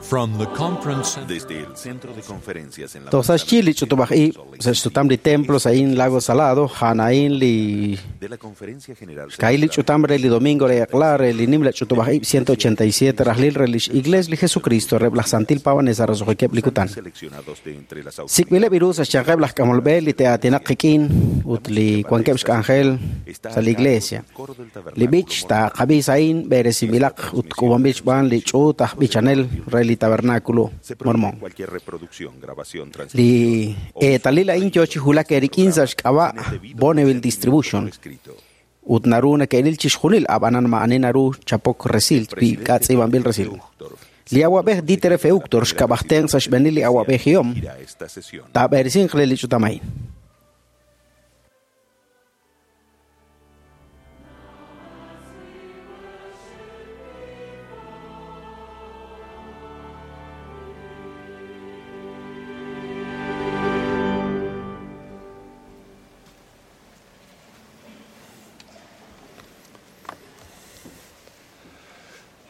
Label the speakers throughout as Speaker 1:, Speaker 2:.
Speaker 1: From the conference center.
Speaker 2: Desde el centro de conferencias en la
Speaker 3: Tosaxchi li ch'utub'aj ib' sa' xsutam li templo sa'in Lago Salado, ja'na'in li
Speaker 2: de la Conferencia General
Speaker 3: xka'il li ch'utam re li domingo re eq'la re li nimla ch'utub'aj ib' 187 rajlil re lix Iglesia li Jesucristo reb' laj Santil Pawanesa roso'jikeb' li kutan.
Speaker 2: seleccionados de entre las
Speaker 3: Sik'b'ileb' iru sa' xyanqeb' laj k'amolb'e li te'aatinaq qik'in ut li wankeb' xk'anjel
Speaker 2: Está
Speaker 3: sa' li Iglesia.
Speaker 2: coro del
Speaker 3: Li b'ich taaqab'i sa'in b'eresinb'ilaq ut k'uub'anb'il xb'aan li ch'uut aj b'ichanel re li Tabernáculo
Speaker 2: Se prohíbe
Speaker 3: Mormón.
Speaker 2: cualquier reproducción, grabación, transmisión
Speaker 3: Li eetalil a'in yo chi wulak erik'in sa' xk'ab'a' Bonneville Distribution
Speaker 2: escrito.
Speaker 3: ut naru neke'ril chixjunil ab'anan ma'ani naru chapok resil wi k'atz'iib'anb'il resil.
Speaker 2: Uchtdorf
Speaker 3: Li awab'ej Dieter F. Uchtdorf xk'ab'ajten sa' xb'eenil li awab'ejihom
Speaker 2: dirigirá esta sesión.
Speaker 3: taab'eresinq re li ch'utam a'in.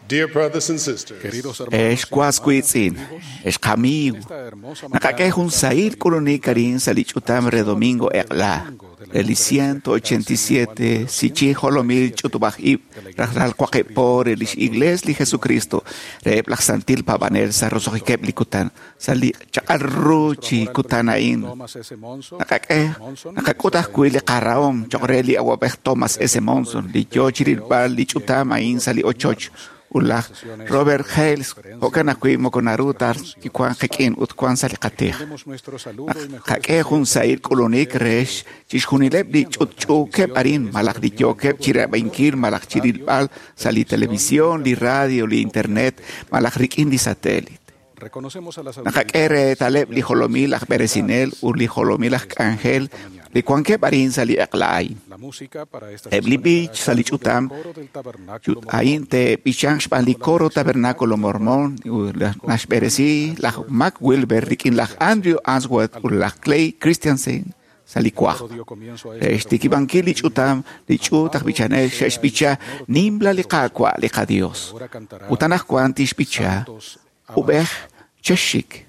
Speaker 4: Dear brothers and sisters,
Speaker 5: Queridos hermanos,
Speaker 6: Ex kuaskuitzin, ex qamiw.
Speaker 5: esta hermosa
Speaker 6: Naqak'ej jun sahil k'ulunik arin sa li ch'utam re domingo eq'la. Re li 187 sichi jolomil ch'utub'aj ib' rajlal waqib' re lix Iglesia li Jesucristo reheb' laj Santil Paab'anel sa roso'jikeb' li kutan sa li chaq'al ru chi kutan a'in.
Speaker 5: Thomas S. Monson,
Speaker 6: Naqak'ej naqak'ut ajwi' li qarahom choq' re li awab'ej Thomas S. Monson li yoo chirilb'al li ch'utam a'in sa li ochoch ut laj Robert Hales jo'kan ajwi' moko naru ta kiwan qik'in ut wan sa li qatij.
Speaker 5: Demos nuestro saludo y mejores
Speaker 6: Qak'e jun sahil k'ulunik re chixjunileb' li ch'utch'uukeb' arin malaj li yookeb' chirab'inkil malaj chirilb'al sa li televisión, li radio, li internet malaj rik'in li satélite.
Speaker 5: Reconocemos a las
Speaker 6: Naqak'e reetaleb' li jolomil aj b'eresinel ut li jolomil aj k'anjel li wankeb' arin sa li eq'la a'in.
Speaker 5: La música para esta
Speaker 6: Eb' li
Speaker 5: sesión
Speaker 6: b'ich
Speaker 5: estará a
Speaker 6: sa li
Speaker 5: cargo del
Speaker 6: ch'utam
Speaker 5: coro del Tabernáculo
Speaker 6: Chut a'in te'b'ichanq xb'aan li coro Tabernáculo Mormón ut naxb'eresi laj Mac Wilber rik'in laj Andrew Answorth ut laj Clay Christiansen sa li
Speaker 5: Mormón.
Speaker 6: kwaj.
Speaker 5: Dio comienzo a esta
Speaker 6: Re xtikib'ankil li ch'utam li ch'uut aj b'ichanel xe'xb'icha nimla li Qaawa' li qaDios.
Speaker 5: Ahora cantará
Speaker 6: Ut anaqwan tixb'icha
Speaker 5: Santos
Speaker 6: ub'ej chexxik.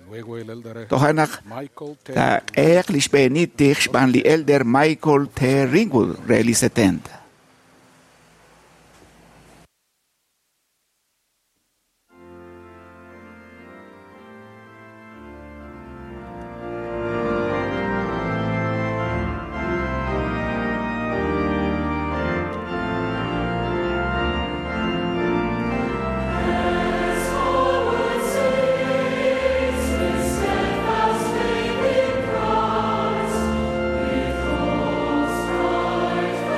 Speaker 5: Luego el elder
Speaker 6: Toja' naq
Speaker 5: Michael T.
Speaker 6: taaq'eeq li xb'eenil tij xb'aan li elder Michael T. Ringwood re li 70.
Speaker 7: Christ,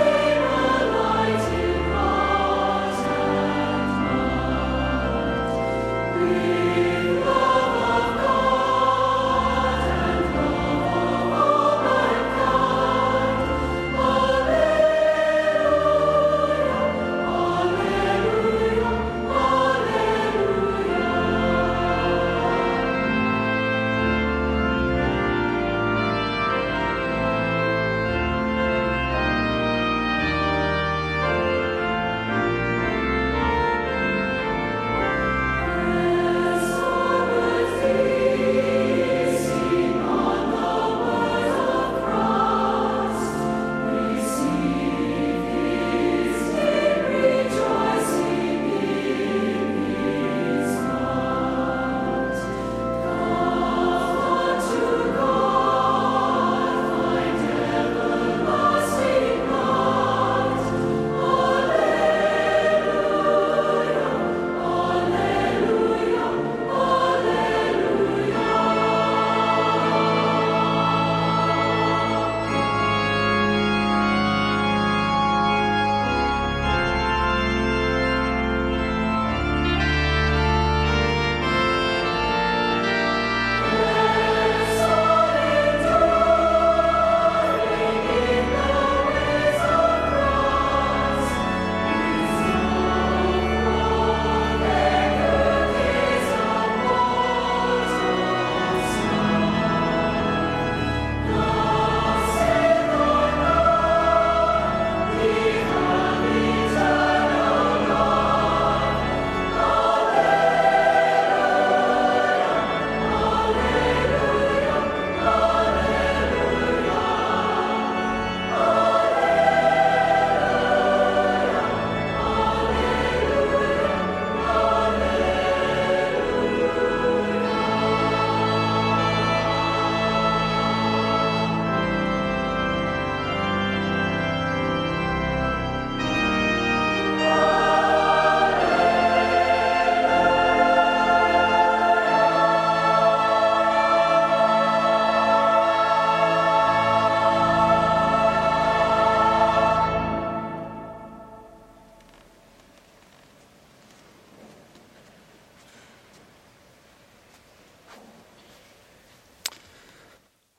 Speaker 7: with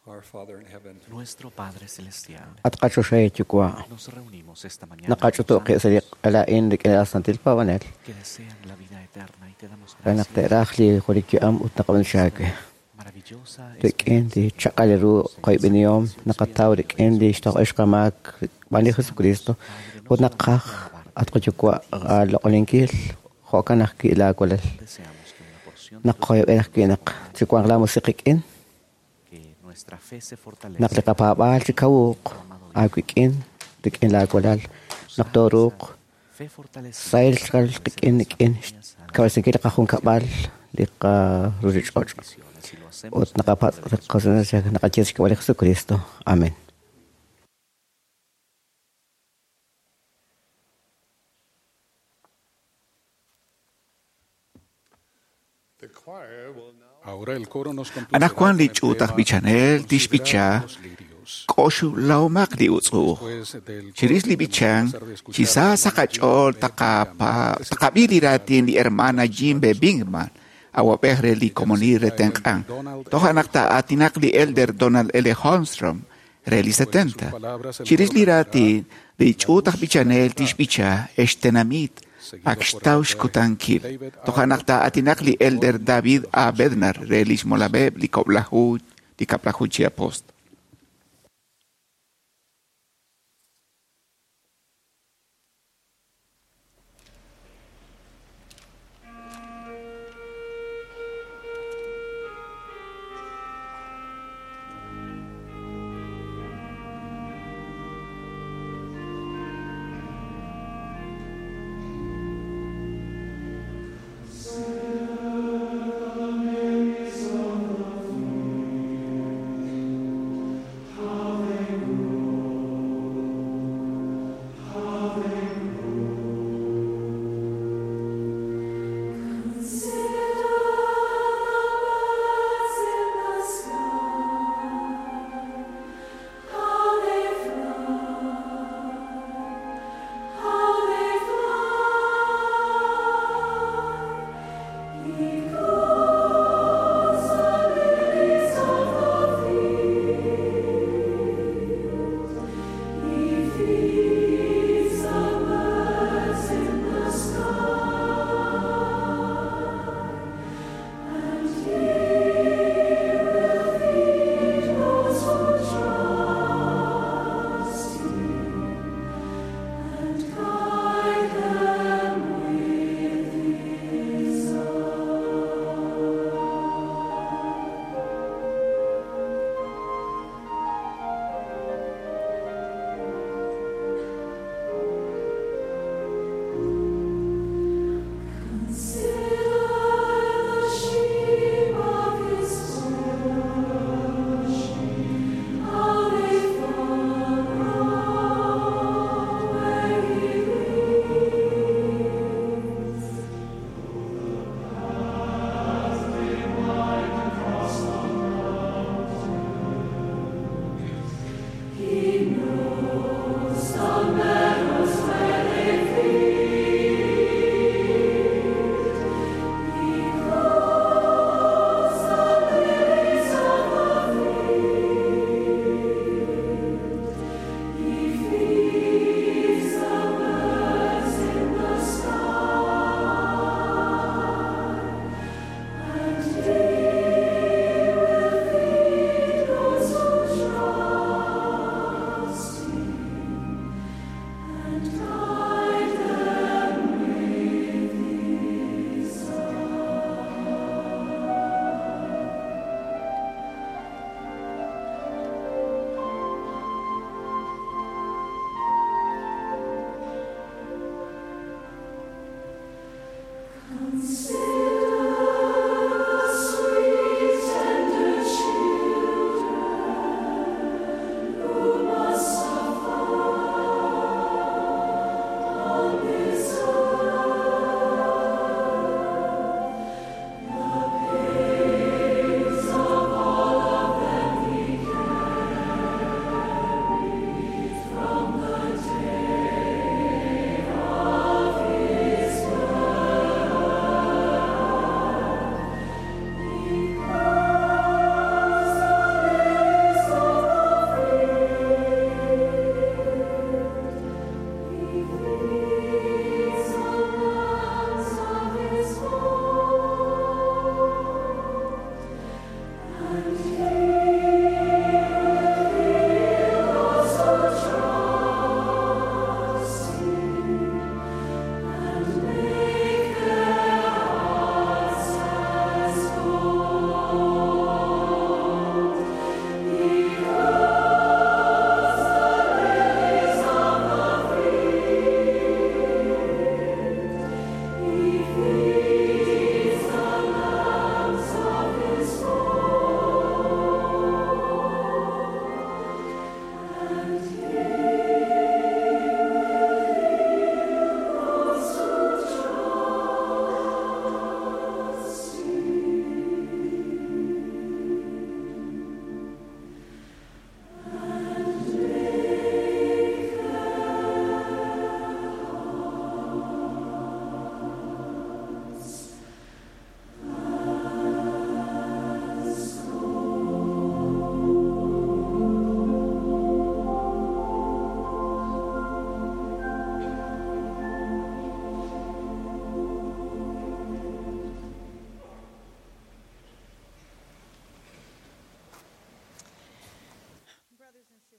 Speaker 1: Our Father in heaven,
Speaker 7: Nuestro Padre Celestial,
Speaker 8: At qachoxahil Yuwa',
Speaker 7: nos reunimos esta mañana
Speaker 8: naqach'utu' qib' sa' li q'ala'in rik'in laj Santil Paab'anel
Speaker 7: que desean la vida eterna y te damos
Speaker 8: re naq
Speaker 7: gracias.
Speaker 8: te'raj li junelik yu'am ut naqab'an xaawe.
Speaker 7: Maravillosa
Speaker 8: Rik'in li chaq'al ru qoyb'enihom naqataw rik'in li xtoq'ex qamaak xb'aan li Jesucristo ut naqaj at qayuwa' aaloq'oninkil jo'kan ajwi' laawalal.
Speaker 7: Deseamos que una porción
Speaker 8: Naq qoyb'en ajwi' naq chiwanq laamusiq qik'in
Speaker 7: que nuestra fe se fortalezca.
Speaker 8: naq li qapaab'aal chikawuq aawik'in rik'in laawalal naq tooruuq
Speaker 7: Fe fortalecida
Speaker 8: sahil xkal qik'in rik'in xkawresinkil li qajunkab'al li qaruchich'och'
Speaker 7: si lo hacemos
Speaker 8: ut naqapatz' naqaye xk'ab'a' li Jesucristo. Amén.
Speaker 4: The choir will now
Speaker 5: Ahora el coro nos complacerá
Speaker 6: Anaqwan li
Speaker 5: con el
Speaker 6: ch'uut aj
Speaker 5: tema
Speaker 6: b'ichanel
Speaker 5: Considerad
Speaker 6: tixb'icha
Speaker 5: los lirios.
Speaker 6: k'oxlawmaq li utz'uuj.
Speaker 5: Después del
Speaker 6: Chirix
Speaker 5: coro
Speaker 6: li
Speaker 5: tenemos
Speaker 6: b'ichan,
Speaker 5: el placer de escuchar
Speaker 6: chisa
Speaker 5: al hermano
Speaker 6: sa qach'ool
Speaker 5: Jim B.
Speaker 6: taqab'i li raatin li hermana Jim B. Bingman, awab'ej re li komonil re tenq'an. Toja' naq taa'aatinaq li elder Donald L. Holmstrom re li 70. Chirix li raatin, li ch'uut aj b'ichanel tixb'icha ex tenamit ak xtaw xkutankil. Toja' naq taa'aatinaq li elder David A. Bednar re li xmolab'eb' li kob'laju li kab'laju chi apostol.
Speaker 9: Sing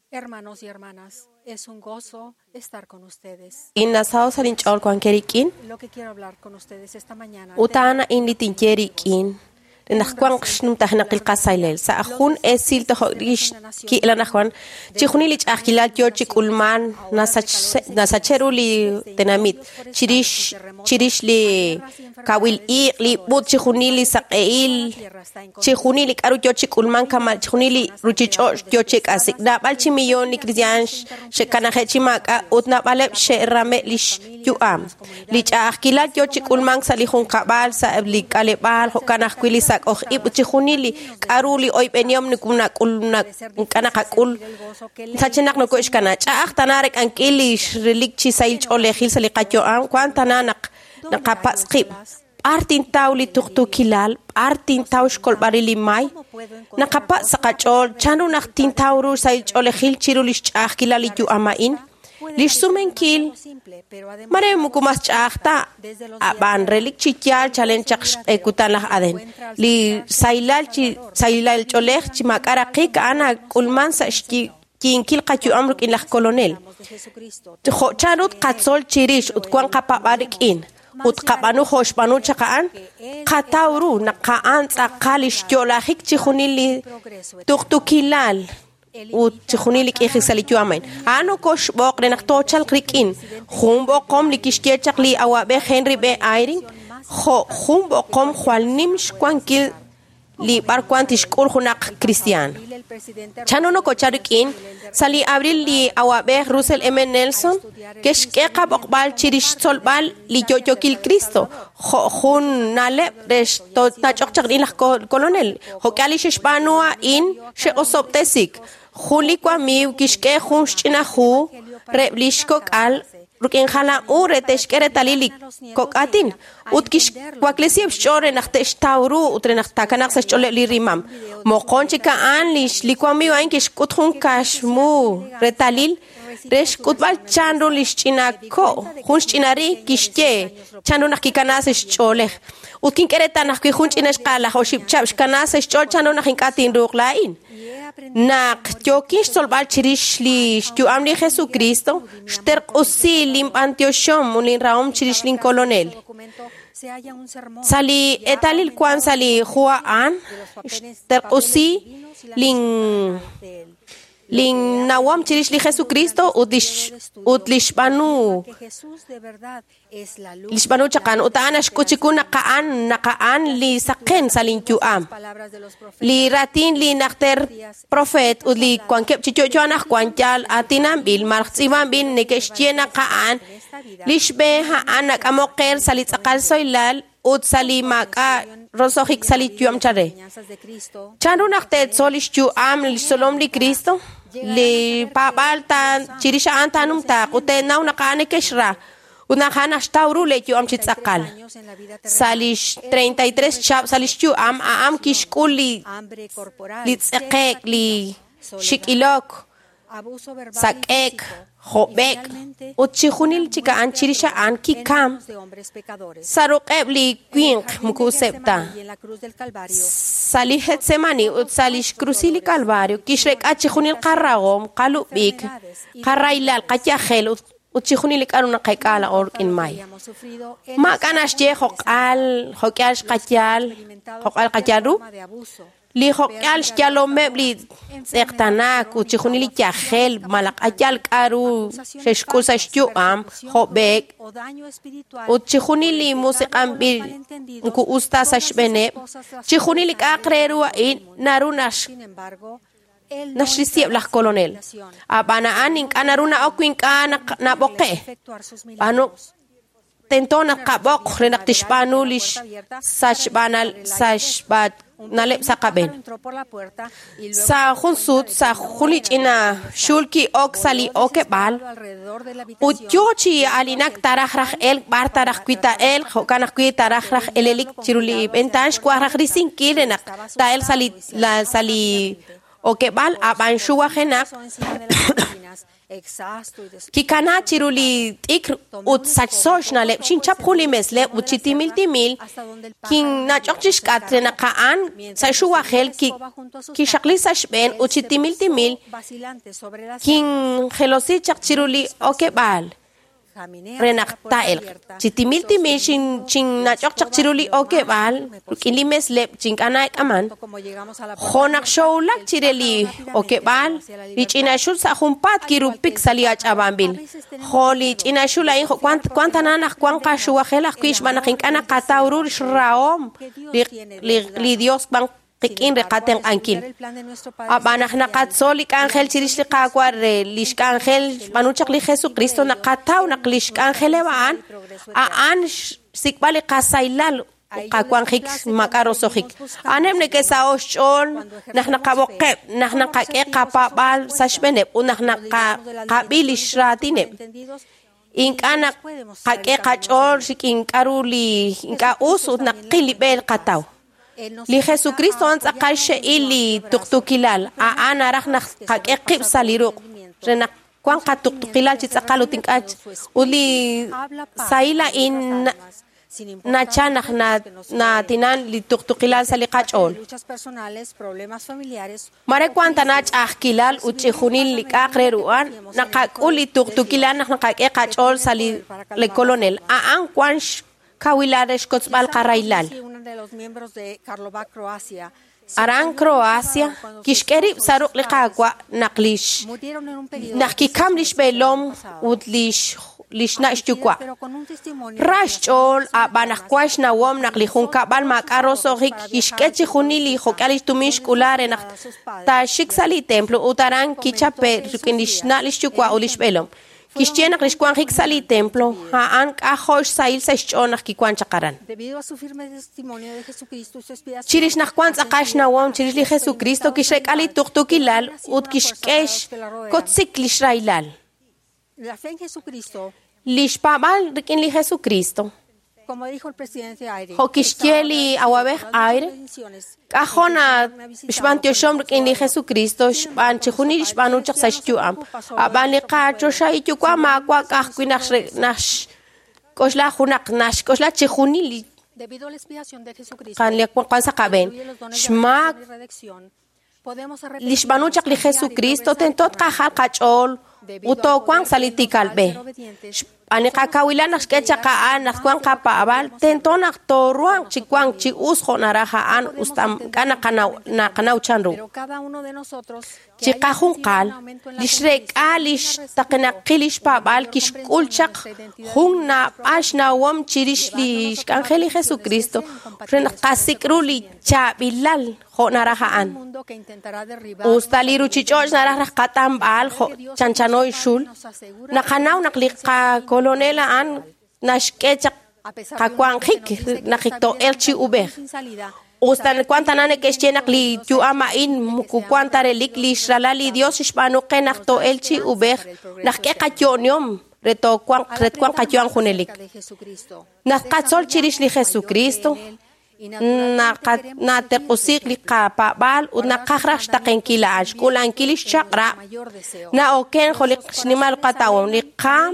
Speaker 1: Hermanos y hermanas, es un gozo estar con ustedes.
Speaker 9: Innasaho sa linch'ool wanke rik'in
Speaker 1: Lo que quiero hablar con ustedes esta mañana.
Speaker 9: ut a'an a'in li tinye rik'in re naq wanq xnumtajnaqil qasaylel sa' jun esil toj lix ki'la anajwan chixjunil li ch'a'ajkilal yoo chi k'ulman nasache ru li tenamit chirix chirix li kawil iq' li b'ut chixjunil li saq'ehil chixjunil li k'a'ru yoo chi k'ulman kama' chixjunil li ruchich'och' yoo chi k'asik naab'al chi millón li cristian xe'kanaje' chi maak'a' ut naab'aleb' xe'rame' lix yu'am li ch'a'ajkilal yoo chi k'ulmank sa' li junqab'al sa' li k'aleb'aal jo'kan ajwi' li sak'oj ib' ut chixjunil li k'a'ru li oyb'enihom ink'a' naqak'ul sachenaq noko'xkana ch'a'aj tana rek'ankil li xrilik chi sahil ch'oolejil sa' li qayu'am wan tana naq naqapatz' qib' b'ar tintaw li tuqtuukilal b'ar tintaw xkolb'al li may naqapatz' sa' qach'ool chanru naq tintaw ru sahil ch'oolejil chiru li xch'a'ajkilal li yu'am a'in lix sumenkil mare moko mas ch'a'aj ta ab'an relik chi yaal chalen chaq xq'ekutan laj Aden li sahilal chi sahilal ch'oolej chi maak'a' raqik a'an nak'ulman sa' xyinkil qayu'am rik'in laj kolonel jo' chanru tqatzol chirix ut wan qapab'al rik'in ut qab'anu jo' xb'aanu chaq a'an qataw ru naq a'an tz'aqal li xyo'lajik chixjunil li tuqtuukilal ut chixjunil li k'ijik sa' li yu'am a'in a'an nokoxb'oq re naq toochalq rik'in jun b'oqom li kixye chaq li awa'b'ej Henry B. Eyring jo' jun b'oqom jwal nim xwankil li b'arwan tixk'ul junaq cristian chanru nokochal rik'in sa' li abril li awa'b'ej Russell M. Nelson ke'xk'e qab'oqb'al chirix xtzolb'al li yo'yookil Cristo jo' jun na'leb' re xto'nach'oq chaq rik'in laj kolonel jo'k'al li xe'xb'aanu a'in xe'osob'tesik jun li wamiiw kixk'e jun xch'ina hu reb' li xkok'al rik'in jalam u re te'xk'e reetalil li kok'atin ut kixwaklesiheb' xch'ool re naq te'xtaw ru ut re naq taakanaq sa' xch'ooleb' li rimam moqon chik a'an li wamiiw a'in kixk'ut jun kaxmu reetalil re xk'utb'al chanru li xch'ina ko' jun xch'ina ri kixye chanru naq kikana sa' xch'oolej ut kink'e reetal naq wi jun ch'ina xqal laj oxib' chab' xkana sa' xch'ool chanru naq ink'a' tinruuq laa'in naq yookin xtzolb'al chirix li xyu'am li Jesucristo xterq'usi linb'antioxom ut linrahom chirix linkolonel sa' li eetalil wan sa' li hu a'an xterq'usi lin linnawom chirix li Jesucristo ut li xb'aanu chaq a'an ut a'an naxk'ut chiku naq a'an li saqen sa' linyu'am li raatin li najter profeet ut li wankeb' chi yo'yo anaqwan yaal aatinanb'il malaj tz'iib'anb'il neke'xye naq a'an li xb'e a'an nak'amok qe sa' li tz'aqal soylal ut sa' li maak'a' roso'jik sa' li yu'am chare chanru naq teetzol li xyu'am li xtzolom li Cristo li paab'aal chirix a'an taanumtaaq ut teenaw naq a'an neke'xra ut naq a'an naxtaw ru le yu'am chi tz'aqal sa' li 33 chihab' sa' li xyu'am a'an kixk'ul li tz'eqe'k li xik'ilok sak'e'k job'ek ut chixjunil chik a'an chirix a'an kikam sa' ruq'eb' li winq moko useb' ta sa' li Getsemani ut sa' li xkrusil li Calvario kixrek'a chixjunil qarahom qalub'ik qarahilal qayajel ut chixjunil li k'a'ru naqek'a laa'o rik'in may maak'a' naxye jo'q'al jo'k'al xqayal jo'q'al qayal ru li jo'k'al xyalomeb' li tz'eqtanaak ut chixjunil li yajel malaj ayal k'a'ru xe'xk'ul sa' xyu'am job'ek ut chixjunil li musiq'anb'il moko us ta sa' xb'eeneb' chixjunil li k'a'aq re ru a'in naru naxrisiheb' laj kolonel ab'an a'an ink'a' naru na'ok wi ink'a' nab'oqe' b'aanu tento naq qab'oq re naq tixb'aanu li sachb'analeb' sa' qab'een sa' jun sut sa' jun li ch'ina xul ki'ok sa' li okeb'aal ut yoo chi aalinak taraj raj elk b'ar taraj wi taa'elq jo'kan ajwi' taraj raj elelik chiru li ventaan xwaj raj risinkil re naq taa'elq sa' li okeb'aal ab'an xuwajenaq Kikana chiru li t'ikr ut sachso xna'leb' xinchap jun li mesleb' ut chi timil timil kinnach'ok chi xk'at re naq a'an sa' xuwajel kixaqli sa' xb'een ut chi timil timil kinjelosi chaq chiru li okeb'aal re naq taa'elq. Chi timil timil xinnach'ok chaq chiru li okeb'aal rik'in li mesleb' chink'a' na'ek'aman. Jo' naq xowulak chire li okeb'aal, li ch'ina xul sa' junpaat kirupik sa' li ach'ab'anb'il. Jo' li ch'ina xul a'in wan tana naq wan qaxuwajel ajwi' xb'aan naq ink'a' naqataw ru xrahom li Dios wan qik'in re qatenq'ankil. Ab'an naq naqatzol li k'anjel chirix li Qaawa' re li xk'anjel xb'aanu chaq li Jesucristo naqataw naq li xk'anjeleb' a'an a'an xsik'b'al li qasaylal qawanjik maak'a' roso'jik. A'aneb' neke'saho' xch'ool naq naqab'oqeb', naq naqak'e qapaab'aal sa' xb'eeneb' ut naq naqab'i li xraatineb'. Ink'a' naqak'e qach'ool rik'in k'a'ru li ink'a' us ut naqil li b'e qataw. Li Jesucristo a'an tz'aqal xe'il li tuqtuqilal. A'an naraj naq qak'e qib' sa' li ruq' re naq wan qatuqtuqilal chi tz'aqal ut ink'a' ut li sahil a'in nachal naq naatinan li tuqtuqilal sa' li qach'ool. Mare wan tana ch'a'ajkilal ut chixjunil li k'a'aq re ru a'an naqak'ul li tuqtuqilal naq naqak'e qach'ool sa' li Kolonel. A'an wan xkawilal re xkotzb'al qarahilal. Aran Croacia kixk'e rib' sa' ruq' li Qaawa' naq kikam li xb'eelom ut li xna' xyuwa'. Ra xch'ool ab'an naq wan xnawom naq li junkab'al maak'a' roso'jik kixk'e chixjunil li jok'al li xtumin xk'ula re naq taaxik sa' li templo ut aran kichape' rik'in li xna' li xyuwa' ut li xb'eelom. Kixye naq li xwanjik sa' li templo a'an k'ajo' xsahil sa' xch'ool naq kiwan chaq aran. Chirix naq wan tz'aqal xnawom chirix li Jesucristo kixrek'a li tuqtuqilal ut kixk'e xkotzik li xrahilal. Li xpaab'al rik'in li Jesucristo jo' kixye li awab'ej Aire, k'ajo' xb'antioxom rik'in li Jesucristo xb'aan chixjunil xb'aanu chaq sa' xyu'am. Ab'an li qachoxahil yuwa' maawa' ka'ajwi' naq xk'oxla junaq naxk'oxla chixjunil li wan sa' qab'een. Xmaak li xb'aanu chaq li Jesucristo tento tqajal qach'ool ut toowanq sa' li tiikal b'e. Xb'aan li qakawilal naq xk'e chaq a'an naq wan qapaab'al tento naq tooruhanq chi wank chi us jo' naraj a'an us ta ink'a' naqanaw chan ru. Chiqajunqal li xrek'a li xtaqenaqil li xpaab'al kixk'ul chaq jun naab'al xnawom chirix li xk'anjel li Jesucristo re naq qasik' ru li chaab'ilal jo' naraj a'an. Us ta li ruchich'och' naraj raj qat'anb'al jo' chanchano xul, naqanaw naq li qakolonel a'an naxk'e chaq qawanjik naq to'elq chi ub'ej. Us ta wan tana neke'xye naq li yu'am a'in moko wan ta relik li xralal li Dios xb'aanu qe naq to'elq chi ub'ej naq k'e qayo'nihom re twanq qayu'am junelik. Naq qatzol chirix li Jesucristo, nateq'usiq li qapaab'al ut naqaj raj xtaqenkil a'an xk'ulankil li xchaq'rab' na'oken jo' li xnimal qatawom li qaam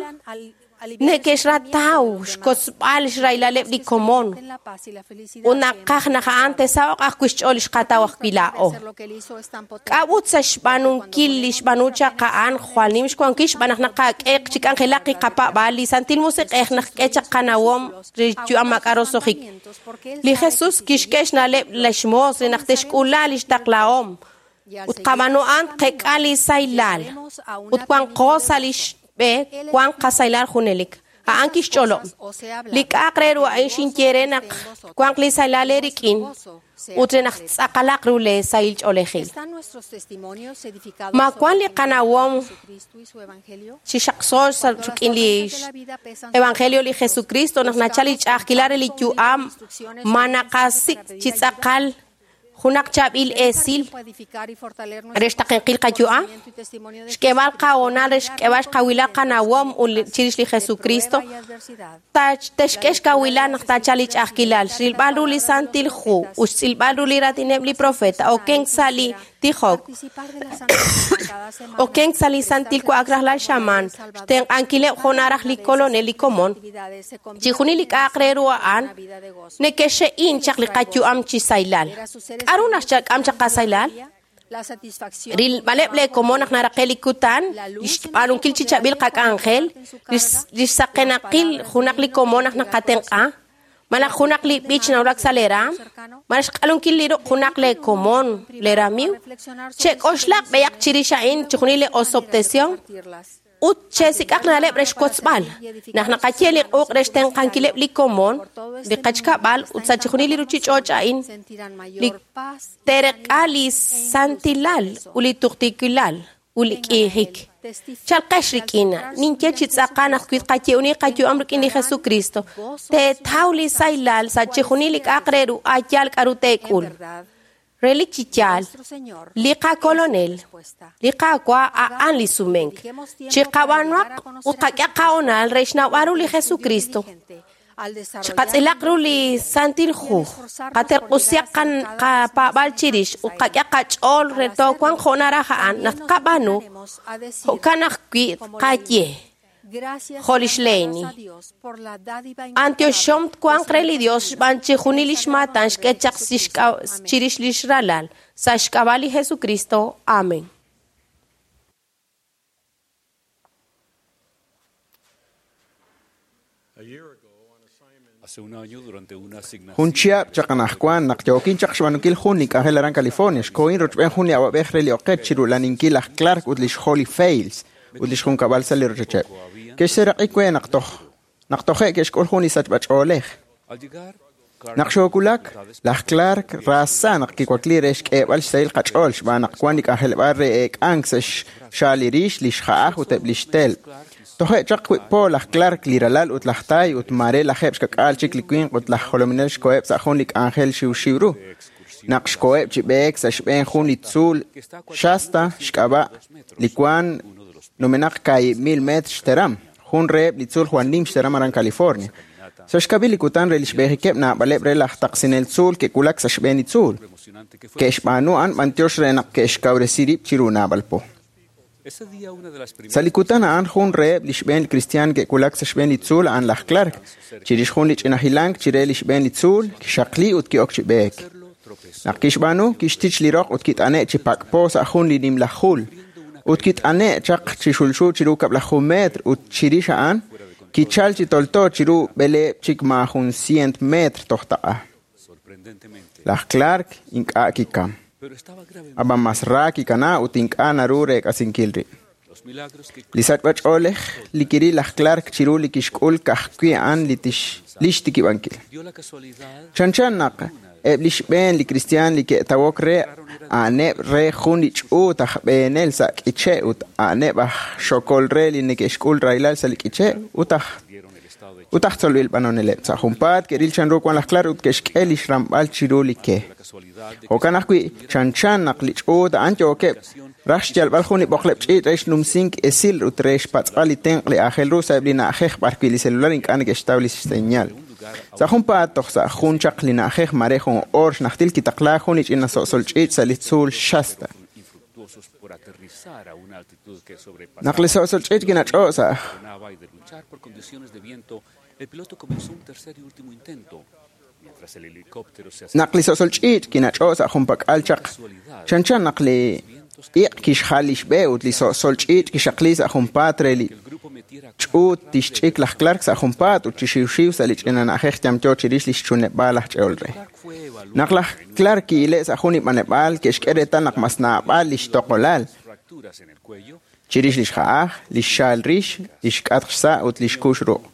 Speaker 9: neke'xrataw xkotzb'al xrahilaleb' li komon ut naqaj naq a'an te'saho'q ajwi' xch'ool li xqataw ajwi' laa'o. K'a'ut sa' xb'aanunkil li xb'aanu chaq a'an jwal nim xwankil xb'aan naq naqak'e chi k'anjelaq li qapaab'al li Santil Musiq'ej naq k'e chaq qanawom re yu'am maak'a' roso'jik. Li Jesus kixk'e xna'leb' li xmoos re naq te'xk'ula li xtaqlahom ut qab'aanu a'an qek'a li saylal ut wanqo sa' li b'e wan qasaylal junelik. A'an kixch'olob'. Li k'a'aq re ru a'in xinye re naq wanq li saylal eerik'in ut re naq tz'aqalaq ru le sahil ch'oolejil. Ma wan li qanawom chi xaqxo sa' rik'in li Evangelio li Jesucristo naq nachal li ch'a'ajkilal re li yu'am ma naqasik' chi tz'aqal junaq chaab'il esil re xtaqenqil qayu'am, xk'eb'al qahonal re xk'eb'al xkawilal qanawom chirix li Jesucristo, texk'e xkawilal naq taachal li ch'a'ajkilal, xrilb'al ru li Santil Hu ut xtz'ilb'al ru li raatineb' li profeta, okenk sa' li Tijok. Okenk sa li santil wa'ak rajlal xamaan, xtenq'ankileb' jo' naraj li kolonel li komon. Chixjunil li k'a'aq re ru a'an neke'xe'in chaq li qayu'am chi saylal. K'aru naxchak'am chaq qasaylal? Rilb'aleb' le komon naq naraqe li kutan, xb'aanunkil chi chab'il qak'anjel, li xsaqenaqil junaq li komon naq naqatenq'a, malaj junaq li b'ich nawulak sa' le raam, malaj xq'alunkil li ruq' junaq le komon le ramiiw, chek'oxlaq b'eyaq chirix a'in chixjunil li osob'tesihom ut chesik'aq na'leb' re xkotzb'al. Naq naqaye li q'uq' re xtenq'ankileb' li komon, li qachkab'al ut sa' chixjunil li ruchich'och' a'in, li tereq'a li santilal ut li tuqtiikilal ut li k'iijik. Chalqex rik'in, ninye chi tz'aqal naq wi tqaye'uni qayu'am rik'in li Jesucristo, teetaw li saylal sa' chixjunil li k'a'aq re ru a'yaal k'aru teek'ul. Relik chi yaal, li qakolonel, li Qaawa' a'an li sumenk. Chiqab'anuaq ut qak'e qahonal re xnawb'al ru li Jesucristo. Chiqatz'ilaq ru li Santil Hu, qaterq'usihaq qapaab'al chirix ut qak'e qach'ool re toowanq jo' naraj a'an naq tqab'aanu, jo'kan ajwi' tqaye. Jo' lix Leeni. Antioxom twanq re li Dios xb'aan chixjunil li xmaatan xk'e chaq chirix lix ralal sa' xk'ab'a' li Jesucristo. Amén.
Speaker 10: Jun chihab' chaq anajwan naq yookin chaq xb'aanunkil jun li k'anjel aran California, xkohin rochb'een jun li awab'ej re li oqech chirulaninkil laj Clark ut lix Holly Fales ut lix junkab'al sa' li rochocheb'. Ke'xseeraq'i we naq toje' ke'xk'ul jun li sachb'ach'oolej. Naq xoowulak, laj Clark raasa naq kiwakli re xk'eeb'al xsahil qach'ool xb'aan naq wan li k'anjeleb'aal re eek'ank sa' xxaal li rix, li xja'aj ut eb' li xtelb'. Toje' chaq wib' po laj Clark li ralal ut laj Tay ut maare lajeb' xkak'aal chik li winq ut laj jolominel xkoheb' sa' jun li k'anjel xiwxiw ru. Naq xkoheb' chi b'eek sa' xb'een jun li tzuul Shasta xk'ab'a' li wan numenaq 2,000 metr xteram, jun reheb' li tzuul jwal nim xteram aran California. Sa' xkab'il li kutan re li xb'eejikeb' naab'aleb' re laj taqsinel tzuul ke'wulak sa' xb'een li tzuul. Ke'xb'aanu a'an b'antiox re naq ke'xkawresi rib' chiru naab'al po. Sa' li kutan a'an jun reheb' li xb'een li kristiaan ke'wulak sa' xb'een li tzuul a'an laj Clark. Chirix jun li ch'ina hilank chire li xb'een li tzuul, kixaqli ut ki'ok chi b'eek. Naq kixb'aanu, kixtich li roq ut kit'ane' chi pak'po sa' jun li nimla jul. Ut kit'ane' chaq chi xulxu chiru 12 metr ut chirix a'an, kichal chi tolto chiru b'eleeb' chik maajun 100 metr toj taq'a. Laj Clark ink'a' kikam. Ab'an mas ra kikana ut ink'a' naru reek'asinkil rib'. Li sachb'ach'oolej li kiril laj Clark chiru li kixk'ul ka'ajwi' a'an li xtikib'ankil. Chanchan naq eb' li xb'een li kristiaan li ke'tawok re a'aneb' re jun li ch'uut aj b'eenel sa' k'iche' ut a'aneb' aj xokol re li neke'xk'ul rahilal sa' li k'iche' ut aj tzolb'il b'anoneleb'. Sa' junpaat ke'ril chanru wan laj Clark ut ke'xk'e li xramb'al chiru li ke. Jo'kan ajwi' chanchan naq li ch'uut a'an yookeb' raj xyalb'al jun li b'oqleb' ch'iich' re xnumsink esil ut re xpatz'b'al li tenq' li aajel ru sa'eb' li na'ajej b'arwi' li celular ink'a' neke'xtaw li xseñal. Sa' junpaat toj sa' jun chaq li na'ajej mare jun oor xnajtil kitaqlaak jun li ch'ina so'sol ch'iich' sa' li tzuul Shasta. Naq li so'sol ch'iich' kinach'o' sa' Naq li so'sol ch'iich' kinach'o' sa' junpak'al chaq, chanchan naq li iq' kixjal li xb'e ut li so'sol ch'iich' kixaqli sa' junpaat re li ch'uut tixch'ik laj Clark sa' junpaat ut chi xiwxiw sa' li ch'ina na'ajej yamyo chirix li xchunleb'aal laj ch'e'ol re. Naq laj Clark ki'ile' sa' jun li b'aneb'aal ke'xk'e reetal naq mas naab'al li xtoqolal chirix li xja'aj, li xxaal rix, li xk'atq xsa' ut li xkux ruq',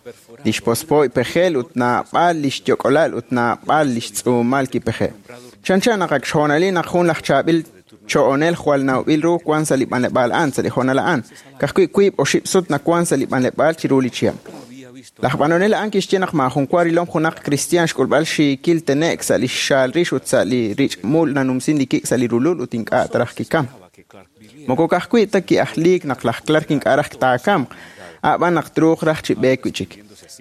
Speaker 10: li xpospo'y pejel ut naab'al li xyok'olal ut naab'al li xtz'uumal kipeje'. Chanchan naq ak xhoonalil naq jun laj chaab'il cho'onel jwal nawb'il ru wan sa' li b'anleb'aal a'an sa' li hoonal a'an, ka'ajwi' wiib' oxib' sut nawan sa' li b'anleb'aal chiru li chihab'. Laj b'anonel a'an kixye naq maajun wa rilom junaq kristiaan xk'ulb'al xiikil tene'k sa' li xxaal rix ut sa' li rich'mul nanumsin li kik' sa' li rulul ut ink'a' taraj kikam. Moko ka'ajwi' ta ki'ajliik naq laj Clark ink'a' raj taakamq, a'b'an naq truuq raj chi b'eek wi' chik.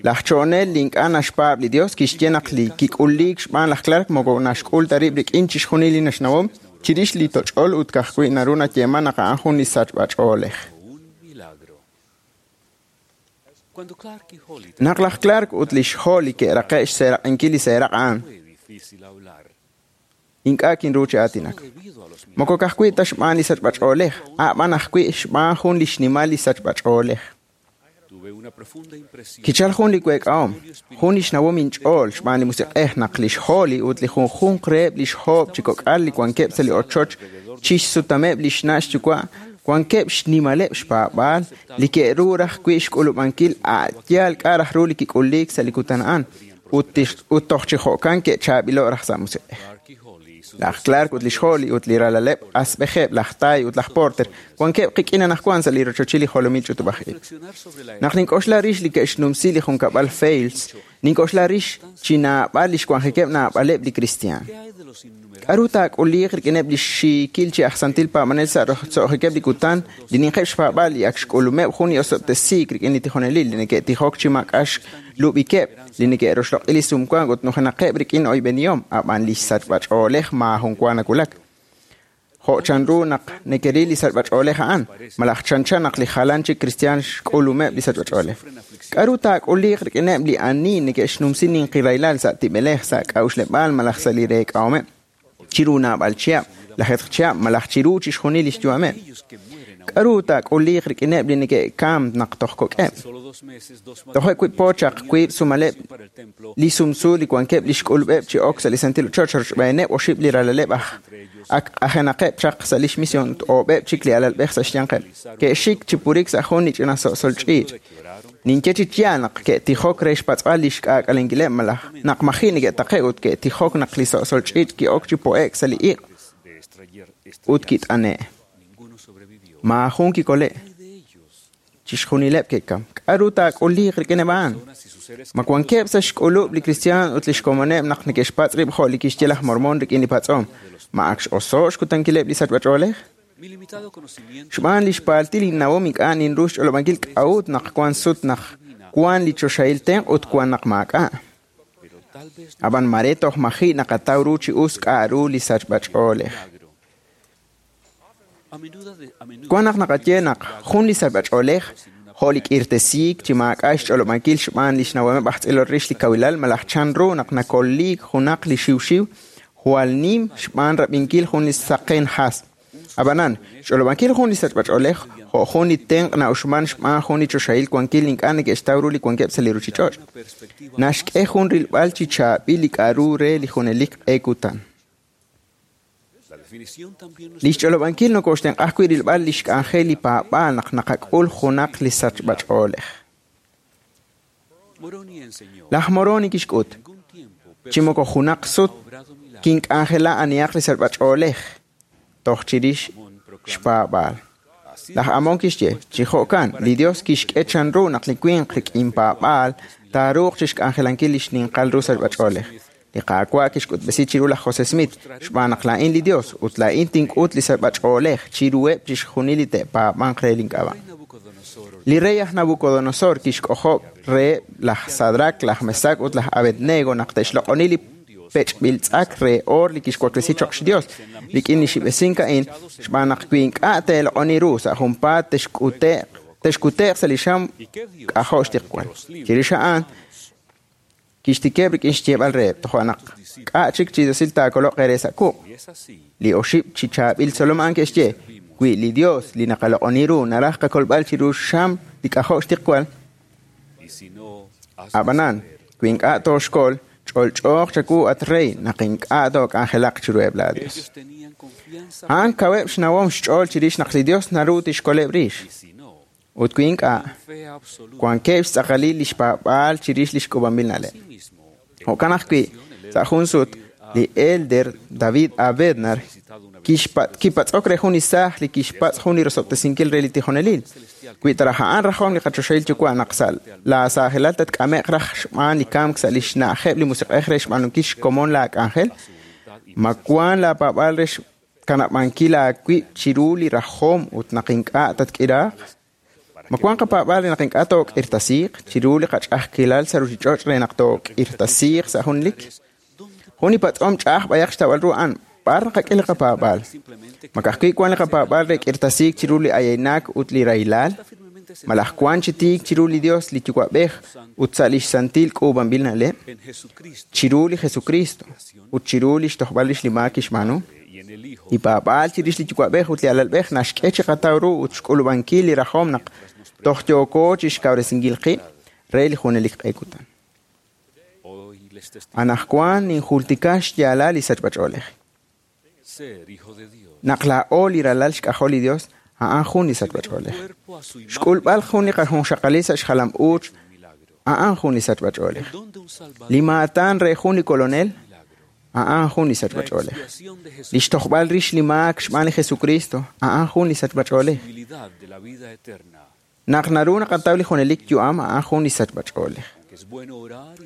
Speaker 10: Laj cho'onel li ink'a' naxpaab' li Dios kixye naq li kik'uliik xb'aan laj Clark moko naxk'ul ta rib' rik'in chixjunil li naxnawom Chirix li toch'ol ut ka'ajwi' naru nayeeman naq a'an jun li sachb'ach'oolej. Naq laj Clark ut lix Holly ke'raqe' xseeraq'inkil li seeraq' a'an, ink'a' kinru chi aatinak. Moko ka'ajwi' ta xb'aan li sachb'ach'oolej, a'b'an ajwi' xb'aan jun li xnimal li sachb'ach'oolej. Kichal jun li week'ahom, jun li xnawom inch'ool xb'aan li musiq'ej naq lix Holly ut li junjunq reheb' lix hoob' chi kok'al li wankeb' sa' li ochoch chixsutameb' lix na' xyuwa' wankeb' xnimaleb' xpaab'aal li ke'ru raj wi' xk'ulub'ankil a' yaal k'a' raj ru li kik'uliik sa' li kutan a'an ut toj chi jo'kan ke'chaab'ilo' raj sa' musiq'ej. Laj Clark ut lix Holly ut li ralaleb' asb'ejeb' laj Ty ut laj Porter wankeb' qik'in anaqwan sa' li rochochil li jolomil ch'utub'aj-ib'. Naq nink'oxla rix li ke'xnumsi li junkab'al Fales, nink'oxla rix chi naab'al li xwanjikeb' naab'aleb' li kristiaan. K'aru taak'uliiq rik'ineb' li xiikil chi aj santil paab'anel sa' roso'jikeb' li kutan li ninqeb' xpaab'aal li ak xk'ulumeb' jun li osob'tesiik rik'in li tijonelil li neke'tijok chi maak'a' xlub'ikeb' li neke'roxloq'i li sumwank ut nujenaqeb' rik'in oyb'enihom, ab'an li xsachb'ach'oolej maajun wa nawulak. Jo' chanru naq nekeril li sachb'ach'oolej a'an, malaj chanchan naq li jalan chik kristiaan xk'ulumeb' li sachb'ach'oolej. K'aru taak'uliiq rik'ineb' li ani neke'xnumsi ninqi rahilal sa' tib'elej, sa' k'a'uxleb'aal malaj sa' li reek'ahomeb' chiru naab'al chihab', lajeetq chihab' malaj chiru chixjunil li xyu'ameb'. K'aru taak'uliiq rik'ineb' li neke'kamk naq toj kok'eb'? Toje' wib' po chaq wiib' sumaleb' li sumsu li wankeb' li xk'ulub'eb' chi ok sa' li santil ochoch rochb'eeneb' oxib' li ralaleb' aj ak q'ajenaqeb' chaq sa' lix mision ut oob'eb' chik li alalb'ej sa' xyanqeb'. Ke'xik chi purik sa' jun li ch'ina so'sol ch'iich'. Ninye chi yaal naq ke'tijok re xpatz'b'al li xk'aak'alenkileb' malaj naq maji' neke'taqe' ut ke'tijok naq li so'sol ch'iich' ki'ok chi po'ek sa' li iq' ut kit'ane'. Maajun kikole'. Chixjunileb' ke'kam. K'aru taak'uliiq rik'ineb' a'an? Ma wankeb' sa' xk'ulub' li kristiaan ut lix komoneb' naq neke'xpatz' rib' jo' li kixye laj Mormon rik'in li patz'om. Ma ak x'oso' xkutankileb' li sachb'ach'oolej? Xb'aan li xpaaltil innawom ink'a' ninru xch'olob'ankil k'a'ut naq wan sut naq wan li choxahil tenq' ut wan naq maak'a'. Ab'an mare toj maji' naqataw ru chi us k'a' ru li sachb'ach'oolej. Wan naq naqaye naq jun li sachb'ach'oolej jo' li k'irtesiik chi maak'a' xch'olob'ankil xb'aan li xnawomeb' aj tz'ilol rix li kawilal malaj chanru naq nakoliik junaq li xiwxiw jwal nim xb'aan rab'inkil jun li saqen hasb'. Ab'anan, xch'olob'ankil jun li sachb'ach'oolej jo' jun li tenq' na'uxman xb'aan jun li choxahil wankil ink'a' neke'xtaw ru li wankeb' sa' li ruuchich'och'. Naxk'e jun rilb'al chi chaab'il li k'a'ru re li junelik q'e kutan. Li xch'olob'ankil nokoxtenq'a ajwi' rilb'al li xk'anjel li paab'aal naq naqak'ul junaq li sachb'ach'oolej. Laj Moroni kixk'ut, chi moko junaq sut kink'anjela anihaq li sachb'ach'oolej toj chirix xpaab'aal. Laj Amon kixye, chi jo'kan, li Dios kixk'e chanru naq li winq rik'in paab'aal taaruuq chixk'anjelankil li xninqal ru sachb'ach'oolej. Li Qaawa' kixk'utb'esi chiru laj José Smith, xb'aan naq laa'in li Dios ut laa'in tink'ut li sachb'ach'oolej chiruheb' chixjunil li te'paab'anq re link'ab'a'. Li rey aj Nabucodonosor kixk'ojob' reheb' laj Sadrac, laj Mesac ut laj Abednego naq te'xloq'oni li pech'b'il tz'ak re oor li kixwaklesi choq' xDios rik'in li xib'esink a'in xb'aan naq wi ink'a' teeloq'oni ru sa' junpaat texkute'q sa' li xam k'ajo' xtiqwal. Chirix a'an kixtikeb' rik'in xyeeb'al reheb' toja' naq k'a' chik chi diosil taakoloq eere sa' quq'. Li oxib' chi chaab'il tzolom a'an ke'xye, wi li Dios li naqaloq'oni ru naraj qakolb'al chiru xam li k'ajo' xtiqwal. Ab'anan, wi ink'a' tooxkol, ch'olch'ooq chawu at rey naq ink'a' took'anjelaq chiruheb' laa Dios. A'an kaweb' xnawom xch'ool chirix naq li Dios naru tixkoleb' rix. Ut wi ink'a', wankeb' xtz'aqalil li xpaab'aal chirix li xk'ub'anb'il na'leb'. Jo'kan ajwi', sa' jun sut, li elder David A. Bednar kipatz'ok re jun li saaj li kixpatz' jun li rosob'tesinkil re li tijonelil. Wi taraj a'an rajom li qachoxahil yuwa' naq sa' laa saajelal tatk'ame'q raj xb'aan li kamk sa' li xna'ajeb' li musiq'ej re xb'aanunkil xkomon laa k'anjel, ma wan laa paab'aal re xkanab'ankil aawib' chiru li rajom ut naq ink'a' tatk'iraaq? Ma wan qapaab'aal re naq ink'a' took'irtasiiq chiru li qach'a'ajkilal sa' ruuchich'och' re naq took'irtasiiq sa' junlik? Jun li patz'om ch'a'aj b'ayaq xtawb'al ru a'an, B'ar naqak'e li qapaab'aal? Ma ka'ajwi' wan li qapaab'aal re k'irtasiik chiru li ayaynak ut li rahilal? Malaj wan chi tiik chiru li Dios li Yuwa'b'ej ut sa' lix santil k'uub'anb'il na'leb'? Chiru li Jesucristo ut chiru lix tojb'al rix li maak kixb'aanu? Li paab'aal chirix li Yuwa'b'ej ut li Alalb'ej naxk'e chiqataw ru ut xk'ulub'ankil li rajom naq toj yooko chixkawresinkil qib' re li junelik q'e kutan. Anaqwan ninjultika xyaalal li sachb'ach'oolej. Naq laa'o li ralal xk'ajol li Dios, a'an jun li sachb'ach'oolej. Xk'ulb'al jun li qajunxaqalil sa' xjalam-uuch, a'an jun li sachb'ach'oolej. Li maatan re jun li kolonel, a'an jun li sachb'ach'oolej. Li xtojb'al rix li maak xb'aan li Jesucristo, a'an jun li sachb'ach'oolej. Naq naru naqataw li junelik yu'am, a'an jun li sachb'ach'oolej.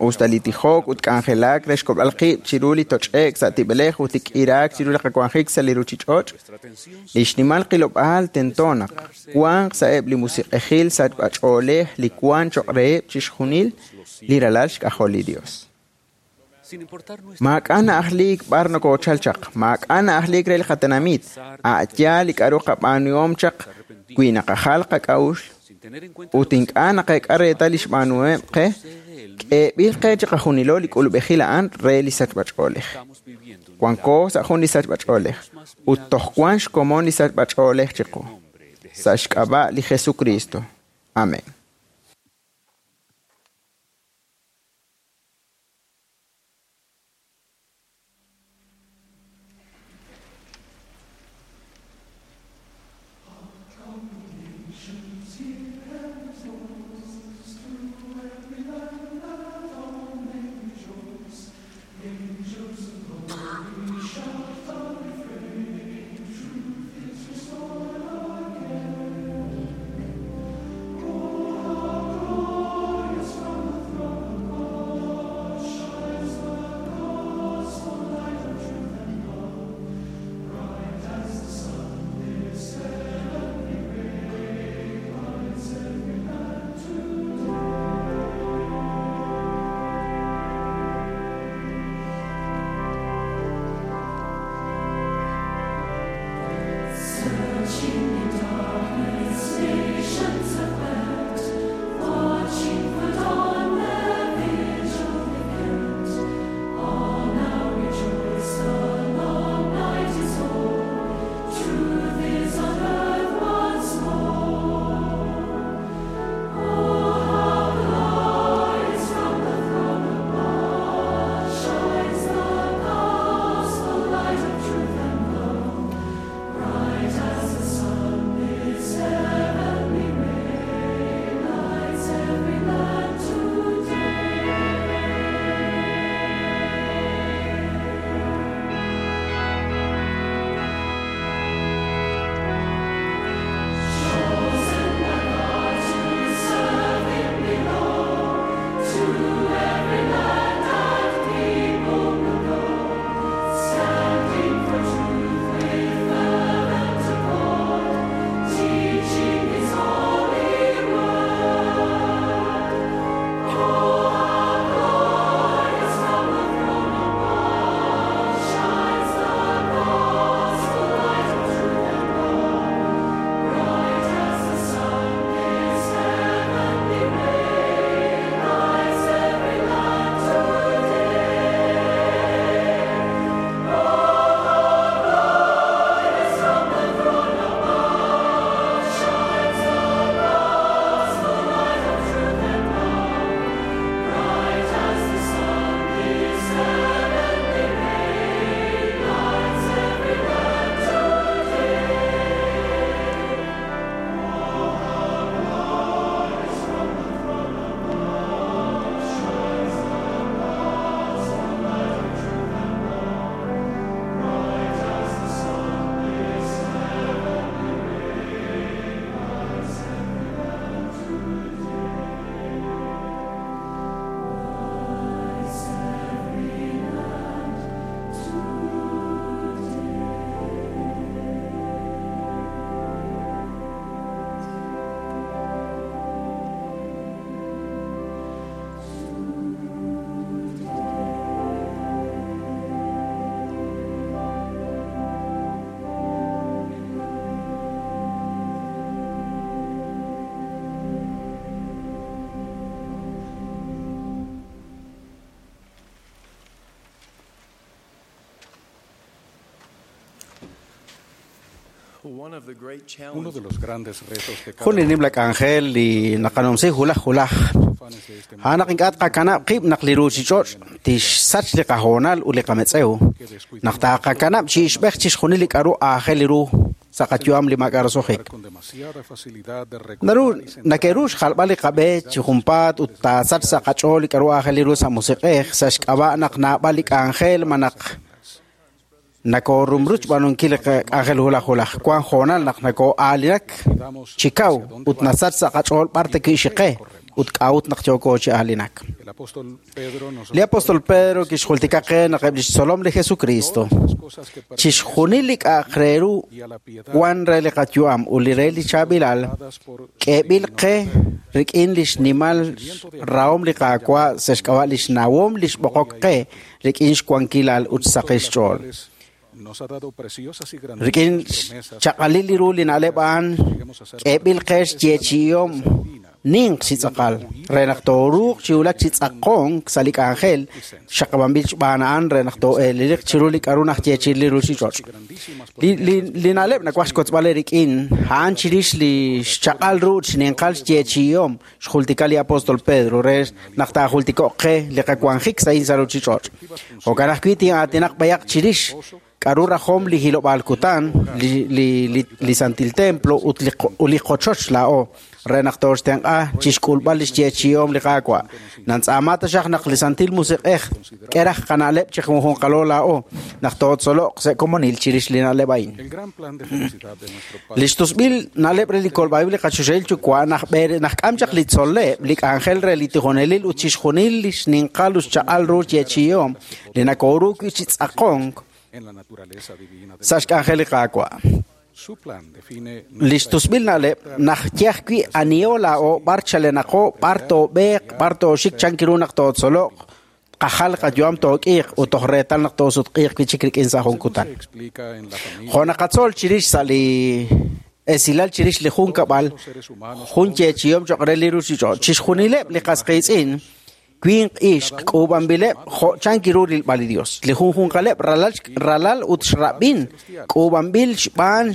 Speaker 10: Usta li tijok ut k'anjelak re xkob'al qib' chiru li toch'e'k sa' tib'elej ut li k'iraak chiru li qawanjik sa' li ruchich'och', li xnimal qilob'aal tento naq wanq sa'eb' li musiq'ejil sachb'ach'oolej li wan choq' reheb' chixjunil li ralal xk'ajol li Dios. Maak'a' na'ajliik b'ar nokoochal chaq, maak'a' na'ajliik re li qatenamit, a' yaal li k'a'ru qab'aanuhom chaq wi naqajal qak'a'uxl ut ink'a' naqeek'a reetal li xb'aanuheb' qe, k'eeb'il qe chiqajunilo li k'ulub'ejil a'an re li sachb'ach'oolej. Wanko sa' jun li sachb'ach'oolej ut toj wan xkomon li sachb'ach'oolej chiqu. Sa' xk'ab'a' li Jesucristo. Amén.
Speaker 11: Truth is restored again.
Speaker 3: Jun li nimla k'anjel li naqanumsi hulaj hulaj. A'an naq ink'a' tqakanab' qib' naq li ruuchich'och' tixsach li qahoonal ut li qametz'ew. Naq taaqakanab' chi ixb'ej chixjunil li k'a'ru aajel ru sa' qayu'am li maak'a' roso'jik. Naru nake'ru xjalb'al li qab'e chi junpaat ut taasach sa' qach'ool li k'a'ru aajel ru sa' musiq'ej sa' xk'ab'a' naq naab'al li k'anjel malaj nakoorumrut xb'aanunkil li k'anjel hulaj hulaj. Wank hoonal naq nakoo'aalinak chi kaw ut nasach sa' qach'ool b'ar taki'xiqe ut k'a'ut naq yooko chi aalinak. Li apóstol Pedro kixjultika qe naq eb' li xtzolom li Jesucristo chixjunil li k'a'aq re ru wan re li qayu'am ut li re li chaab'ilal k'eeb'il qe rik'in li xnimal rahom li Qaawa' sa' xk'ab'a' li xnawom li xb'oqok qe rik'in xwankilal ut xsaqil xch'ool. Rik'in xchaq'alil li ru li na'leb' a'an k'eeb'il qe xyeechi'ihom ninq chi tz'aqal re naq tooruuq chi wulak chi tz'aqonk sa' li k'anjel xaqab'anb'il xb'aan a'an re naq too'eeleliq chiru li k'a'ru najyeechi'i li ruuchich'och'. Li na'leb' nawaj xkotzb'al eerik'in a'an chirix li xchaq'al ru ut xninqal xyeechi'ihom xjultika li apóstol Pedro re naq taajultiko'q qe li qawanjik sa'in sa' ruuchich'och'. Jo'kan ajwi' tin'aatinaq b'ayaq chirix k'a'ru rajom li hilob'aal kutan, li santil templo ut li qochoch laa'o re naq tooxtenq'a chixk'ulb'al li xyeechi'ihom li Qaawa'. Nantz'aama taxaq naq li Santil Musiq'ej k'e raj qana'leb' chi junjunqalo laa'o naq tootzoloq sa' komonil chirix li na'leb' a'in. Li xtusb'il na'leb' re li kolb'a'ib' li qachoxahil yuwa' najk'am chaq li tzol'leb', li k'anjel re li tijonelil ut chixjunil li xninqal ut xchaq'al ru xyeechi'ihom li nakooru wi' chi tz'aqonk sa' xk'anjel li Qaawa'. Li xtusb'il na'leb' najye ajwi' aniho laa'o b'ar chalenaqo, b'ar toob'eeq, b'ar tooxik chan ru naq tootzoloq, qajal qayu'am took'iiq ut toj reetal naq toosutq'iiq wi' chik rik'in sa' jun kutan. Jo' naqatzol chirix sa' li esilal chirix li junkab'al, jun yeechi'ihom cho'q re li ruuchich'och'. Chixjunileb' li qas qiitz'in winq ixq k'uub'anb'ileb' jo' chan ru rilb'al li Dios. Li junjunqaleb' ralal ut xrab'in k'uub'anb'il xb'aan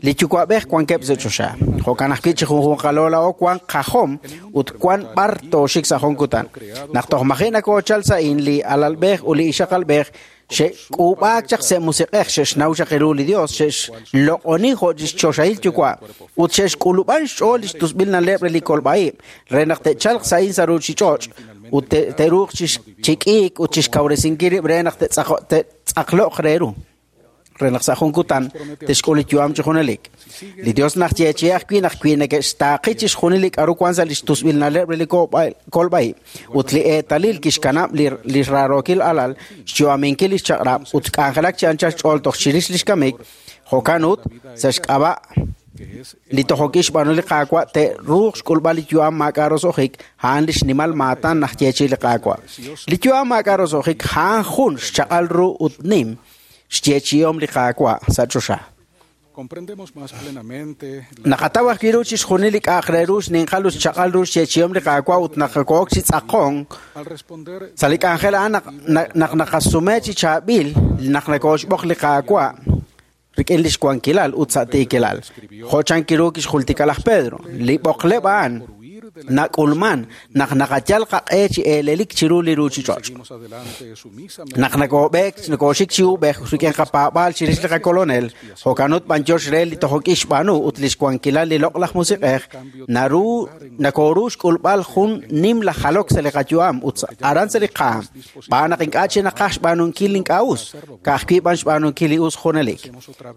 Speaker 3: li yuwa'b'ej wankeb' sa' choxa. Jo'kan ajwi' chi junjunqalo laa'o wank qajom ut wan b'ar tooxik sa' jun kutan. Naq toj maji' nakoochal sa'in li alalb'ej ut li ixaqalb'ej xe'k'uub'aak chaq sa' musiq'ej xe'xnaw chaq ru li Dios xe'xloq'oni jo' xchoxahil yuwa' ut xe'xk'ulub'an xch'ool li xtusb'il na'leb' re li kolb'a'ib' re naq te'chalq sa'in sa' ruuchich'och' ut te'ruuq chi k'iik ut chixkawresinkil rib' re naq te'tz'aqlo'q re ru re naq sa' jun kutan te'xk'ul li yu'am chi junelik. Li Dios najyeechi'i ajwi' naq wi neke'xtaaqi chixjunil li k'a'ru wan sa' li xtusb'il na'leb' re li kolb'a'ib' ut li eetalil kixkanab' li raarookil alal xyu'aminkil li xchaq'rab' ut k'anjelak chi anchal xch'ool toj chirix li xkamik, jo'kan ut sa' xk'ab'a' li tojok'il xb'aanu li Qaawa' te'ruuq xk'ulb'al li yu'am maak'a' roso'jik a'an li xnimal maatan najyeechi'i li Qaawa'. Li yu'am maak'a' roso'jik a'an jun xchaq'al ru ut nim xyeechi'ihom li Qaawa' sa' choxa. Naqataw ajwi' ru chixjunil li k'a'aq re ru xninqal ut xchaq'al ru xyeechi'ihom li Qaawa' ut naqakook chi tz'aqonk sa' li k'anjel a'an naq naqasume chi chaab'il naq nakooxb'oq li Qaawa' rik'in li xwankilal ut sa' tiikilal. Jo' chan ru kixjultika laj Pedro, li b'oqleb' a'an nak'ulman naq naqayal qaq'e chi eelelik chiru li ruuchich'och'. Naq nakoob'eek nakooxik chi uub'ej rik'in qapaab'aal chirix li qakolonel, jo'kan ut b'anyox re li tojok'il xb'aanu ut li xwankilal li loq'laj musiq'ej, naru nakooru xk'ulb'al jun nimla jalok sa' li qayu'am ut aran sa' li qaam, b'aan naq ink'a' chi naqaj xb'aanunkil li ink'a' us, ka'ajwi' b'an xb'aanunkil li us junelik.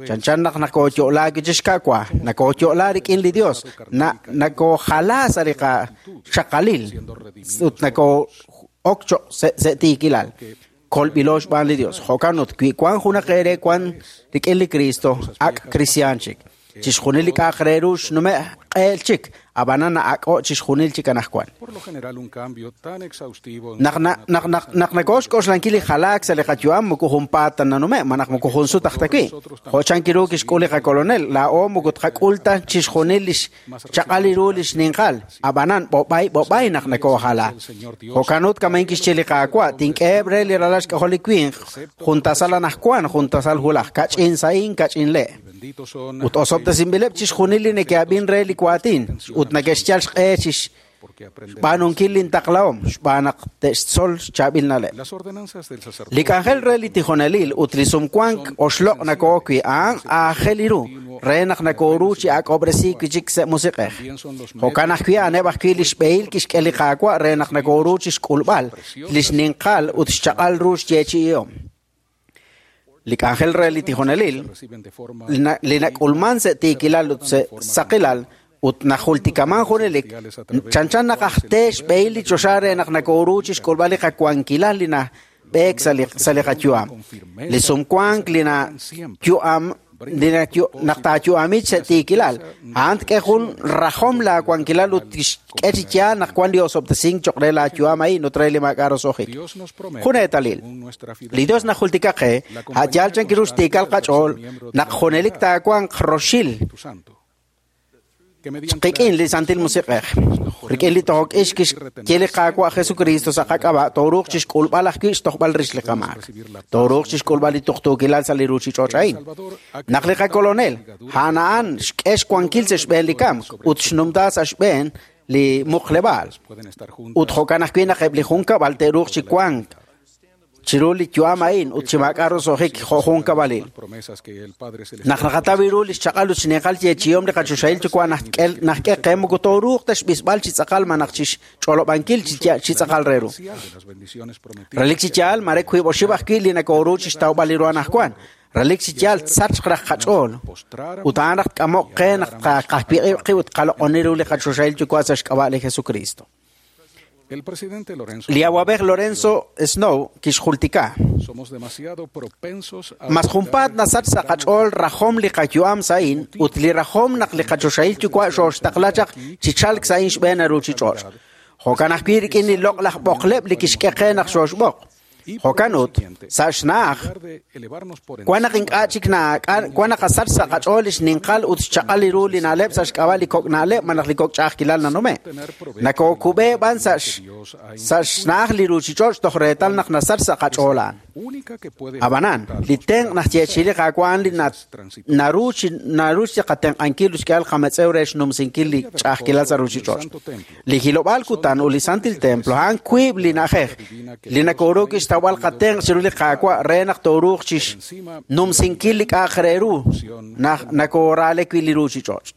Speaker 3: Chanchan naq nakooyo'laak chi xka'wa, nakooyo'la rik'in li Dios, nakoojala sa' li qaxaqalil ut nakoo'ok cho'q sa' tiikilal. Kolb'ilo xb'aan li Dios. Jo'kan ut wi wank junaq eere wan rik'in li Cristo, ak' kristiaan chik. Chixjunil li k'a'aq re ru xnume' q'eel chik ab'anan na'ak'o' chixjunil chik anaqwan.
Speaker 5: Por lo general, un cambio tan exhaustivo en
Speaker 3: Naq na- naq naq naq nakooxk'oxlankil li jalaak sa' li qayu'am moko junpaat ta nanume' malaj moko jun sut aj ta wi'. Jo' chan kiru kixk'ul li qakolonel, laa'o moko tqak'ul ta chixjunil li xchaq'al ru li xninqal, ab'anan b'ob'ay b'ob'ay naq nakoojala. Jo'kan ut kamain kixye li Qaawa', tink'eheb' re li ralal xk'ajol li winq, jun tasal anaqwan, jun tasal hulaj, kach'in sa'in, kach'in le'.
Speaker 5: benditos son
Speaker 3: Ut osob'tesinb'ileb' chixjunil li neke'ab'in re li waatin, ut neke'xyal xq'e chix
Speaker 5: porque aprenderán.
Speaker 3: xb'aanunkil lintaqlahom, xb'aan naq te'xtzol xchaab'il na'leb'.
Speaker 5: Las ordenanzas del sacerdote
Speaker 3: Li k'anjel re li tijonelil ut li sumwank oxloq' nakoo wi' a'an aajel ru re naq nakooru chi ak'ob'resiik wi' chik sa' musiq'ej.
Speaker 5: también son los
Speaker 3: Jo'kan ajwi' a'aneb' ajwi' li xb'ehil kixk'e li Qaawa' re naq nakooru chi xk'ulb'al li xninqal ut xchaq'al ru xyeechi'ihom. Li k'anjel re li tijonelil
Speaker 5: reciben de forma
Speaker 3: li na- li nak'ulman sa' tiikilal ut sa' saqilal ut najultikaman junelik chanchan naq aj te xb'ehil li choxa re naq nakooru chi xk'ulb'al li qawankilal li nab'eek sa' li sa' li qayu'am. Li sumwank li nayu'am li nayu- naq taayu'amit sa' tiikilal a'an tk'e jun rajom laawankilal ut tixk'e chi yaal naq wan li osob'tesink cho'q re laayu'am a'in ut re li maak'a' roso'jik.
Speaker 5: Dios nos promete
Speaker 3: Jun eetalil.
Speaker 5: según nuestra
Speaker 3: Li Dios
Speaker 5: fidelidad
Speaker 3: najultika qe, a' yaal chan kiru xtiikal qach'ool, naq junelik taawanq roxil
Speaker 5: Espíritu Santo. Que mediante
Speaker 3: qik'in
Speaker 5: la
Speaker 3: li Santil Musiq'ej. Rik'in li tojok-ix kixye li Qaawa' Jesucristo sa' qak'ab'a' tooruuq chixk'ulb'al ajwi' xtojb'al rix li qamaak. Tooruuq chixk'ulb'al li tuqtuukilal sa' li ruuchich'och' a'in.
Speaker 5: Salvador ha
Speaker 3: Naq li qakolonel, a'an a'an xk'e xwankil sa' xb'een li kamk ut xnumta sa' xb'een li muqleb'aal.
Speaker 5: pueden estar juntas
Speaker 3: Ut jo'kan ajwi' naq eb' li junkab'al te'ruuq chi wank chiru li yu'am a'in ut chi maak'a' roso'jik jo' junkab'alil.
Speaker 5: promesas que el Padre
Speaker 3: Naq
Speaker 5: Celestial
Speaker 3: naqataw ru li xchaq'al ut xninqal yeechi'ihom li qachoxahil yuwa' naj k'e qe moko tooruuq ta xb'isb'al chi tz'aqal malaj chi xch'olob'ankil chi ya- chi tz'aqal re ru.
Speaker 5: de las bendiciones prometidas
Speaker 3: Relik chi yaal mare wiib' oxib' ajwi' li nakooru chi xtawb'al li ru anaqwan. Relik chi yaal tsachq raj qach'ool.
Speaker 5: postrar
Speaker 3: Ut a'an raj tk'amoq qe naq qajwiq'ib' qib' ut qaloq'oni ru li qachoxahil yuwa' sa' xk'ab'a' li Jesucristo.
Speaker 5: El presidente Lorenzo
Speaker 3: Li awab'ej Lorenzo Snow kixjultika.
Speaker 5: somos demasiado propensos a
Speaker 3: Mas junpaat nasach sa' qach'ool rajom li qayu'am sa'in ut li rajom naq li qachoxahil yuwa' xooxtaqla chaq chi chalk sa'in xb'een ruuchich'och'. Jo'kan ajwi' rik'in li loq'laj b'oqleb' li kixk'e qe naq xooxb'oq.
Speaker 5: y por
Speaker 3: Jo'kan ut,
Speaker 5: consiguiente,
Speaker 3: sa' xna'aj,
Speaker 5: en lugar de elevarnos por
Speaker 3: wan naq
Speaker 5: encima
Speaker 3: ink'a' chik naak'a- wan naq qasach sa' qach'ool li xninqal ut xchaq'al li ru li na'leb' sa' xk'ab'a' li kok' na'leb' malaj li kok' ch'a'ajkilal nanume'. Nakookub'e b'an sa' x- sa' xna'aj li ruuchich'och' toj reetal naq nasach sa' qach'ool a'an.
Speaker 5: única que puede
Speaker 3: Ab'anan, li tenq' naxyeechi'i li Qaawa' a'an li na- naru chi naru chi qatenq'ankil ut xk'ehal qametz'ew re xnumsinkil li ch'a'ajkilal sa' ruuchich'och'. Li hilob'aal kutan ut li Santil Templo a'an wiib' li na'ajej li nakooru kixtawb'al qatenq' chiru li Qaawa' re naq tooruuq chi xnumsinkil li k'a'aq re ru naq nakoorale wi' li ruuchich'och'.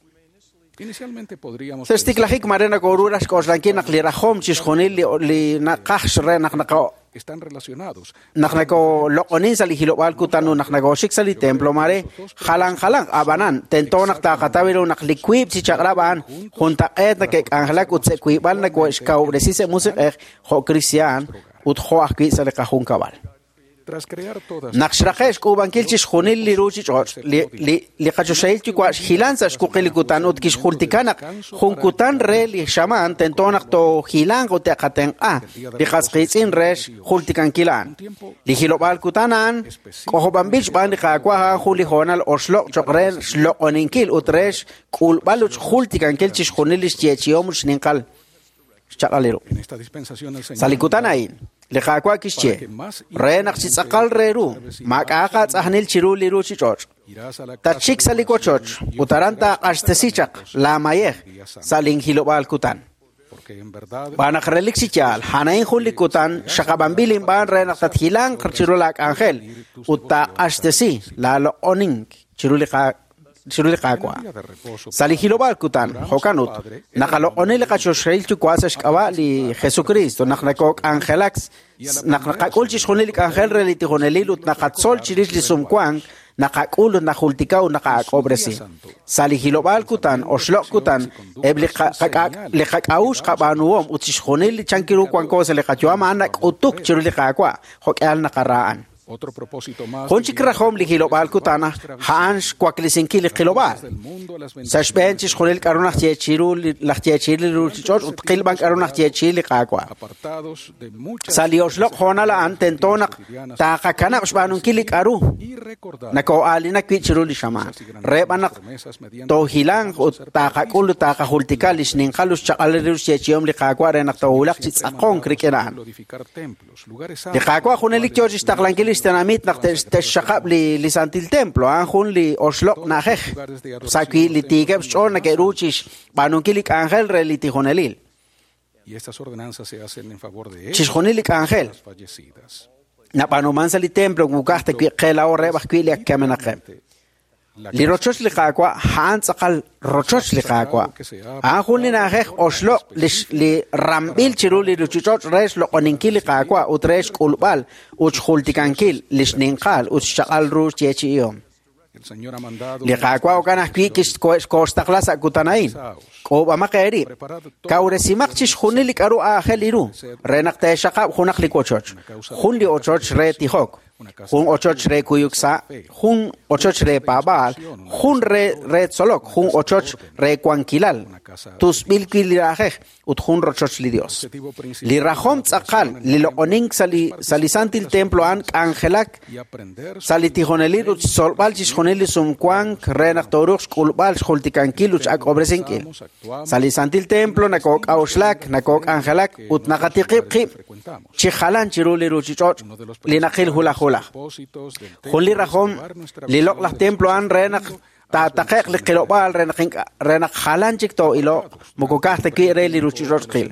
Speaker 5: Inicialmente podríamos
Speaker 3: Sa' xtiklajik mare nakooru raj xk'oxlankil naq li rajom chixjunil li li naqaj re naq naqo
Speaker 5: están relacionados
Speaker 3: naq nakoloq'onin sa' li hilob'aal kutan ut naq nakooxik sa' li templo mare jalan jalan ab'anan tento naq taaqataw ru naq li wiib' chi chaq'rab' a'an juntaq'eet nake'k'anjelak ut sa' wiib'al nako'xkawub'resi sa' musiq'ej jo' kristiaan ut jo' ajwi' sa' li qajunkab'al.
Speaker 5: tras crear todas
Speaker 3: Naq xraqe' xk'uub'ankil chixjunil li ruuchich'och' li li li qachoxahil yuwa' xhilan sa' xwuqil li kutan ut kixjultika naq jun kutan re li xamaan tento naq toohilanq ut te'qatenq'a li qas qiitz'in re xjultikankil a'an. Li hilob'aal kutan a'an k'ojob'anb'il xb'aan li Qaawa' a'an jun li hoonal oxloq' cho'q re xloq'oninkil ut re xk'ulb'al ut xjultikankil chixjunil li xyeechi'om ut xninqal xchaq'al li ru.
Speaker 5: en esta dispensación el
Speaker 3: Sa' li
Speaker 5: Señor
Speaker 3: kutan a'in, li Qaawa' kixye re naq chi tz'aqal re ru, maak'a' qatz'ajnil chiru li ruuchich'och'.
Speaker 5: irás a la casa
Speaker 3: Tatxik sa' li wochoch ut aran taaq'axtesi chaq laamayej sa' linhilob'aal kutan.
Speaker 5: porque en verdad
Speaker 3: Xb'aan naq relik chi yaal, a'an jun li kutan xaqab'anb'il inb'aan re naq tathilanq chiru laak'anjel ut taaq'axtesi laaloq'onink chiru li qa- chiru li Qaawa'.
Speaker 5: día de reposo
Speaker 3: Sa' li hilob'aal kutan, jo'kan ut, naqaloq'oni li qachoxahil yuwa' sa' xk'ab'a' li Jesucristo, naq nakook'anjelak, naq naqak'ul chixjunil li k'anjel re li tijonelil ut naqatzol chirix li sumwank, naqak'ul ut najultika ut naqaak'ob'resi. Sa' li hilob'aal kutan, oxloq' kutan, eb' li qa- qak'a- li qak'a'uxl qab'aanuhom ut chixjunil li chankiru wanko sa' li qayu'am a'an nak'utuk chiru li Qaawa', jo'k'ihal naqara a'an. Jun chik rajom li hilob'aal kutan a'an xwaklesinkil li qilob'aal. Sa' xb'een chixjunil k'a'ru najyeechi'i li ruuchich'och' ut qilb'an k'a'ru najyeechi'i li Qaawa'. Sa' li oxloq' hoonal a'an tento naq taqakanab' xb'aanunkil li k'a'ru nakoo'aalinak wi' chiru li xamaan. Re b'an naq toohilanq ut taqak'ul ut taqajultika li xninqal ut xchaq'al ru xyeechi'om li Qaawa' re naq toowulaq chi tz'aqonk rik'in a'an. Li Qaawa' junelik yoo chixtaqlankil li xtenamit naq te'xxaqab' li Santil Templo, a'an jun li oxloq' na'ajej sa' wi' li tiikeb' xch'ool neke'ru chixb'aanunkil li k'anjel re li tijonelil. Chixjunil li k'anjel nab'aanuman sa' li templo wukaj ta wi' qe laa'o reheb' ajwi' li ak kamenaqeb'. Li rochoch li Qaawa' a'an tz'aqal rochoch li Qaawa'. A'an jun li na'ajej oxloq' li ramb'il chiru li ruuchich'och' re xloq'oninkil li Qaawa' ut re xk'ulb'al ut xjultikankil li xninqal ut xchaq'al ru xyeechi'ihom. Li Qaawa' jo'kan ajwi' kixkoxtaqla sa' kutan a'in. K'uub'amaq eerib', kawresimaq chixjunil li k'a'ru aajel ru re naq teexaqab' junaq li wochoch, jun li ochoch re tijok, jun ochoch re kuyuk sa', jun ochoch re paab'aal, jun re tzolok, jun ochoch re wankilal, tusb'il wi' li na'ajej ut jun rochoch li Dios. Li rajom tz'aqal li loq'onink sa' li Santil Templo a'an k'anjelak sa' li tijonelil ut xtzolb'al chixjunil li sumwank re naq tooruuq xk'ulb'al xjultikankil ut x'ak'ob'resinkil. Sa' li Santil Templo nakook'a'uxlak, nakook'anjelak ut naqatiqib' qib' chi jalan chiru li ruuchich'och' li naqil hulaj hulaj. Jun li rajom li loq'laj templo a'an re naq taataqe'q li qilob'aal re naq jalan chik too'iloq moko ka'aj ta wi' re li ruuchich'och' qil.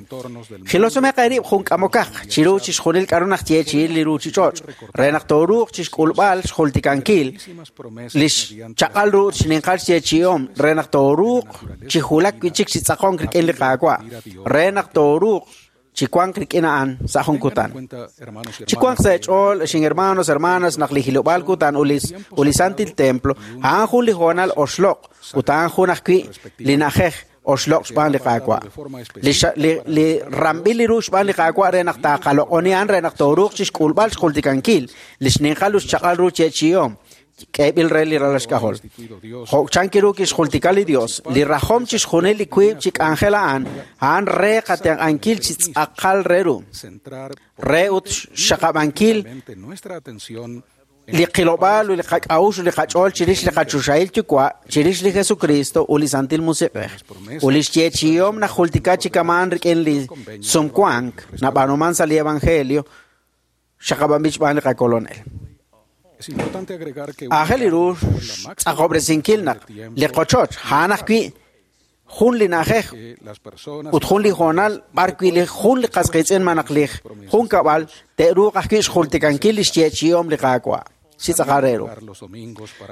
Speaker 3: Jilosomeq eerib' jun k'amokaq chiru chixjunil k'a'ru najyeechi'i li ruuchich'och' re naq tooruuq chixk'ulb'al xjultikankil li xchaq'al ru ut xninqal xyeechi'ihom re naq tooruuq chi wulak wi' chik chi tz'aqonk rik'in li Qaawa' re naq tooruuq chi wank rik'in a'an sa' jun kutan. Chi wanq sa' eech'ool, xin hermanos, hermanas, naq li hilob'aal kutan ut li Santil Templo a'an jun li hoonal oxloq' ut a'an jun ajwi' li na'ajej oxloq' xb'aan li Qaawa'. Li ramb'il li ru xb'aan li Qaawa' re naq taaqaloq'oni a'an re naq tooruuq chixk'ulb'al xjultikankil li xninqal ut xchaq'al ru yeechi'ihom k'eeb'il re li ralal xk'ajol. Jo' chan kiru kixjultika li Dios, li rajom chixjunil li wiib' chi k'anjel a'an, a'an re qatenq'ankil chi tz'aqal re ru, re ut xxaqab'ankil li qilob'aal ut li qak'a'uxl ut li qach'ool chirix li qachoxahil Yuwa', chirix li Jesucristo ut li Santil Musiq'ej. Ut li xyeechi'ihom najultika chi kama'an rik'in li sumwank nab'aanuman sa' li Evangelio xaqab'anb'il xb'aan li qakolonel. Aajel ru xtz'aqob'resinkil naq li qochoch a'an ajwi' jun li na'ajej ut jun li hoonal b'ar wi' li jun li qas qiitz'in malaj li jun kab'al te'ruuq ajwi' xjultikankil li xyeechi'ihom li Qaawa'. Chi tz'aqal re ru.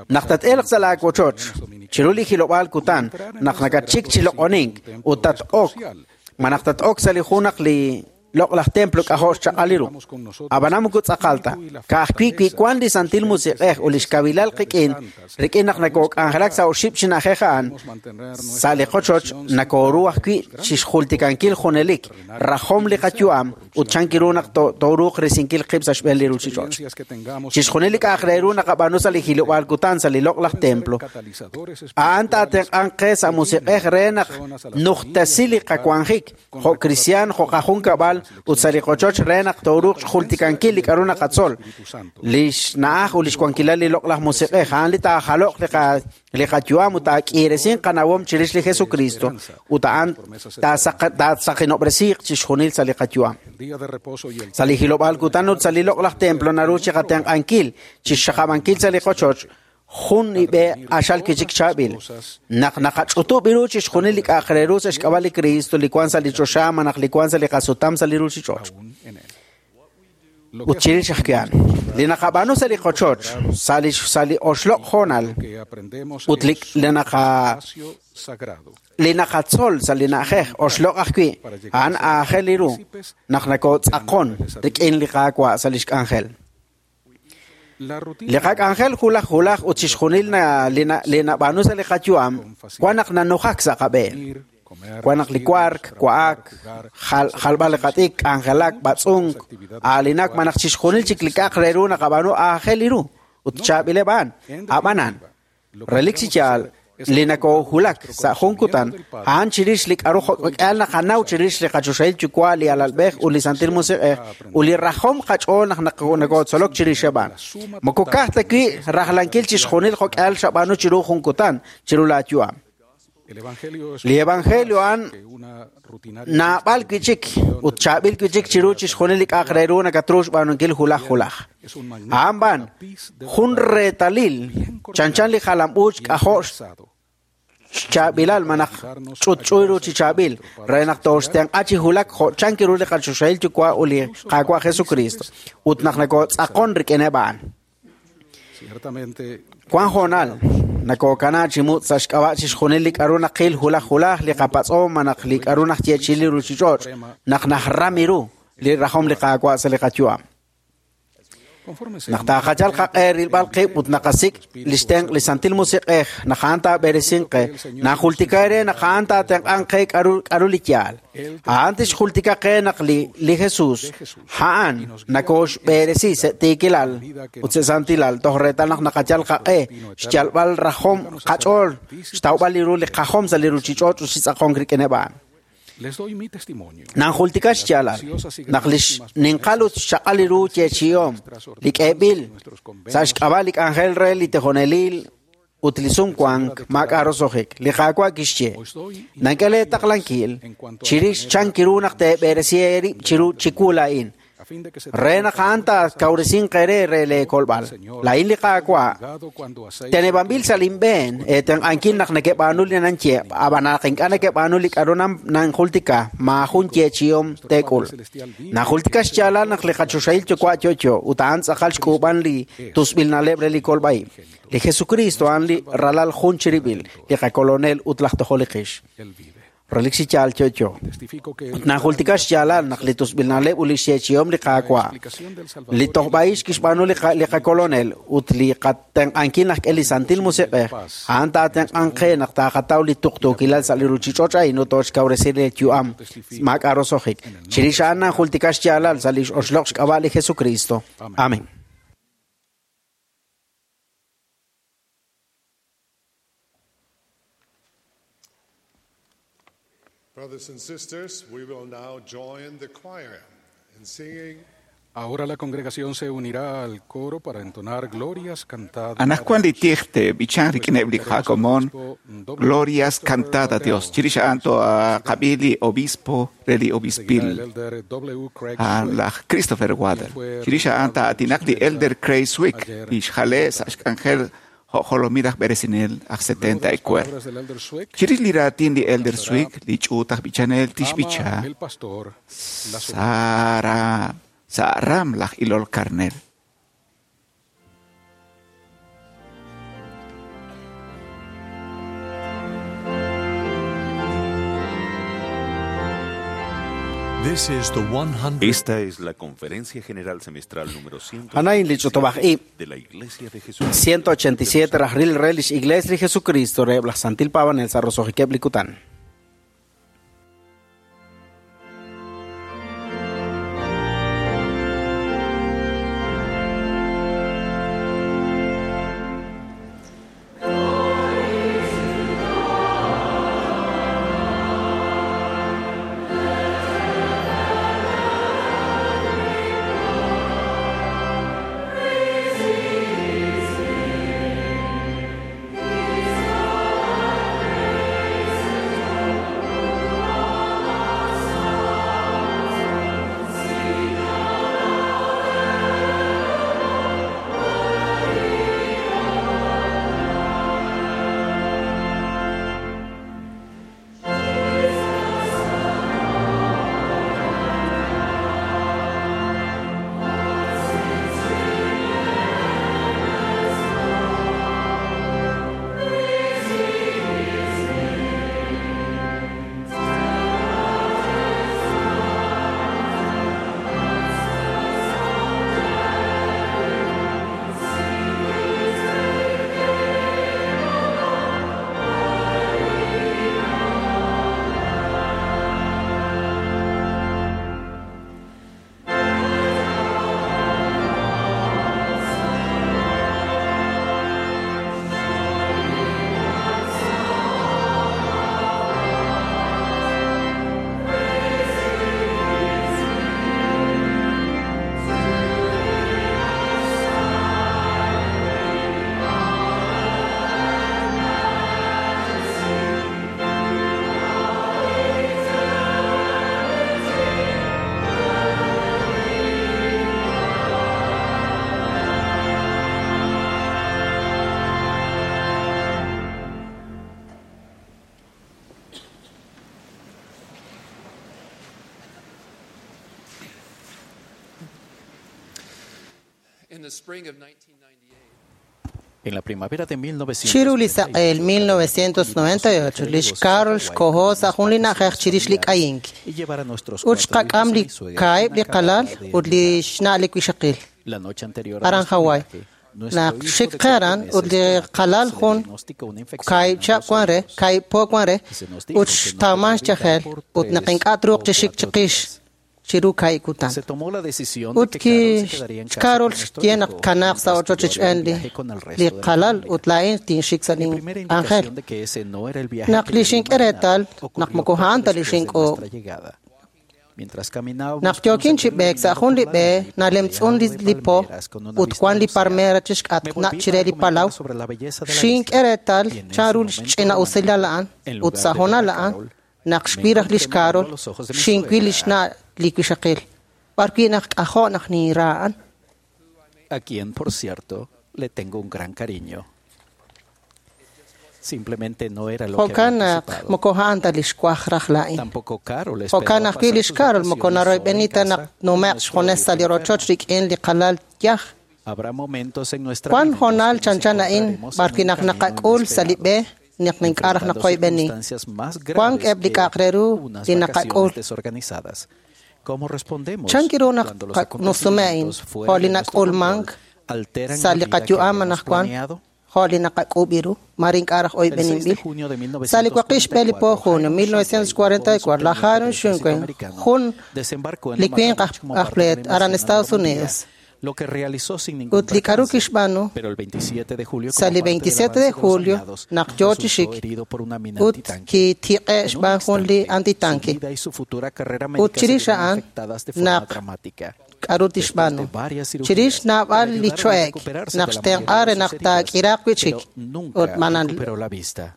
Speaker 3: Naq tat-elq sa' laawochoch chiru li hilob'aal kutan naq nakatxik chi loq'onink ut tat-ok malaj tat-ok sa' li jun naq li loq'laj templo k'ajo' xchaq'al ru. Ab'anan moko tz'aqal ta. Ka'ajwi' wi wan li Santil Musiq'ej ut li xkawilal qik'in rik'in naq nakook'anjelak sa' oxib' chi na'ajej a'an sa' li qochoch nakooru ajwi' chixjultikankil junelik rajom li qayu'am ut chan kiru naq tooruuq risinkil qib' sa' xb'een li ruuchich'och'. Chixjunil li k'a'aq re ru naqab'aanu sa' li hilob'aal kutan sa' li loq'laj templo a'an taatenq'anq qe sa' musiq'ej re naq nujtasi li qawanjik jo' cristian, jo' qajun kab'al ut sa' li qochoch re naq tooruuq xjultikankil li k'a'ru naqatzol. Li xna'aj ut li xwankilal li loq'laj musiq'ej a'an li taajaloq li qayu'am ut taak'iiresin qanawom chirix li Jesucristo ut a'an taasaqinob'resiiq chixjunil sa' li qayu'am. Sa' li hilob'aal kutan ut sa' li loq'laj templo naru chiqatenq'ankil chixxaqab'ankil sa' li qochoch jun ib'e q'axal kichik chaab'il. Naq naqach'utub' ru chixjunil li k'a'aq re ru sa' xk'ab'a' li Cristo li wan sa' li choxa malaj li wan sa' li qasutam sa' li ruuchich'och'. Ut chirix ajwi' a'an, li naqab'aanu sa' li qochoch, sa' li oxloq' hoonal ut li naqatzol sa' li na'ajej oxloq' ajwi' a'an aajel li ru naq nakootz'aqon rik'in li Qaawa' sa' li xk'anjel. Li qak'anjel hulaj hulaj ut chixjunil li nab'aanu sa' li qayu'am wan naq nanujak sa' qab'een. Wan naq li wark, wa'ak, jalb'al li qat'ik, k'anjelak, b'atz'unk, aalinak malaj chixjunil chik li k'a'aq re ru naqab'aanu aajel ru ut chaab'ileb' a'an. Ab'anan, relik chi yaal li nakoohulak sa' jun kutan, a'an chirix li k'aru jo'k'al naqanaw chirix li qachoxahil yuwa' li alalb'ej ut li Santil Musiq'ej ut li rajom qach'ool naq nakootzolok chirixeb' a'an. Moko ka'aj ta wi' rajlankil chixjunil jo'k'al xab'aanu chiru jun kutan chiru laayu'am. Li evangelio a'an naab'al wi' chik ut chaab'il wi' chik chiru chixjunil li k'a'aq re ru nakatru xb'aanunkil hulaj hulaj. A'an b'an jun reetalil chanchan li jalam-uuch k'ajo' xchaab'ilal malaj ch'utch'uy ru chi chaab'il re naq tooxtenq'a chi hulak jo' chan kiru li qachoxahil yuwa' ut li Qaawa' Jesucristo ut naq nakootz'aqon rik'ineb' a'an. Wan hoonal nakookana chi mut' sa' xk'ab'a' chixjunil li k'aru naqil hulaj hulaj li qapatz'om malaj li k'aru najyeechi'i li ruuchich'och' naq najram ru li rajom li Qaawa' sa' li qayu'am. Naq taaqachal qaq'e rilb'al qib' ut naqasik' li xtenq' li Santil Musiq'ej naq a'an taab'eresinq qe, najultika re naq a'an taatenq'anq qe k'aru li yaal. A'an tixjultika qe naq li Jesús a'an nakooxb'eresi sa' tiikilal ut sa' santilal toj reetal naq naqachal qaq'e xyalb'al rajom qach'ool xtawb'al li ru li qajom sa' li ruuchich'och' ut xitz'aqonk rik'ineb' a'an. Nanjultika xyaalal naq li xninqal ut xchaq'al li ru yeechi'om li k'eeb'il sa' xk'ab'a' li k'anjel re li tijonelil ut li sumwank maak'a' roso'jik. Li Qaawa' kixye nank'e leetaqlankil chirix chan kiru naq teeb'eresi eerib' chiru chiwu laa'in re naq a'an taakawresinq eere re leekolb'al. Laa'in li Qaawa' teneb'anb'il sa' linb'een eetenq'ankil naq nekeb'aanu li nanye, ab'an naq ink'a' nekeb'aanu li k'aru nanjultika, maajun yeechi'om teek'ul. Najultika xyaalal naq li qachoxahil yuwa' yo'yo ut a'an tz'aqal xk'uub'an li tusb'il na'leb' re li kolb'a'ib'. Li Jesucristo a'an li ralal jun chirib'il, li qakolonel ut laj tojol li qix. Relik chi yaal yo'yo. Ut najultika xyaalal naq li tusb'il na'leb' ut li xyeechi'om li Qaawa', li tojb'a'ix kixb'aanu li qakolonel ut li qatenq'ankil naq k'e li Santil Musiq'ej, a'an taatenq'anq qe naq taaqataw li tuqtuukilal sa' li ruuchich'och' a'in ut tooxkawresi li yu'am maak'a' roso'jik. Chirix a'an najultika xyaalal sa' li oxloq' xk'ab'a' li Jesucristo. Amén.
Speaker 4: Brothers and sisters, we will now join the choir in singing.
Speaker 5: Ahora la congregación se unirá al coro para entonar glorias cantadas.
Speaker 6: Anajkuan li tijte bichan rik'ineb' li qakomon glorias cantada a Dios. Chirix a'an toaqab'i li obispo re li obispil laj Christopher Wader. Chirix a'an taa'atinaq li elder Craig Swick li xjale' sa' xk'anjel jolomil aj b'eresinel aj 74. Chirix li raatin li elder Swick li ch'uut aj b'ichanel tixb'icha sa' ram laj ilol karnel.
Speaker 2: Esta es la Conferencia General Semestral número 100
Speaker 3: Anain li ch'utub'aj-ib'
Speaker 2: de la Iglesia de Jesucristo.
Speaker 3: 187 rajril re lix Iglesia li Jesucristo reheb' laj Santil Paab'anel sa' roso'jikeb' li kutan.
Speaker 11: Praise
Speaker 7: En la primavera de
Speaker 11: Chiru li saq'eel 1998 lix Carol xkoho sa' jun li na'ajej chirix li k'ayink ut xqak'am li kaahib' li qalal ut li xna' li wixaqil aran Hawaii. Naq xik qe aran ut li qalal jun kaahib' chihab' wan re, kaahib' po wan re, ut xtawman xyajel ut naq ink'a' truuq chi xik chiqix chiru kaahib' kutan. Ut Carol xye naq kanaaq sa' ochoch richb'een li qalal ut laa'in tinxik sa' lin k'anjel. Naq li xink'e reetal naq moko a'an ta li xink'uub'. Naq yookin chi b'eek sa' jun li b'e nalemtz'un li po ut wan li palmera chixk'atq nach' chire li palaw, xink'e reetal chanru xch'ina'usilal a'an ut sa' hoonal a'an naq xwil raj lix Carol, xinwil lix na' li wixaqil, b'arwi' naq k'ajo' naq ninra a'an.
Speaker 7: A quien, por cierto, le tengo un gran cariño. Simplemente no era lo que
Speaker 11: Jo'kan
Speaker 7: había
Speaker 11: naq
Speaker 7: anticipado.
Speaker 11: moko a'an ta li xwaj raj laa'in.
Speaker 7: Tampoco Carol
Speaker 11: Jo'kan
Speaker 7: esperaba
Speaker 11: ajwi'
Speaker 7: pasar
Speaker 11: lix
Speaker 7: sus
Speaker 11: Carol moko
Speaker 7: vacaciones sola en
Speaker 11: naroyb'eni ta
Speaker 7: casa
Speaker 11: naq nume'q xjunes sa' li rochoch rik'in li qalal yaj.
Speaker 7: Habrá momentos en nuestra
Speaker 11: Wan
Speaker 7: vida en los
Speaker 11: hoonal
Speaker 7: que nos
Speaker 11: chanchan a'in
Speaker 7: encontraremos en
Speaker 11: b'arwi'
Speaker 7: un
Speaker 11: naq
Speaker 7: camino
Speaker 11: naqak'ul sa' li b'e naq ink'a' raj
Speaker 7: enfrentando
Speaker 11: naqoyb'eni.
Speaker 7: circunstancias más
Speaker 11: Wan
Speaker 7: graves
Speaker 11: eb' li
Speaker 7: que
Speaker 11: k'a'aq re ru
Speaker 7: unas
Speaker 11: li naqak'ul.
Speaker 7: vacaciones desorganizadas. ¿Cómo respondemos
Speaker 11: Chan kiru naq
Speaker 7: cuando los
Speaker 11: nusume a'in
Speaker 7: acontecimientos fuera
Speaker 11: jo' li
Speaker 7: de nuestro
Speaker 11: nak'ulmank
Speaker 7: control alteran
Speaker 11: sa'
Speaker 7: la
Speaker 11: li
Speaker 7: vida que
Speaker 11: qayu'am
Speaker 7: habíamos
Speaker 11: anaqwan
Speaker 7: planeado?
Speaker 11: jo' li naqak'ub' iru mare ink'a' raj
Speaker 7: El 6 de
Speaker 11: oyb'eninb'il.
Speaker 7: junio de
Speaker 11: Sa' li waqib' xb'e li po
Speaker 7: 1944,
Speaker 11: junio 1944 laj Hiram Shunquen jun
Speaker 7: desembarcó en
Speaker 11: li
Speaker 7: Omaha
Speaker 11: winq
Speaker 7: Beach como
Speaker 11: aj
Speaker 7: parte de la
Speaker 11: pleet aran
Speaker 7: invasión a
Speaker 11: Estados
Speaker 7: Normandía,
Speaker 11: Unidos.
Speaker 7: lo que realizó sin ningún
Speaker 11: Ut li k'aru
Speaker 7: percance.
Speaker 11: kixb'aanu
Speaker 7: Pero el 27 de julio,
Speaker 11: sa'
Speaker 7: como
Speaker 11: li
Speaker 7: parte del
Speaker 11: 27
Speaker 7: avance
Speaker 11: de
Speaker 7: de los
Speaker 11: julio
Speaker 7: aliados,
Speaker 11: naq yoo chi
Speaker 7: resultó
Speaker 11: xik
Speaker 7: herido por una mina
Speaker 11: ut
Speaker 7: antitanque.
Speaker 11: kitiq'e
Speaker 7: En un
Speaker 11: xb'aan jun li
Speaker 7: instante, su
Speaker 11: antitanque.
Speaker 7: vida y su futura carrera
Speaker 11: Ut
Speaker 7: médica se
Speaker 11: chirix
Speaker 7: vieron
Speaker 11: a'an
Speaker 7: afectadas de forma
Speaker 11: naq
Speaker 7: dramática.
Speaker 11: k'aru
Speaker 7: Después de
Speaker 11: tixb'aanu.
Speaker 7: varias cirugías,
Speaker 11: Chirix naab'al
Speaker 7: le
Speaker 11: li
Speaker 7: ayudaron a
Speaker 11: cho'ek
Speaker 7: recuperarse
Speaker 11: naq
Speaker 7: de la
Speaker 11: xtenq'a
Speaker 7: mayoría
Speaker 11: re
Speaker 7: de
Speaker 11: naq
Speaker 7: sus heridas,
Speaker 11: taak'iraaq wi'chik
Speaker 7: pero nunca
Speaker 11: ut manan
Speaker 7: recuperó la vista.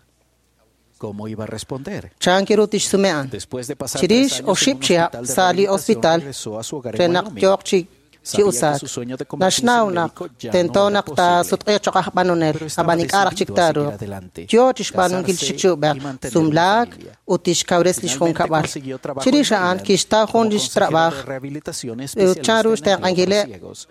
Speaker 7: ¿Cómo iba a responder?
Speaker 11: chan kiru tixsume a'an.
Speaker 7: Después de pasar
Speaker 11: Chirix
Speaker 7: 3 años en un
Speaker 11: oxib' chihab'
Speaker 7: hospital de
Speaker 11: sa' li
Speaker 7: rehabilitación,
Speaker 11: hospital
Speaker 7: regresó a su hogar en
Speaker 11: re naq
Speaker 7: Wyoming.
Speaker 11: yooq chi chi
Speaker 7: Sabía que
Speaker 11: usaak.
Speaker 7: su sueño de convertirse
Speaker 11: Naxnaw
Speaker 7: en
Speaker 11: naq
Speaker 7: médico ya no
Speaker 11: tento
Speaker 7: era
Speaker 11: naq
Speaker 7: posible.
Speaker 11: taasutq'iiq cho'q aj b'anonel
Speaker 7: Pero estaba
Speaker 11: ab'an ink'a' raj chik
Speaker 7: decidido a seguir
Speaker 11: taaruuq.
Speaker 7: adelante,
Speaker 11: Yoo chixb'aanunkil
Speaker 7: casarse
Speaker 11: chik chiub'ej,
Speaker 7: y mantener una
Speaker 11: sumlaak
Speaker 7: familia.
Speaker 11: ut tixkawres li
Speaker 7: Finalmente
Speaker 11: xjunkab'al.
Speaker 7: consiguió trabajo
Speaker 11: Chirix
Speaker 7: en
Speaker 11: a'an
Speaker 7: Maryland
Speaker 11: kixtaw jun
Speaker 7: como
Speaker 11: li
Speaker 7: consejero
Speaker 11: xtrab'aj
Speaker 7: de rehabilitación
Speaker 11: ut
Speaker 7: especialista
Speaker 11: chanru
Speaker 7: en empleo para
Speaker 11: xtenq'ankileb'
Speaker 7: ciegos.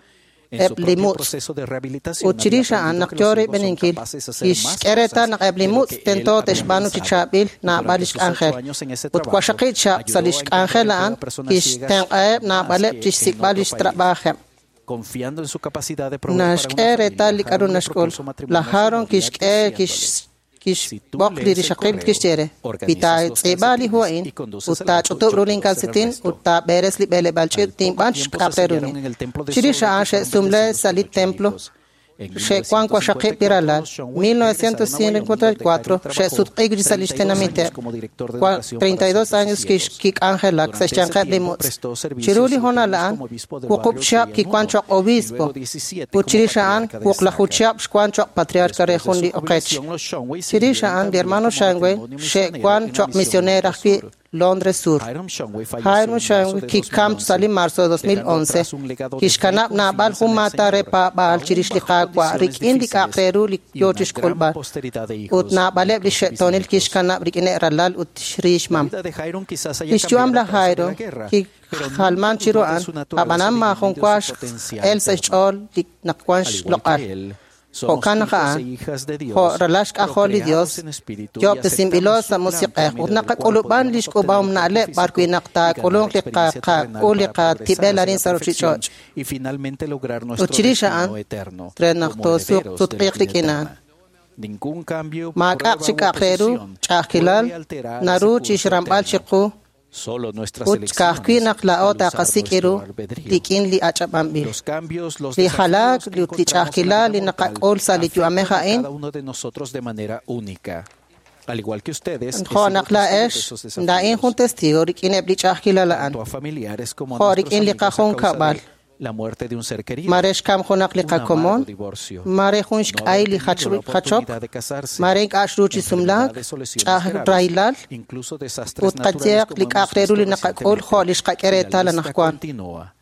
Speaker 7: En su
Speaker 11: eb' li
Speaker 7: propio
Speaker 11: mutz'.
Speaker 7: proceso de rehabilitación
Speaker 11: Ut
Speaker 7: había
Speaker 11: chirix a'an
Speaker 7: aprendido
Speaker 11: naq
Speaker 7: que los
Speaker 11: yoo
Speaker 7: ciegos son
Speaker 11: rib'eninkil
Speaker 7: capaces de hacer más
Speaker 11: kixk'e reetal
Speaker 7: cosas
Speaker 11: naq eb' li
Speaker 7: de lo
Speaker 11: mutz'
Speaker 7: que él
Speaker 11: tento
Speaker 7: había
Speaker 11: te'xb'aanu chi
Speaker 7: pensado.
Speaker 11: chaab'il naab'al
Speaker 7: Durante
Speaker 11: li
Speaker 7: sus 8
Speaker 11: xk'anjel.
Speaker 7: años en ese
Speaker 11: Ut
Speaker 7: trabajo,
Speaker 11: waxaqib' chihab' sa' li
Speaker 7: ayudó a encontrar
Speaker 11: xk'anjel
Speaker 7: empleo
Speaker 11: a'an
Speaker 7: a personas ciegas
Speaker 11: kixtenq'aheb'
Speaker 7: más
Speaker 11: naab'aleb'
Speaker 7: que en
Speaker 11: chixsik'b'al
Speaker 7: otro
Speaker 11: li
Speaker 7: país.
Speaker 11: xtrab'ajeb'.
Speaker 7: Confiando en su capacidad de proveer para una
Speaker 11: Naxk'e reetal li
Speaker 7: familia,
Speaker 11: k'aru
Speaker 7: Harold le
Speaker 11: naxk'ul.
Speaker 7: propuso matrimonio
Speaker 11: Laj
Speaker 7: a su
Speaker 11: Haron
Speaker 7: novia
Speaker 11: kixk'e
Speaker 7: diciéndole, Si tú
Speaker 11: kixb'oq li
Speaker 7: lees el
Speaker 11: rixaqil
Speaker 7: correo,
Speaker 11: kixye re
Speaker 7: organizas los
Speaker 11: Wi taatz'iib'a li hu
Speaker 7: calcetines
Speaker 11: a'in
Speaker 7: y conduces
Speaker 11: ut
Speaker 7: el auto,
Speaker 11: taach'utub'
Speaker 7: yo
Speaker 11: ru
Speaker 7: puedo hacer el
Speaker 11: linkalsetin
Speaker 7: resto.
Speaker 11: ut taab'eres li b'eleb'aal ch'iich'
Speaker 7: Al poco
Speaker 11: tinb'an
Speaker 7: tiempo se
Speaker 11: xk'aq re
Speaker 7: sellaron
Speaker 11: runi.
Speaker 7: en el templo de
Speaker 11: Chirix
Speaker 7: Salt
Speaker 11: a'an
Speaker 7: Lake y fueron
Speaker 11: xe'sumle
Speaker 7: bendecidos
Speaker 11: sa'
Speaker 7: con
Speaker 11: li
Speaker 7: 8
Speaker 11: templo
Speaker 7: hijos. En
Speaker 11: xe'wan waxaqib'
Speaker 7: 1954,
Speaker 11: piralal.
Speaker 7: los Shumway regresaron a Wyoming, donde Hiram
Speaker 11: 1954
Speaker 7: trabajó
Speaker 11: xe'sutq'iik sa' li
Speaker 7: 32 años
Speaker 11: xtenamiteb'.
Speaker 7: como director de educación para
Speaker 11: 32
Speaker 7: sordos y
Speaker 11: años
Speaker 7: ciegos.
Speaker 11: kik'anjelak sa'
Speaker 7: Durante ese
Speaker 11: xyanqeb' li
Speaker 7: tiempo
Speaker 11: mutz'.
Speaker 7: prestó servicios
Speaker 11: Chiru li
Speaker 7: 7
Speaker 11: hoonal
Speaker 7: años
Speaker 11: a'an
Speaker 7: como obispo del
Speaker 11: wuqub'
Speaker 7: barrio
Speaker 11: chihab'
Speaker 7: Trian
Speaker 11: kiwan
Speaker 7: 1
Speaker 11: cho'q
Speaker 7: y
Speaker 11: obispo.
Speaker 7: luego 17
Speaker 11: Ut
Speaker 7: como
Speaker 11: chirix a'an
Speaker 7: patriarca de
Speaker 11: wuqlaju
Speaker 7: Estaca.
Speaker 11: chihab' xwan cho'q patriarca re
Speaker 7: Después de
Speaker 11: jun
Speaker 7: su
Speaker 11: li oqech.
Speaker 7: jubilación, los Shumway
Speaker 11: Chirix
Speaker 7: sirvieron
Speaker 11: a'an li
Speaker 7: también
Speaker 11: hermano
Speaker 7: como
Speaker 11: Shumway
Speaker 7: matrimonio misionero
Speaker 11: xe'wan
Speaker 7: en la
Speaker 11: cho'q
Speaker 7: misión
Speaker 11: misionero
Speaker 7: Londres
Speaker 11: ajwi'
Speaker 7: Sur.
Speaker 11: Londres Sur.
Speaker 7: Hiram Shumway falleció
Speaker 11: Hiram
Speaker 7: en marzo
Speaker 11: Shumway
Speaker 7: de
Speaker 11: kikam sa' li
Speaker 7: 2011,
Speaker 11: marzo de
Speaker 7: dejando
Speaker 11: 2011
Speaker 7: atrás un legado de fe y
Speaker 11: kixkanab' naab'al
Speaker 7: confianza
Speaker 11: jun
Speaker 7: en el
Speaker 11: maata re
Speaker 7: Señor,
Speaker 11: paab'aal
Speaker 7: aún
Speaker 11: chirix li
Speaker 7: bajo
Speaker 11: Qaawa'
Speaker 7: condiciones
Speaker 11: rik'in li k'a'aq re
Speaker 7: difíciles
Speaker 11: ru li
Speaker 7: y
Speaker 11: yoo
Speaker 7: una gran
Speaker 11: chixk'ulb'al.
Speaker 7: posteridad de
Speaker 11: Ut
Speaker 7: hijos,
Speaker 11: naab'aleb' li
Speaker 7: nietos y
Speaker 11: xe'toonil
Speaker 7: bisnietos.
Speaker 11: kixkanab' rik'ineb' ralal ut
Speaker 7: La
Speaker 11: xriixmam.
Speaker 7: vida de Hiram quizás haya
Speaker 11: Li xyu'am
Speaker 7: cambiado a
Speaker 11: laj
Speaker 7: causa de
Speaker 11: Jairo
Speaker 7: la guerra, pero nunca
Speaker 11: kijalman chiru
Speaker 7: dudó de
Speaker 11: a'an
Speaker 7: su naturaleza
Speaker 11: ab'anan
Speaker 7: divina y
Speaker 11: maajun
Speaker 7: de
Speaker 11: wa
Speaker 7: su potencial
Speaker 11: x'el sa'
Speaker 7: eterno.
Speaker 11: xch'ool li naq wan
Speaker 7: Al igual
Speaker 11: xloq'al.
Speaker 7: que él, somos
Speaker 11: Jo'kan naq
Speaker 7: hijos
Speaker 11: a'an
Speaker 7: e hijas de
Speaker 11: jo'
Speaker 7: Dios,
Speaker 11: ralal xk'ajol li Dios
Speaker 7: procreados en espíritu y
Speaker 11: yoob'tesinb'ilo
Speaker 7: aceptamos
Speaker 11: sa'
Speaker 7: su plan por
Speaker 11: musiq'ej ut
Speaker 7: medio del cual
Speaker 11: naqak'ulub'an li
Speaker 7: podremos
Speaker 11: xk'ub'ahom
Speaker 7: obtener un cuerpo
Speaker 11: na'leb' b'arwi'
Speaker 7: físico
Speaker 11: naq
Speaker 7: y ganar
Speaker 11: taak'ulunq li
Speaker 7: experiencia terrenal
Speaker 11: qak'ul li
Speaker 7: para progresar
Speaker 11: qatib'el
Speaker 7: hacia
Speaker 11: arin
Speaker 7: la
Speaker 11: sa'
Speaker 7: perfección
Speaker 11: ruchich'och'.
Speaker 7: y finalmente lograr
Speaker 11: Ut
Speaker 7: nuestro
Speaker 11: chirix a'an
Speaker 7: destino eterno
Speaker 11: re naq
Speaker 7: como
Speaker 11: toosuq
Speaker 7: herederos de la
Speaker 11: sutq'iiq
Speaker 7: vida
Speaker 11: rik'in a'an.
Speaker 7: eterna. Ningún cambio,
Speaker 11: Maak'aq
Speaker 7: prueba
Speaker 11: chi
Speaker 7: u
Speaker 11: k'a'aq re ru
Speaker 7: oposición
Speaker 11: ch'a'ajkilal
Speaker 7: puede alterar ese
Speaker 11: naru
Speaker 7: curso
Speaker 11: chixramb'al
Speaker 7: eterno.
Speaker 11: chiqu
Speaker 7: Solo nuestras
Speaker 11: ut ka'ajwi'
Speaker 7: elecciones
Speaker 11: naq laa'o
Speaker 7: al usar
Speaker 11: taqasik'
Speaker 7: nuestro
Speaker 11: iru
Speaker 7: albedrío.
Speaker 11: rik'in li ach'ab'anb'il.
Speaker 7: Los cambios, los
Speaker 11: Li
Speaker 7: desafíos
Speaker 11: jalaak
Speaker 7: que
Speaker 11: ut li
Speaker 7: encontramos en la
Speaker 11: ch'a'ajkilal
Speaker 7: vida
Speaker 11: li
Speaker 7: mortal
Speaker 11: naqak'ul sa' li yu'amej
Speaker 7: afectan a
Speaker 11: a'in
Speaker 7: cada uno de nosotros de manera única. Al igual que ustedes, he
Speaker 11: jo'
Speaker 7: sido
Speaker 11: naq
Speaker 7: testigo de
Speaker 11: laa'ex
Speaker 7: esos
Speaker 11: laa'in jun
Speaker 7: desafíos,
Speaker 11: testigo rik'ineb' li ch'a'ajkilal a'an
Speaker 7: tanto a familiares como a
Speaker 11: jo'
Speaker 7: nuestros
Speaker 11: rik'in li
Speaker 7: amigos a causa
Speaker 11: qajunkab'al.
Speaker 7: de la muerte de un ser querido,
Speaker 11: Mare xkam junaq li
Speaker 7: un amargo
Speaker 11: qakomon,
Speaker 7: divorcio,
Speaker 11: mare jun
Speaker 7: no
Speaker 11: xk'ay
Speaker 7: haber
Speaker 11: li
Speaker 7: tenido la
Speaker 11: jachok,
Speaker 7: oportunidad de casarse,
Speaker 11: mare ink'a' xru chi sumlaak,
Speaker 7: enfermedades o lesiones
Speaker 11: ch'aj
Speaker 7: graves,
Speaker 11: rahilal,
Speaker 7: incluso desastres
Speaker 11: ut
Speaker 7: naturales
Speaker 11: qayeq
Speaker 7: como
Speaker 11: li
Speaker 7: hemos
Speaker 11: k'a'aq re ru
Speaker 7: visto
Speaker 11: li naqak'ul
Speaker 7: recientemente.
Speaker 11: jo' li xqak'e
Speaker 7: Y la
Speaker 11: reetal
Speaker 7: lista
Speaker 11: anaqwan.
Speaker 7: continúa.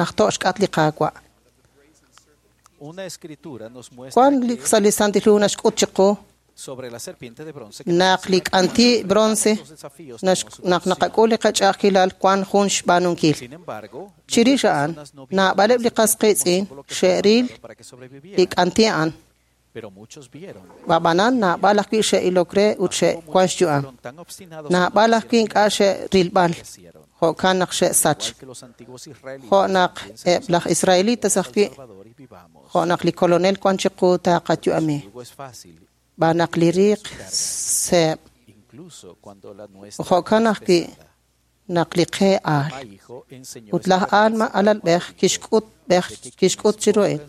Speaker 11: najto' xk'atq li Qaawa'.
Speaker 7: Una escritura nos muestra
Speaker 11: Wan li sa' li Santil Hu naxk'ut chiqu
Speaker 7: sobre la serpiente de bronce que
Speaker 11: naq li k'anti' bronce naq naqak'ul li qach'a'ajkilal wan jun xb'aanunkil.
Speaker 7: Sin embargo,
Speaker 11: Chirix a'an, naab'aleb' li qas qiitz'in xe'ril
Speaker 7: para que
Speaker 11: li
Speaker 7: sobrevivieran,
Speaker 11: k'anti' a'an.
Speaker 7: pero muchos vieron
Speaker 11: Ab'anan naab'al ajwi' xe'ilok re ut xe'wan xyu'am.
Speaker 7: tan obstinados
Speaker 11: Naab'al ajwi' ink'a' xe'rilb'al. Jo'kan naq xe'sach. Jo' naq eb' laj Israelitas ajwi', jo' naq li Kolonel wan chiqu taqayu'ami. B'an naq li riiq seeb'. Jo'kan ajwi' naq li qe aal. Ut laj Alma alalb'ej kixk'ut chiru a'in.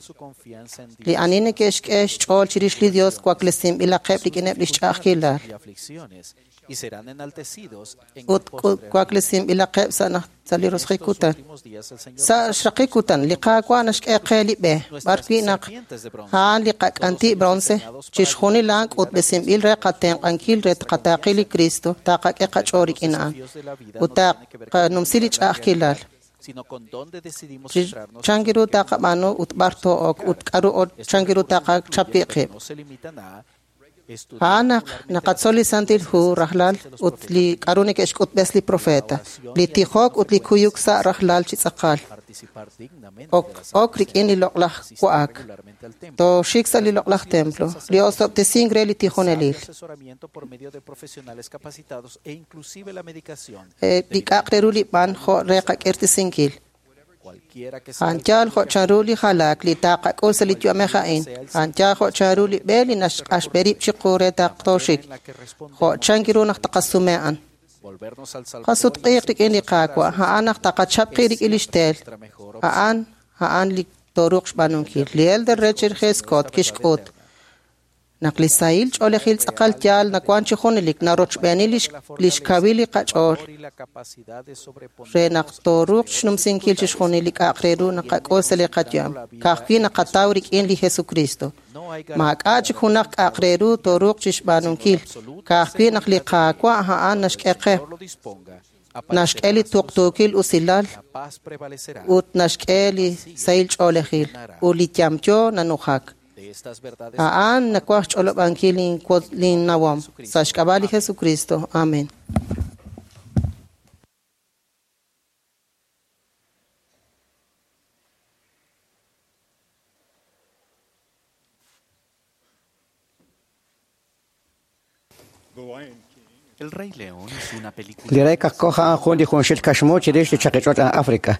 Speaker 11: Li ani neke'xk'e xch'ool chirix li Dios waklesinb'ilaqeb' rik'ineb' lix ch'a'ajkilal. Ut waklesinb'ilaqeb' sa' li roso'jik kutan. Sa' xraqik kutan, li Qaawa' naxk'e qe li b'e, b'ar wi' naq a'an li qak'anti' bronce, chixjunil a'an k'utb'esinb'il re qatenq'ankil re tqataaqi li Cristo, taqak'e qach'ool rik'in a'an, ut taqanumsi li ch'a'ajkilal. Chan ru taqab'aanu ut b'ar too'ok ut k'aru chan ru taqachap wi' qib'. A'an naq naqatzol li Santil Hu rajlal ut li k'aru neke'xk'utb'es li profeta, li tijok ut li kuyuk sa' rajlal chi tz'aqal. Ok rik'in li loq'laj wa'ak. Tooxik sa' li loq'laj templo, li osob'tesink re li tijonelil. Li k'a'aq re ru li b'an jo' re qak'irtesinkil. A'an yaal jo' chanru li jalaak li taqak'ul sa' li yu'amej a'in. A'an yaal jo' chanru li b'e li naxq'axb'e rib' chiqu re taqtooxik. Jo' chan ru naq taqasume a'an. Qasutq'iiq rik'in li Qaawa', a'an naq taqachap qib' rik'in lix teel. A'an li tooruuq xb'aanunkil. Li Elder Richard G. Scott kixk'ut naq li sahil ch'oolejil tz'aqal yaal nawan chi junelik narochb'eeni lix kawil li qach'ool re naq tooruuq xnumsinkil chixjunil li k'a'aq re ru naqak'ul sa' li qayu'am. Ka'ajwi' naqataw rik'in li Jesucristo. Maak'a' chik junaq k'a'aq re ru tooruuq chixb'aanunkil. Ka'ajwi' naq li Qaawa' a'an naxk'e qe. Naxk'e li tuqtuukil usilal ut naxk'e li sahil ch'oolejil ut li yamyo nanujak. A'an nawaj xch'olob'ankil linnawom sa' xk'ab'a' li Jesucristo. Amen.
Speaker 8: Li rey kaqkoj a'an jun li junxil kaxmu chirix li chaqich'och' África.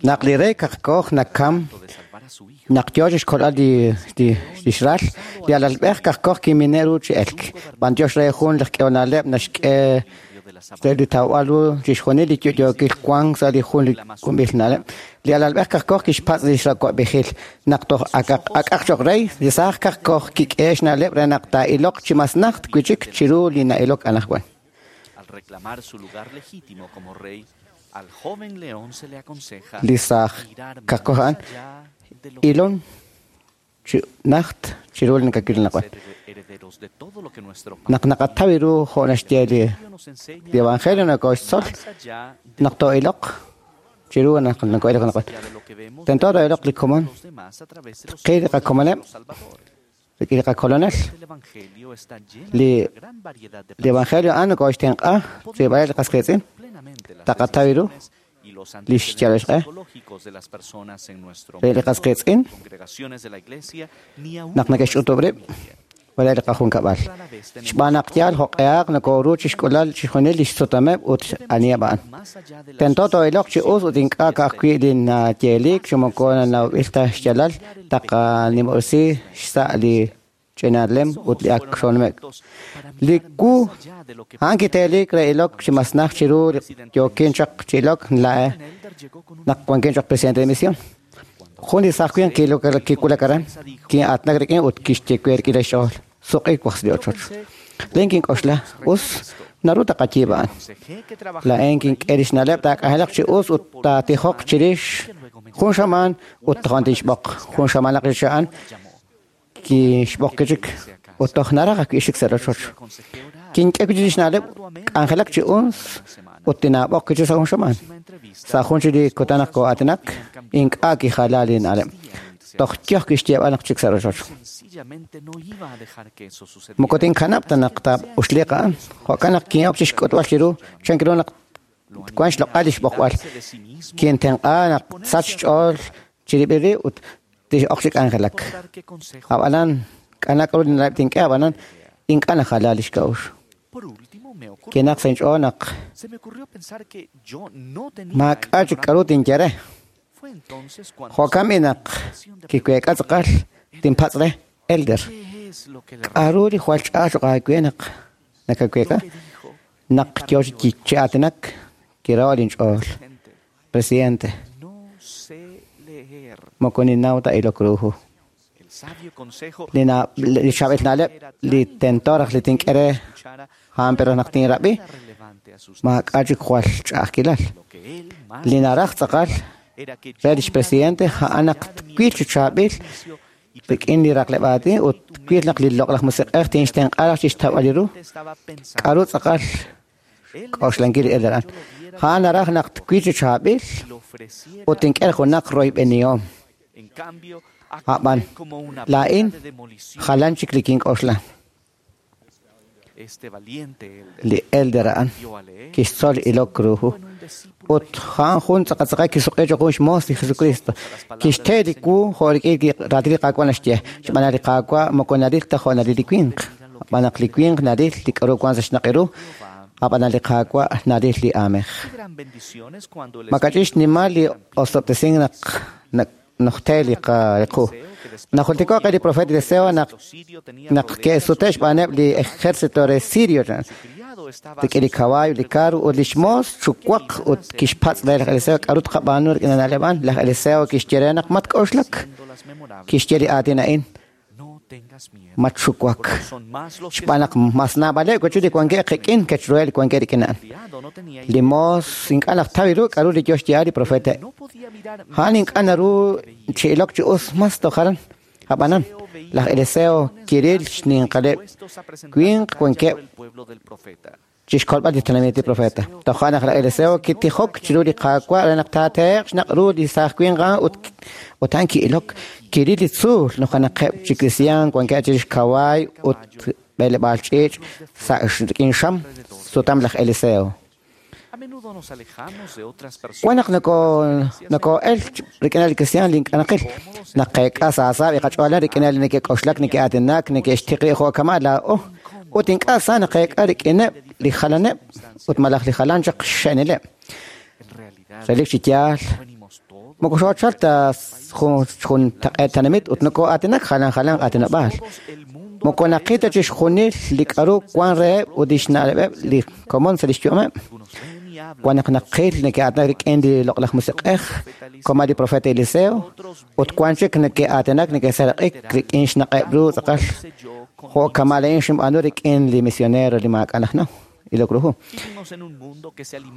Speaker 8: Naq li rey kaqkoj nakam, naq yoo chixkolb'al li xral, li alalb'ej kaqkoj kimine' ru chi elk. B'antiox re jun laj k'ehonaleb' naxk'e re li tawb'al ru chixjunil li yo'yookil wank sa' li jun li k'umb'il na'leb'. Li alalb'ej kaqkoj kixpatz' li xrawab'ejil. Naq toj ak'aq cho'q rey, li saaj kaqkoj kik'e xna'leb' re naq taa'iloq chi mas najt wi'chik chiru li na'ilok anaqwan. Li saaj kaqkoj a'an ilon chi najt chiru li nakakil anaqwan. Naq naqataw ru jo' naxye li Evangelio nokoxtzol naq too'iloq chiru naq noko'ilok anaqwan. Tento too'iloq li komon, tqil li qakomoneb' rik'in li qakolonel. Li Evangelio a'an nokoxtenq'a rilb'aleb' li qas qiitz'in, taqataw ru li xyal xq'e re li qas qiitz'in naq neke'xch'utub' rib' wala li qajunkab'al. Xb'aan naq yaal jo'q'ehaq nokoru chixk'ulal chixjunil li xsutameb' ut aniheb' a'an. Tento too'iloq chi us ut ink'a' ka'ajwi' li nayeelik chi moko nanawb'il ta xyaalal taqanimob'resi xsa' li ch'inalem ut li ak xonumek'. Li wu a'an kiteelik re ilok chi mas najt chiru li yookin chaq chi ilok nla'e naq wankin choq presidente de misión. Jun li saaj winq kiwulak aran, kin'aatinak rik'in ut kixye we rik'in lix ch'ool, suq'i waj sa' li ochoch. Lin kink'oxla, us, naru taqayiib' a'an. Laa'in kink'e lix na'leb' taak'anjelaq chi us ut taatijoq chirix jun xamaan ut tojon tinxb'oq. Jun xamaanaq chirix a'an kixb'oq kichik ut toj naraj ajwi' xik sa' rochoch. Kink'e wi'chik lix na'leb' k'anjelak chi us ut tinaab'oq kichik sa' jun xamaan. Sa' jun chik li kutan naq koo'aatinak, ink'a' kijala li na'leb'. Toj yoj kixyeeb'al naq chik sa' rochoch. Moko tinkanab' ta naq taa'uxliiq a'an. Jo'kan naq kin'ok chixk'utb'al chiru chan ru naq wan xloq'al li xb'oqb'al. Kintenq'a naq sach xch'ool chirib'il rib' ut tix'ok chi k'anjelak. Ab'anan, k'anak ru li na'leb' tink'e, ab'anan ink'a' najala li xk'a'uxl. Kinaq sa inch'ool naq maak'a' chik k'aru tinye re. Jo'kan b'i naq kiweek'a tz'aqal tinpatz' re, Elder, k'aru li jwal ch'a'aj choq' aawe naq nakaweek'a? Naq yo chi aatinak kiraho' linch'ool. Presidente, moko ninnaw ta ilok ru hu. Li chaab'il na'leb' li tento raj li tink'e re a'an pero naq tinrab'i maak'a' chik jwal ch'a'ajkilal. Li naraj tz'aqal re lix presidente a'an naq twil chi chaab'il rik'in li raqleb' aatin ut twil naq li loq'laj musiq'ej tinxtenq'a raj chixtawb'al li ru. K'aru tz'aqal k'oxlankil li elder a'an. A'an naraj naq twil chi chaab'il ut tink'e junaq royb'enihom. A'b'an laa'in jalan chik li kink'oxla. Li elder a'an kixtzol ilok ru hu ut a'an jun tz'aqatz'aqal kisuq'i choq' jun xmoos li Jesucristo. Kixte li wu jo' rik'in li raatin li Qaawa' naxye, xb'aan naq li Qaawa' moko naril ta jo' naril li winq. Xb'aan naq li winq naril li k'aru wank sa' xnaq' ru, ab'an li Qaawa' naril li aamej. Makach'in xnimal li osob'tesink naq nojte li qu. Najultiko' qe li profeta Eliseo naq ke'sute' xb'aaneb' li ejército re Sirio rik'in li kawaay, li karu ut li xmoos xuwaq ut kixpatz' re laj Eliseo k'aru tqab'aanu rik'in na'leb' a'an. Laj Eliseo kixye re naq matk'oxlak. Kixye li aatin a'in: matxuwak. Xb'aan naq mas naab'aleb' wach'il li wankeb' qik'in ke'xruheb' li wankeb' rik'in a'an. Li moos ink'a' naq taw ru k'aru li yo xyeeb'al li profeta. A'an ink'a' naru chi ilok chi us mas toj aran. Ab'anan, laj Eliseo kiril xninqaleb' winq wankeb' chixkolb'al li tenamit li profeta. Toja' naq laj Eliseo kitijok chiru li Qaawa' re naq taatehe'q xnaq' ru li saaj winq a'an ut a'an ki'ilok. Kiril li tzuul nujenaqeb' chi kristiaan wankeb' chirix kawaay ut b'eleb'aal ch'iich' sa' rik'in xam sutam laj Eliseo. Wan naq noko'el rik'in li kristiaan li ink'a' naqil, naqeek'a saasaab' li qach'ool rik'in li neke'k'oxlak, neke'aatinak, neke'xtiq rib' jo' kama' laa'o, ut ink'a' sa naqeek'a rik'ineb' li jalaneb' ut malaj li jalan chaq xxe'nileb'. Relik chi yaal, moko xoochal ta jun taq'eet tenamit ut noko'aatinak jalan jalan aatinob'aal. Moko naqil ta chixjunil li k'aru wan reheb' ut lix na'leb'eb' li komon sa' lix yu'ameb'. Wan naq naqil neke'aatinak rik'in li loq'laj musiq'ej koma li profeta Eliseo ut wan chik neke'aatinak neke'seraq'ik rik'in xnaq'eb' ru tz'aqal jo' kama' laa'in xinb'aanu rik'in li misionero li maak'a' najnaw ilok ru hu.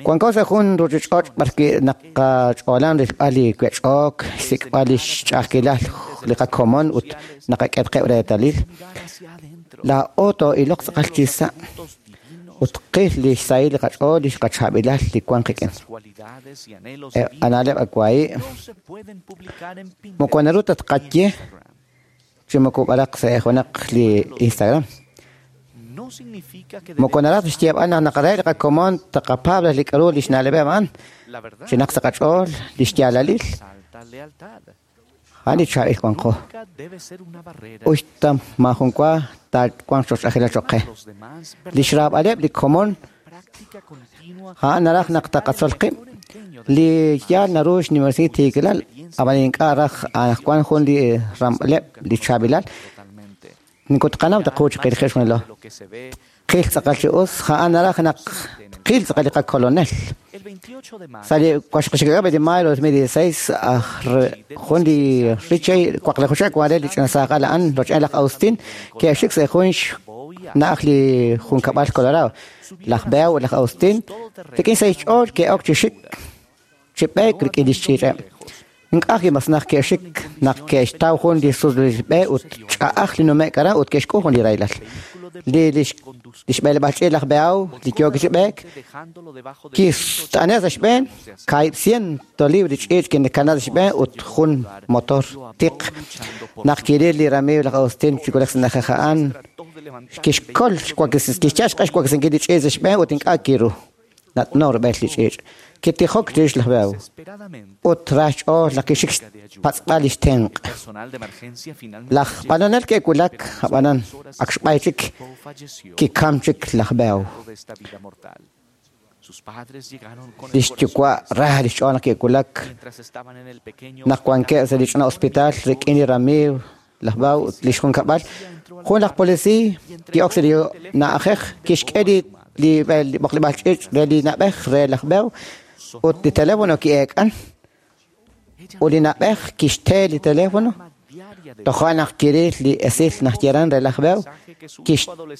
Speaker 8: Wanko sa' jun ruuchich'och' b'arwi' naqach'oolan rilb'al li wech'ok, xsik'b'al li xch'a'ajkilal li qakomon ut naqak'e qib' reetalil. Laa'o too'iloq tz'aqal chi sa' ut qil li xsahil li qach'ool li xqachaab'ilal li wan qik'in. Ana'leb' awaayi' moko naru ta tqaye chi moko b'araq sa' junaq li Instagram. Moko naraj xyeeb'al naq naqare li qakomon taqapaab' li k'aru li xna'leb'eb' a'an chinaq sa' qach'ool li xyaalalil a'an li chaab'il wanqo. Uxta maajun wa taawanq chox'ajilal choq' qe. Li xraab'aleb' li komon a'an naraj naq taqatzol qib'. Li yaal naru xnimersi tiikilal ab'an ink'a' raj anaqwan jun li ramb'aleb' li chaab'ilal. Nikutqanaw taqu chiqilje xunilo. Qil tz'aqal chi us a'an naraj naq qil tz'aqal li qakolonel. Sa' li waxqixik'ab' de mayo 2016 jun li Richey waqlajuxak wan re li ch'ina saaqal a'an roch'en laj Austin ke'xik sa' jun xna'aj li junkab'al Colorado. Laj Beo ut laj Austin rik'in sa' xch'ool ke'ok chi xik chi b'eek rik'in li xch'iich'eb'. Ink'a' mas naq ke'xik naq ke'xtaw jun li suslb'e ut ch'a'aj li nume'k aran ut ke'xk'ul jun li rahilal. Li xb'eleb'aal ch'iich' laj Beau li yook chi b'eek kist'ane' sa' xb'een 100 libra ch'iich' kinkanab' sa' xb'een ut jun motor tiq. Naq kiril li ramiiw laj Austin chi wulak sa' na'ajej a'an kixkol kixyal xq'e xwaklesinkil li ch'iich' sa' xb'een ut ink'a' kiru. Nat'no rub'el li ch'iich'. Kitijok chirix laj Beau. Ut ra xch'ool naq kixik xpatz'b'al lix tenq'. Laj b'anonel ke'wulak ab'anan ak xb'ay chik kikam chik laj Beau. Lix yuwa' ra lix ch'ool naq ke'wulak naq wankeb' sa' li ch'ina hospital rik'in li ramiiw laj Beau ut lix junkab'al. Jun laj polisiiy ki'ok sa' li na'ajej kixk'e li b'oqleb'aal ch'iich' re li na'b'ej re laj Beau ut li teléfono ki'eek'an. Ut li na'b'ej kixte li teléfono toja' naq kiril li esil naq yeran re laj Beau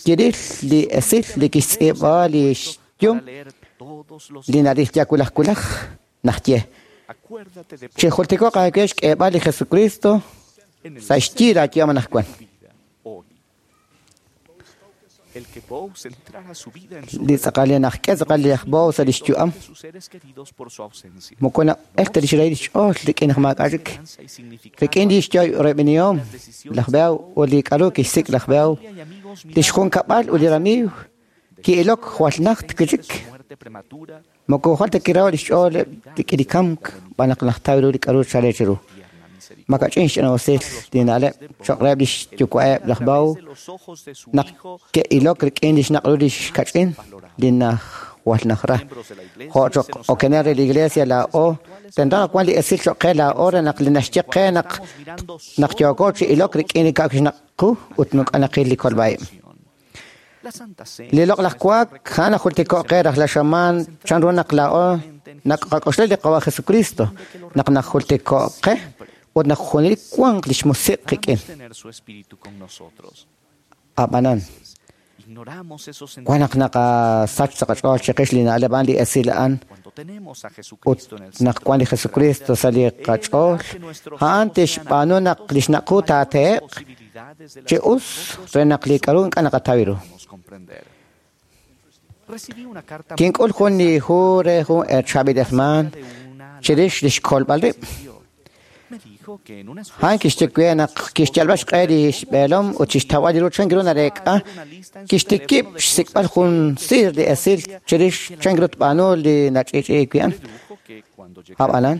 Speaker 8: kiril li esil li kixtz'iib'a li xyum li naril ya kulaj kulaj naq ye. Chijultiko'q aawe xk'eeb'al li Jesucristo sa' xyi laayu'am anaqwan. Li tz'aqal li naqk'e tz'aqal li aj Beau sa' lix yu'am moko na'el ta lix rahil lix ch'ool rik'in naq maak'a' chik. Rik'in lix yo'reb'inihom laj Beau ut li k'aru kixsik' laj Beau lix junkab'al ut li ramiiw ki'ilok jwal najt wi' chik. Moko jwal ta kiraw lix ch'ool rik'in li kamk b'an naq najtaw ru li k'aru chale chiru. Makach'in xch'ina'usil li na'leb' cho'q reheb' lix yuwa'eb' laj Beau naq ke'ilok rik'in lix naq' ru lix kach'in li jwal najra. Jo' cho'q okenel re li iglesia laa'o tento naq wan li esil cho'q qe laa'o re naq li naxye qe naq yooko chi ilok rik'in li k'a'ak xnaq' qu ut nuk'anaqil li kolb'a'ib'. Li loq'laj wak a'an najultiko'q qe rajlal xamaan chanru naq laa'o naqak'oxla li Qawa' Jesucristo naq najultiko'q qe ut naq junelik wanq lix musiq' qik'in. Ab'anan wan naq naqasach sa' qach'ool chiqix li na'leb' a'an li esil a'an ut naq wan li Jesucristo sa' li qach'ool a'an tixb'aanu naq lix naq' qu taatehe'q chi us re naq li k'aru ink'a' naqataw ru. Kink'ul jun li hu re jun chaab'il hermaan chirix lix kolb'al rib'. A'an kixye we naq kixyalb'al xq'e lix b'eelom ut chixtawb'al li ru chan ru nareek'a kixtikib' xsik'b'al jun siir li esil chirix chan ru tb'aanu li nach'iich'iik wi' a'an. Ab'anan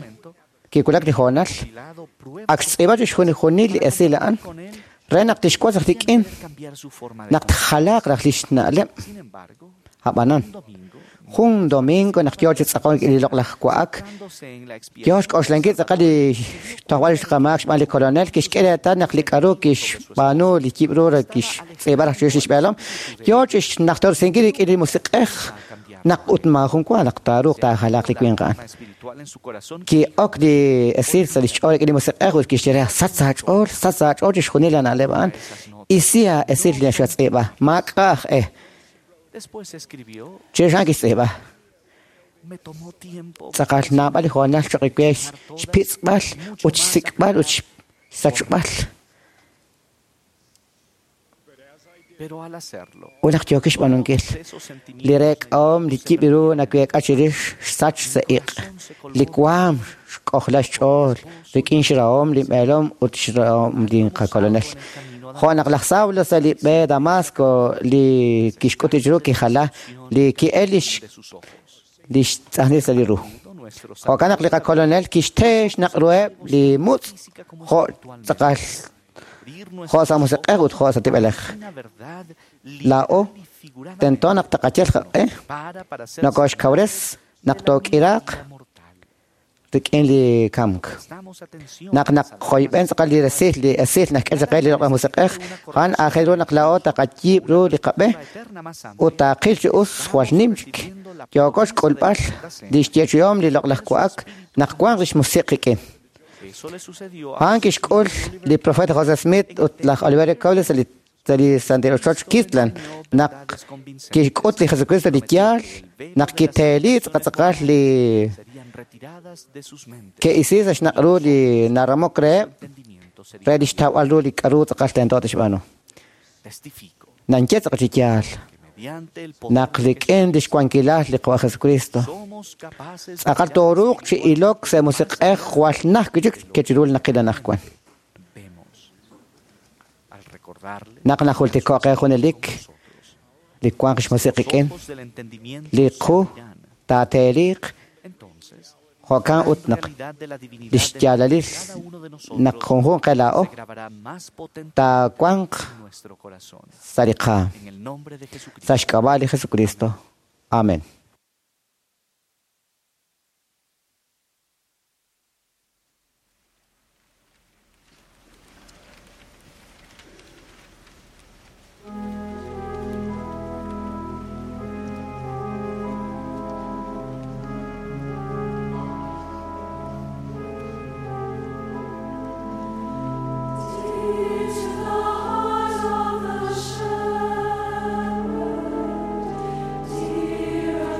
Speaker 8: kiwulak li hoonal ak xtz'iib'a chixjunil li esil a'an re naq tixwotz raj rik'in naq tjalaaq raj lix na'leb'. Ab'anan jun domingo naq yoo chi tz'aqon li loq'laj wa'ak yoo xk'oxlankil tz'aqal li tojb'al xqamaak xb'aan li kolonel kixk'e reetal naq li k'aru kixb'aanu li yib' ru re kixtz'iib'a raj chirix lix b'eelom yoo chi xnajtorsinkil rik'in li musiq'ej naq ut maajun wa naq taaruuq taajalaaq li winq a'an. Ki'ok li esil sa' lix ch'ool rik'in li musiq'ej ut kixye re sach sa' aach'ool chixjunil la na'leb' a'an isi esil li xatz'iib'a maak'a' aj e. Chirix a'an kixtz'iib'a. Tz'aqal naab'al li hoonal cho'q we xpitz'b'al ut xsik'b'al ut xsachb'al. Ut naq yookix xb'aanunkil li reek'ahom li yib' ru naweek'a chirix xsach sa' iq'. Li waam xk'ojla xch'ool rik'in xrahom li b'eelom ut xrahom li qakolonel. Jo' naq laj Saulo sa' li b'e Damasco li kixk'ut chiru kijala li ki'el lix tz'ajnil sa' li ru. Jo'kan naq li qakolonel kixte xnaq' ruheb' li mutz' jo' tz'aqal jo' sa' musiq'ej ut jo' sa' tib'elej. Laa'o tento naq taqayal qaq'e nokoxkawres naq took'iraaq rik'in li kamk. Naq naqjoyb'en tz'aqal li resil li esil nak'e chaq li loq'laj musiq'ej a'an aajel ru naq laa'o taqayiib' ru li qab'e ut taaqil chi us jwal nim chik. Yooko xk'ulb'al li xyeechi'om li loq'laj wa'ak naq wanq lix musiq' qik'in. A'an kixk'ul li profeta José Smith ut laj Oliverio Cowdery sa' li Santil Ochoch Kirtland naq kixk'ut li Jesucristo li yaal naq kiteeli tz'aqal li ke'isi sa' xnaq' ru li naramok reheb' re lix tawb'al ru li k'aru tz'aqal tento tixb'aanu. Nanye tz'aqal chi yaal naq rik'in lix wankilal li Qawa' Jesucristo tz'aqal tooruuq chi ilok sa' musiq'ej jwal naj wi' chik ke chiru li naqil anaqwan. Naq najultiko'q qe junelik li wanq xmusiq qik'in li qu Taateeliq jo'kan ut naq li xyaalalil naq junjunq qe laa'o taawanq sa' li qaam. Sa' xk'ab'a' li Jesucristo. Amén.
Speaker 12: Teach the heart of the shepherd, dear.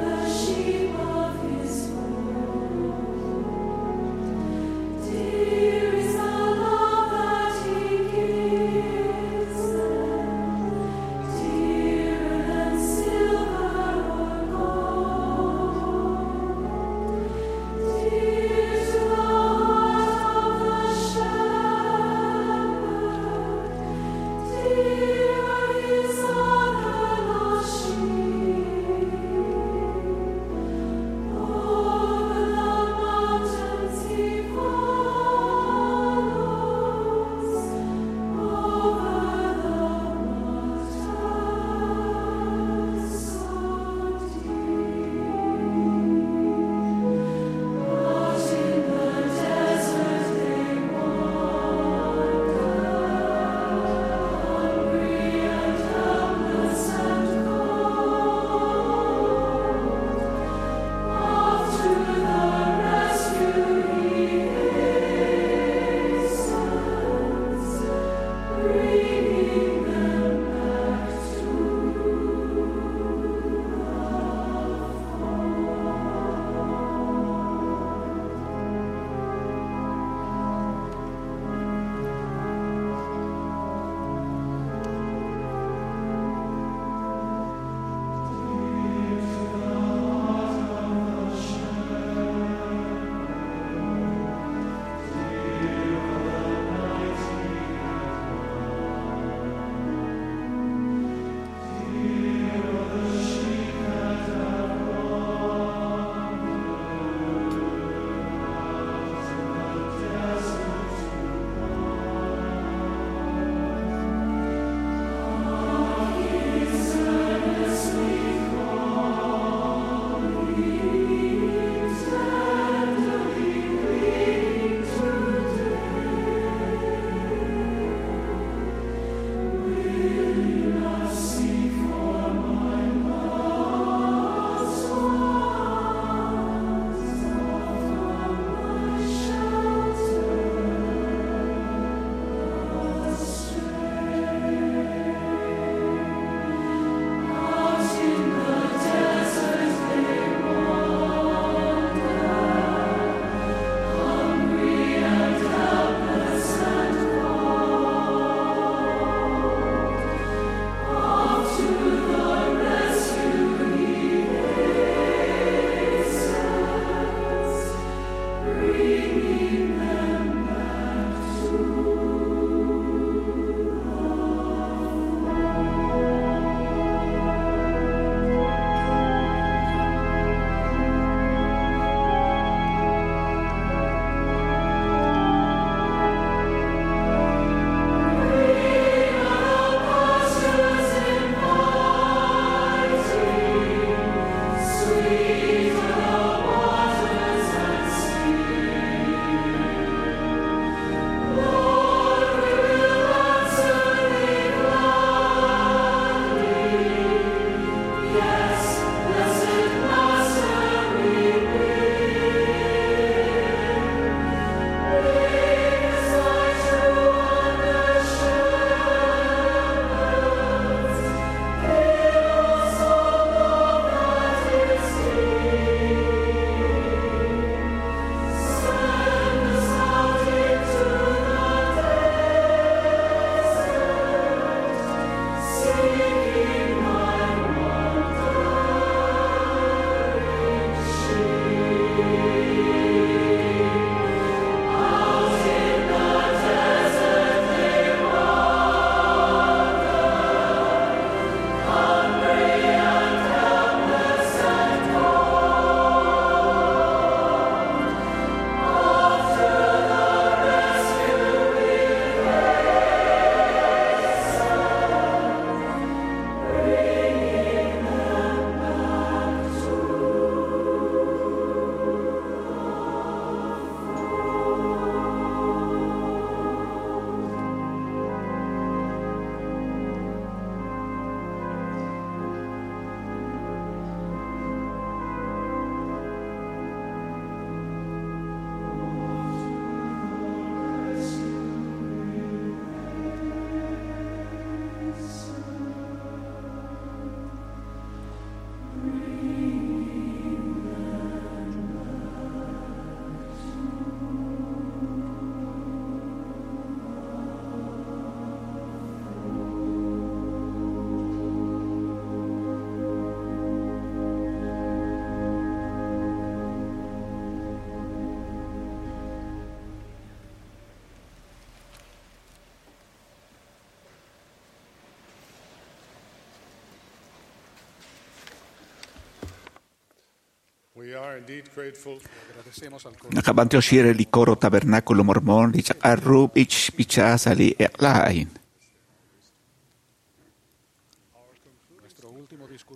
Speaker 6: Naqab'antioxi re li coro Tabernáculo Mormón li chaq'al ru b'ich b'icha sa' li eq'la a'in.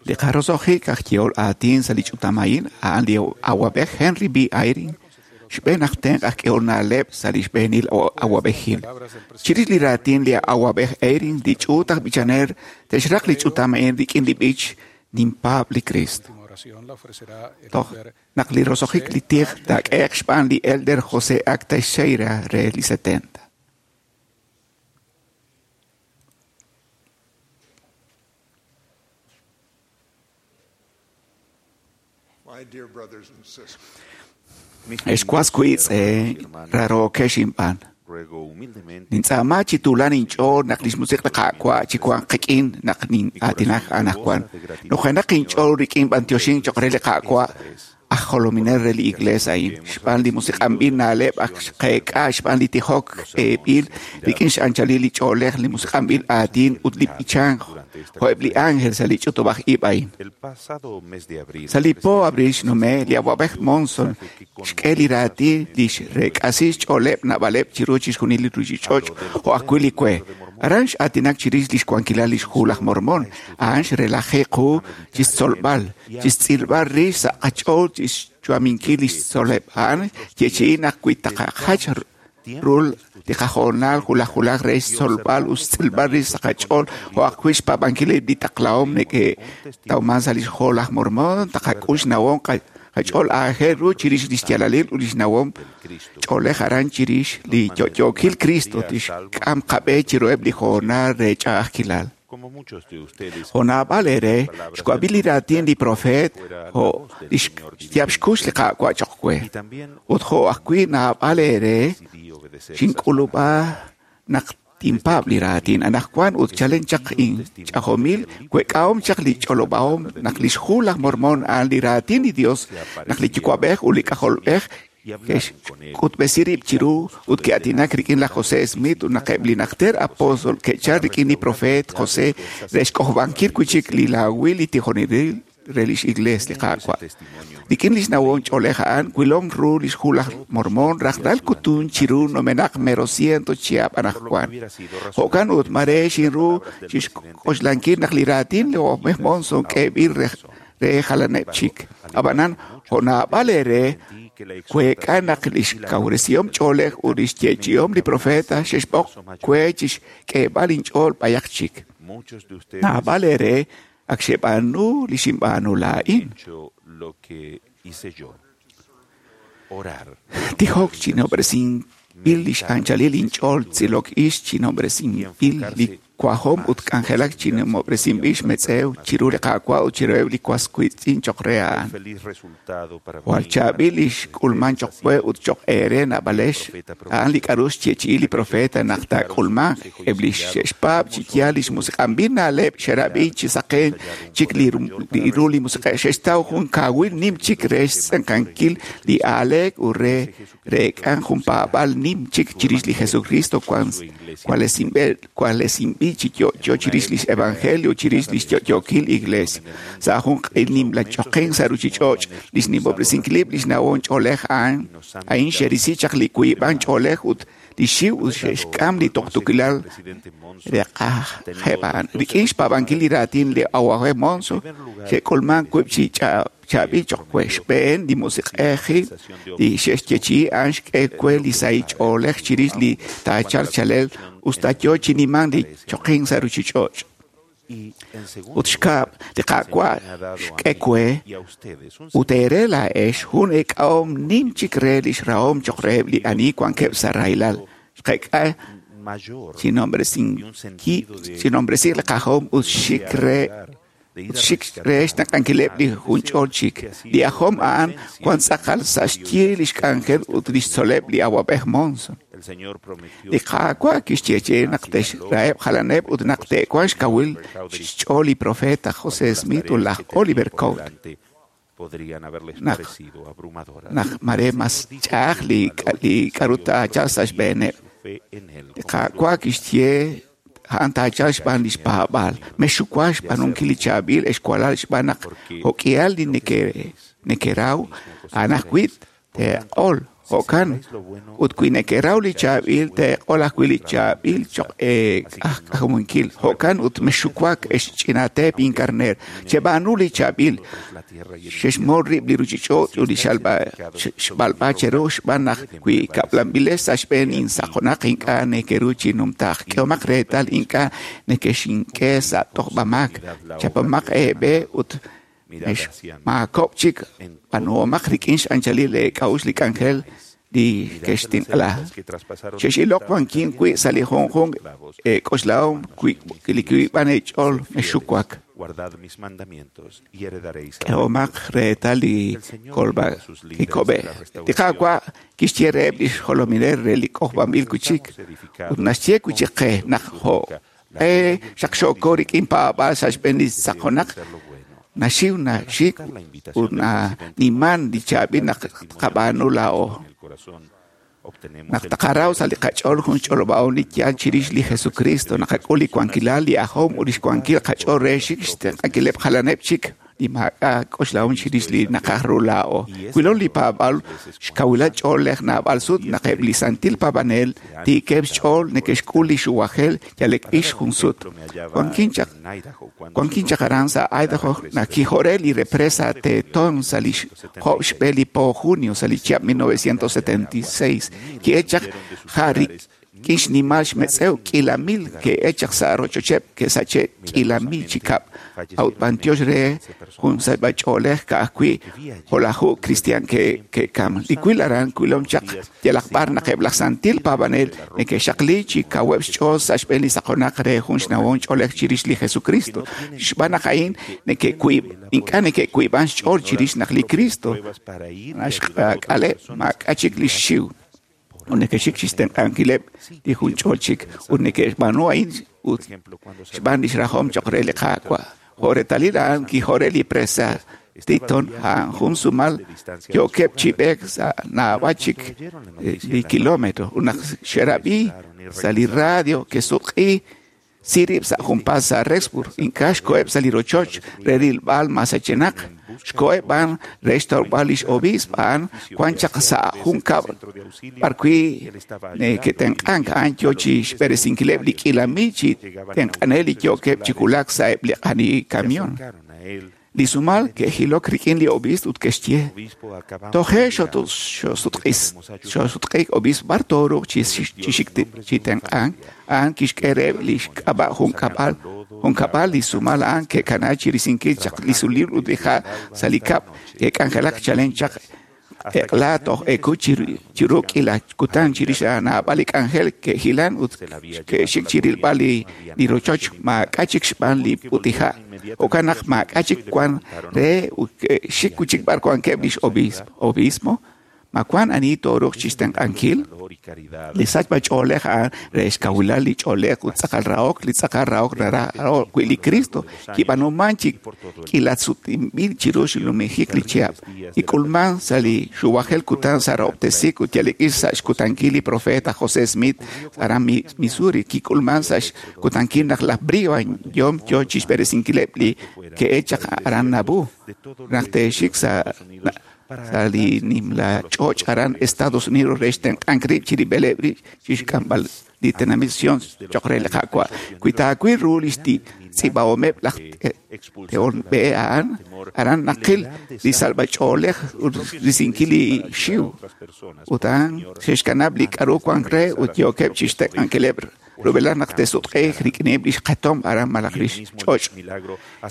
Speaker 6: Li qaroso'jik aj yehol aatin sa' li ch'utam a'in a'an li awab'ej Henry B. Eyring, xb'een aj tenq' aj k'ehol na'leb' sa' li xb'eenil awab'ejil. Chirix li raatin li awab'ej Eyring, li ch'uut aj b'ichanel te'xraq li ch'utam a'in rik'in li b'ich Ninpaab' li Kristo. Toj naq li roso'jik li tij taak'ehe'q xb'aan li elder José A. Teixeira re li 70.
Speaker 4: My dear brothers and sisters,
Speaker 6: Ex was wiitz'in rarookex inb'aan. Nintz'aama chi tuulan inch'ool naq lix musiq' li Qaawa' chi wanq qik'in naq nin'aatinak anaqwan. Nujenaq inch'ool rik'in b'antioxink choq' re li Qaawa' aj jolominel re li Iglees a'in, xb'aan li musiq'anb'il na'leb' ak xqeek'a xb'aan li tijok eeb'il rik'in x'anchalil li ch'oolej, li musiq'anb'il aatin ut li b'ichank jo'eb' li ángel sa' li ch'utub'aj ib' a'in. Sa' li po abril xnume', li awab'ej Monson xk'e li raatin li xreek'asi xch'ooleb' naab'aleb' chiru chixjunil li ruchich'och' jo' ajwi' li we. Aran x'aatinak chirix lix wankilal lix hu laj Mormón, a'an xrelaji qu chixtzolb'al, chixtz'ilb'al rix sa' qach'ool chixyu'aminkil lix tzol'leb'. A'an xyeechi'i naq wi taqajach ru li qahoonal wulaj wulaj re xtzolb'al ut xtz'ilb'al rix sa' qach'ool jo' ajwi' xpaab'ankil eb' li taqlahom neke'tawman sa' lix hu laj Mormón, taqak'ul xnawom qach'ool aajel ru chirix lix yaalalil ut lix nawom ch'oolej aran chirix li yo'yookil Cristo tixk'am qab'e chiruheb' li hoonal re ch'a'ajkilal. Jo' naab'al eere xwab'i li raatin li profeet jo' lix xyaab' xkux li Qaawa' choq' we. Ut jo' ajwi' naab'al eere xink'ulub'a naq tinpaab' li raatin anaqwan ut chalen chaq inch'ajomil week'ahom chaq li ch'olob'ahom naq lix hu laj Mormón a'an li raatin li Dios naq li Yuwa'b'ej ut li K'ajolb'ej ke'xk'utb'esi rib' chiru ut ke'aatinak rik'in laj José Smith ut naq eb' li najter apóstol ke'chal rik'in li profeet José re xk'ojob'ankil wi' chik li laawil li tijonelil re lix Iglees li Qaawa'. Rik'in lix nawom ch'oolej a'an, wilom ru lix hu laj Mormón rajlal kutun chiru numenaq mero ciento chihab' anaqwan. Jo'kan ut mare xinru chixk'oxlankil naq li raatin li awab'ej Monson k'eeb'il re jalaneb' chik. Ab'anan, jo' naab'al eere week'a naq lix kawresihom ch'oolej ut lix yeechi'ihom li profeta xe'xb'oq we chixk'eeb'al inch'ool b'ayaq chik. Naab'al eere ak xeb'aanu li xinb'aanu laa'in. Tijok chinob'resinb'il lix anchalil inch'ool tz'ilok ix chinob'resinb'il li wajom ut k'anjelak chinimob'resinb'il xmetz'ew chiru li Qaawa' ut chiruheb' li was wiitz'in choq' re a'an. Jwal chaab'il li xk'ulman choq' we ut choq' eere naab'alex, a'an li k'a'ru xyeechi'i li profeta naq taak'ulmanq eb' li xe'xpaab' chi yaal lix musiq'anb'il na'leb' xerab'i chi saqen chik li ru li musiq'ej xe'xtaw jun kaawil nim chik re xtz'enqankil li aaleek ut re reek'an jun paab'al nim chik chirix li Jesucristo kwalesinb'il chi yo'yo chirix lix evangelio chirix lix yo'yookil iglesia. Sa' jun q'il nimla choqen sa' ruchich'och' lix nimob'resinkilib' lix nawom ch'oolej a'an a'in xerisi chaq li wiib'an ch'oolej ut li xiw ut xe'xk'am li tuqtuukilal re qajeb' a'an. Rik'in xpaab'ankil li raatin li awab'ej Monson xe'k'ulman wiib' chi chaab'il choq' we. Xb'een li musiq'ejil li xe'xyeechi'i a'an xk'e we li sahil ch'oolej chirix li taachalq chalel usta yo chi nimank li choqink sa' ruchich'och'. Ut xkab' li Qaawa' xk'e we ut eere laa'ex jun eek'ahom nim chik re lix rahom choq' reheb' li ani wankeb' sa' rahilal. Xqeek'a chinombresi li qajom ut xik re xtenq'ankileb' li junch'ol chik. Li ajom a'an wan tz'aqal sa' xyi lix k'anjel ut lix tzol'leb' li awab'ej Monson. Li Qaawa' kixyeechi'i naq te'xraheb' jalaneb' ut naq te'wanq xkawil xch'ool li profeta José Smith ut laj Oliver Cowdery. Naq mare mas ch'a'aj li k'a'ru taachalq sa' xb'eeneb'. Li Qaawa' kixye a'an taachalq xb'aan lix paab'aal. Mexxuwa xb'aanunkil li chaab'il ex walal xb'aan naq jo'k'ihal li nekeraw a'an ajwi' teeq'ol. Jo'kan ut wi nekeraw li chaab'il teeq'ol ajwi' li chaab'il choq' eek'ajk'amunkil. Jo'kan ut mexxuwak ex ch'inateep inkarneer. Cheb'aanu li chaab'il. Xexmol rib' li ruchich'och' ut li xb'alb'a cheru xb'aan naq wi kab'lanb'ilex sa' xb'een insaqonaq ink'a' nekeru chi numtaaq. K'ehomaq reetal ink'a' nekexink'e sa' tojb'amaak. Chapamaq eeb'e ut maakob' chik b'aanuhomaq rik'in x'anchalil eek'a'uxl li k'anjel li kextinq'la. Xex'iloq wankin wi' sa' li junjunq eek'oxlahom li wiib'an eech'ool mexxuwak. K'ehomaq reetal li kolb'a kikob'e. Li Qaawa' kixye reheb' li xjolominel re li k'ojb'anb'il wi' chik ut naxye wi' chik qe naq jo' qe xaqxooko rik'in paab'aal sa' xb'een li saqonaq naxiw naxik ut naniman li chaab'il naq tqab'aanu laa'o. Naq taqaraw sa' li qach'ool jun xch'olob'ahom li yaal chirix li Jesucristo, naqak'ul li wankilal, li ajom ut lix wankil qach'ool re xik xtenq'ankileb' jalaneb' chik li maak'a' k'oxlahom chirix li naqaj ru laa'o. Wilom li paab'aal xkawilal ch'oolej naab'al sut naq eb' li santil paab'anel tiikeb' xch'ool neke'xk'ul li xuwajel yalek ix jun sut. Wankin chaq aran sa' Idaho naq kijore li represa Teton sa' li job xb'e li po junio sa' li chihab' 1976 ki'echaq ja' rik'in xnimal xmetz'ew k'iila mil ke'echaq sa' rochocheb' ke'sache' k'iila mil chi kab' a'ut b'antiox re jun sachb'ach'oolej ka'ajwi' jo'laju cristian ke'kam. Li wil aran wilom chaq yalaq b'ar naq eb' laj santil paab'anel neke'xaqli chi kaweb' xch'ool sa' xb'een li saqonaq re jun xnawom ch'oolej chirix li Jesucristo. Xb'aan naq a'in ink'a' neke'wiib'an xch'ool chirix naq li Cristo naxk'aleb' maak'a' chik li xxiw. Ut neke'xik chixtenq'ankileb' li jun ch'ool chik ut neke'xb'aanu a'in ut xb'aan lix rajom choq' re li Qaawa'. Jo' reetalil a'an kijore li presa Teton a'an jun sumal yookeb' chi b'eek sa' naab'al chik li kilómetro. Ut naq xerab'i sa' li radio ke'sutq'i sirib' sa' junpaat sa' Rexburg, ink'a' xkoheb' sa' li rochoch re rilb'al masachenaq. Xkoheb' b'an re xtawb'al lix obiisp a'an wan chaq sa' jun kab'l b'arwi' neke'tenq'ank a'an yo chi xb'eresinkileb' li k'iila mil chi tenq'anel li yookeb' chi wulak sa' eb' li q'ani kamión. Li sumal ke'jilok rik'in li obiisp ut ke'xye toje' xoosutq'iik obiisp b'ar tooruuq chi tenq'ank a'an kixk'e reheb' li xk'ab'a' jun kab'al li sumal a'an ke'kana chi risinkil chaq li sulil ut li ha' sa' li kab' ke'k'anjelak chalen chaq eq'la toj eku chiru k'iila kutan chirix naab'al li k'anjel ke'jilan ut ke'xik chi rilb'al li rochoch maak'a' chik xb'aan li putiha'. Jo'kan naq maak'a' chik wan re ut ke'xik wi' chik b'ar wankeb' lix obispo. Ma wan ani tooruuq chixtenq'ankil? Li sachb'ach'oolej a'an re xkawilal li ch'oolej ut tz'aqal rahok, li tz'aqal rahok naraj wi' li Cristo kib'aanuman chi k'iilasutinb'il chiru xnumijik li chihab'. Kik'ulman sa' li xuwajel kutan sa' rahob'tesiik ut yalek'il sa' xkutankil li profeta José Smith aran Missouri. Kik'ulman sa' xkutankil naq laj Brigham Young yo chixb'eresinkileb' li ke'echaq aran Nauvoo. Naq te'xik sa' li nimla ch'och' aran Estados Unidos re xtenq'ank rib' chirib'ileb' rib' chixk'amb'al li tenamit Sion choq' re li Qaawa'. Wi taawil ru li xtz'iib'ahomeb' laj tehol b'e a'an, aran naqil li salb'ach'oolej ut risinkil li xiw. Ut a'an xe'xkanab' li k'aru wank re ut yookeb' chixtenq'ankileb' rub'elaj naq te'sutq'iiq rik'ineb' lix q'etom aran malaj lix ch'och'.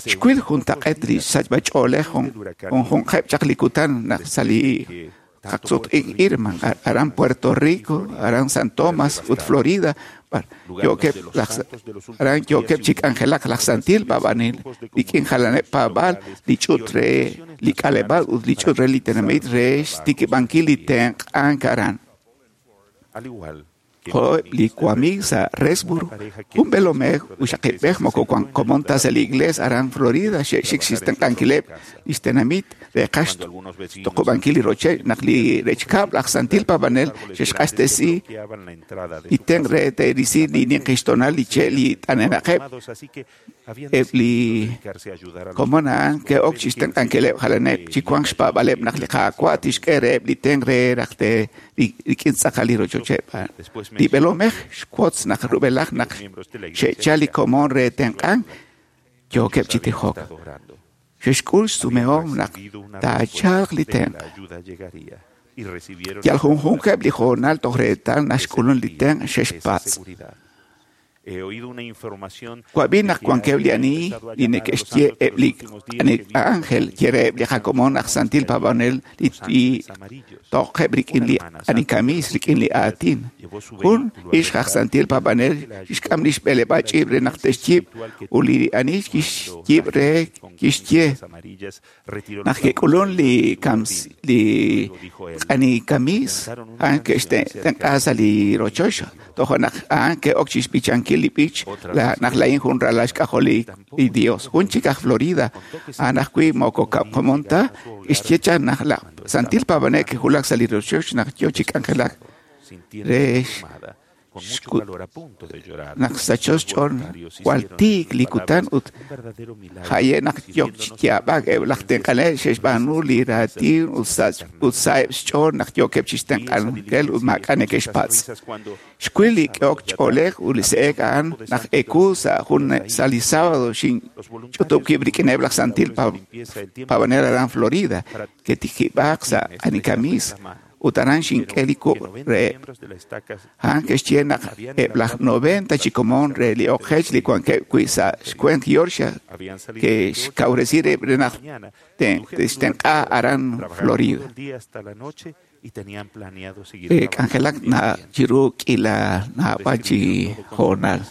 Speaker 6: Xwil juntaq'eet li sachb'ach'oolej junjunqeb' chaq li kutan naq sa' li qaqsutq'iik Irma, aran Puerto Rico, aran San Tomás ut Florida, aran yookeb' chi k'anjelak laj santil paab'anel rik'in jalaneb' paab'aal li ch'uut re li k'aleb'aal ut li ch'uut re li tenamit re xtikib'ankil li tenq'ank aran. Jo'eb' li wamiig sa' Resburg, jun b'eelomej uxaqib'ej moko wan komon ta sa' li iglees aran Florida xe'xik xtenq'ankileb' lix tenamit re qax xtuqub'ankil li rochoch naq li rechkab' laj santil paab'anel xe'xq'axtesi li tenq' re te'risi li ninqixtoonal li che' li t'anenaqeb' eb' li komon a'an ke'ok chixtenq'ankileb' jalaneb' chi wank xpaab'aleb' naq li Qaawa' tixk'e reheb' li tenq' re raj rik'in tz'aqal li rochocheb'. Li b'eelomej xwotz naq rub'elaj naq xe'chal li komon re tenq'ank yookeb' chi tijok. Xe'xk'ul xsumehom naq taachalq li tenq'. Yal junjunqeb' li hoonal toj reetal naxk'ulun li tenq' xe'xpatz'. Wab'i naq wankeb' li ani li neke'xye eb' li ángel ye reheb' li qakomon aj santil paab'anel li toqeb' rik'in li ani kamis rik'in li aatin. Jun ixq aj santil paab'anel xk'am lix b'eleb'aal ch'iib' re naq te'xyiib' ut li ani kixyiib' re kixye naq ke'k'ulun li ani kamis a'an ke'xtenq'a sa' li rochoch tojo' naq a'an ke'ok chixb'ichankil li b'ich naq laa'in jun ralal xk'ajol li Dios. Jun chik aj Florida a'an ajwi' moko komon ta kixye chaq naq laj santil paab'anel ke'wulak sa' li rochoch naq yoo chi k'anjelak re naq sachol xch'ool jwal tiik li kutan ut jaye' naq yook chi yaab'ak eb' laj tenq'anel xe'xb'aanu li raatin ut sa'eb' xch'ool naq yookeb' chixtenq'ankil ut maak'a' neke'xpatz'. Xwil li k'ehok ch'oolej ut li se'ek a'an naq ewu sa' jun sa' li sábado xinch'utub' wib' rik'ineb' laj santil paab'anel aran Florida ke'tikib'aaq sa' anikamis ut aran xink'e li kub' reheb'. A'an ke'xye naq eb' laj 90 chi komon re li oqech li wankeb' wi' sa' xkwent Georgia ke'xkawresi rib' re naq te'xtenq'a aran Florida. K'anjelak na chiru k'ila naab'al chi hoonal.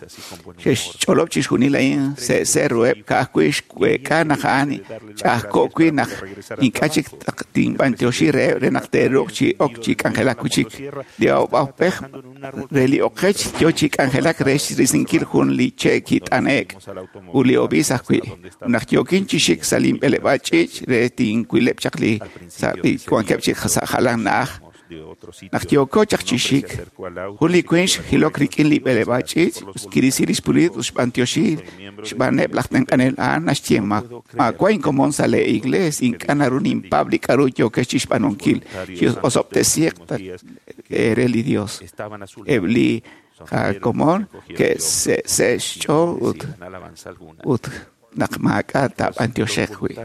Speaker 6: Xe'xch'olob' chixjunil a'in se'se' ruheb' ka'ajwi' xweek'a naq a'an ch'a'ajko' wi' naq ink'a' chik tinb'antioxi reheb' re naq te'ruuq chi ok chi k'anjelak wi' chik. Li awab'ej re li oqech yoo chi k'anjelak re xrisinkil jun li che' kit'ane'k ut li obiis ajwi'. Naq yookin chi xik sa' linb'eleb'aal ch'iich' re tinwileb' chaq li sa' li wankeb' chi sa' jalan na'aj. Naq yooko chaq chi xik, jun li winq xjilok rik'in li b'eleb'aal ch'iich' kirisi lix pulit ut xb'antioxi xb'aaneb' laj tenq'anel a'an naxye maawa' inkomon sa' lee iglees ink'a' naru ninpaab' li k'a'ru yookex chixb'aanunkil osob'tesiiq re li Dios. Eb' li qakomon ke'se'se' xch'ool ut naq maak'a' taab'antioxeq wi'.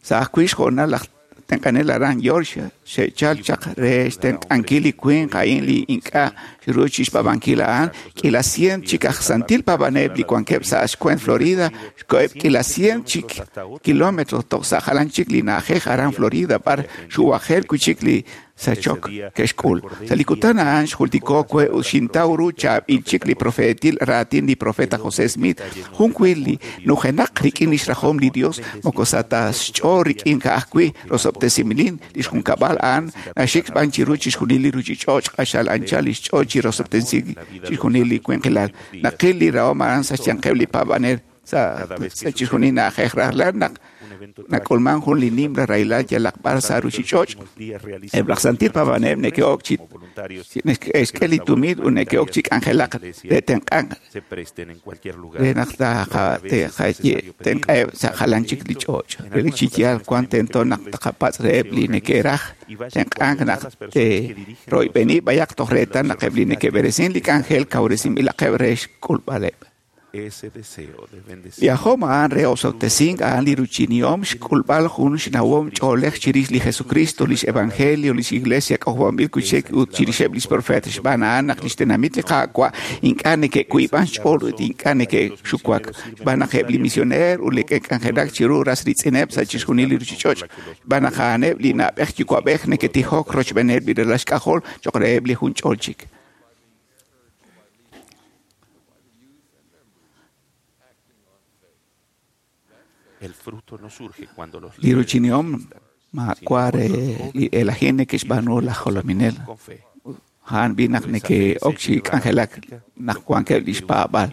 Speaker 6: Sa' ajwi' xhoonal laj tenq'anel aran Georgia xe'chal chaq re xtenq'ankil li winq a'in li ink'a' xru chixpaab'ankil a'an k'ila cien chik aj santil paab'anel li wankeb' sa' xkwent Florida xkoheb' k'ila cien chik kilómetro toj sa' jalan chik li na'ajej aran Florida b'ar xuwajel wi' chik li sachok ke'xk'ul. Sa' li kutan a'an xjultiko we ut xintaw ru chaab'il chik li profeetil raatin li profeta José Smith jun wi' li nujenaq rik'in lix rajom li Dios moko sa' ta xch'ool rik'in ka'ajwi' rosob'tesimilin lix junkab'al a'an naxik b'an chiru chixjunil li ruchich'och' q'axal anchal lix ch'ool chi rosob'tesink chixjunil li winqilal. Naqil li rahom a'an sa' xyanqeb' li paab'anel sa' chixjunil na'ajej rajlal naq nak'ulman jun li nimla rahilal yalaq b'ar sa' ruchich'och'. Eb' laj santil paab'anel neke'ok chi neke'xk'e li tumin ut neke'ok chi k'anjelaq re tenq'ank re naq tenq'eb' sa' jalan chik li ch'och'. Relik chi yaal wan tento naq taqapatz' reheb' li neke'raj tenq'ank naq te'royb'eni b'ayaq toj reetal naq eb' li neke'b'eresin li k'anjel kawresinb'ilaqeb' re xk'ulb'aleb'. Li ajom a'an re osob'tesink a'an li ruchinihom xk'ulb'al jun xnawom ch'oolej chirix li Jesucristo, lix Evangelio, lix Iglesia k'ojob'anb'il wi' chik ut chirixeb' lix profeet xb'aan a'an naq lix tenamit li Qaawa' ink'a' neke'kuyb'an xch'ool ut ink'a' neke'xuwak xb'aan naq eb' li misioneer ut li ke'k'anjelak chiru ras riitz'ineb' sa' chixjunil li ruchich'och' xb'aan naq a'aneb' li na'b'ej yuwa'b'ej neke'tijok rochb'eeneb' li ralal xk'ajol cho'q reheb' li jun ch'ol chik. Li ruchinihom maawa' re li elajin neke'xb'aanu laj jolominel. A'an b'i naq neke'ok chi k'anjelak naq wankeb' lix paab'aal.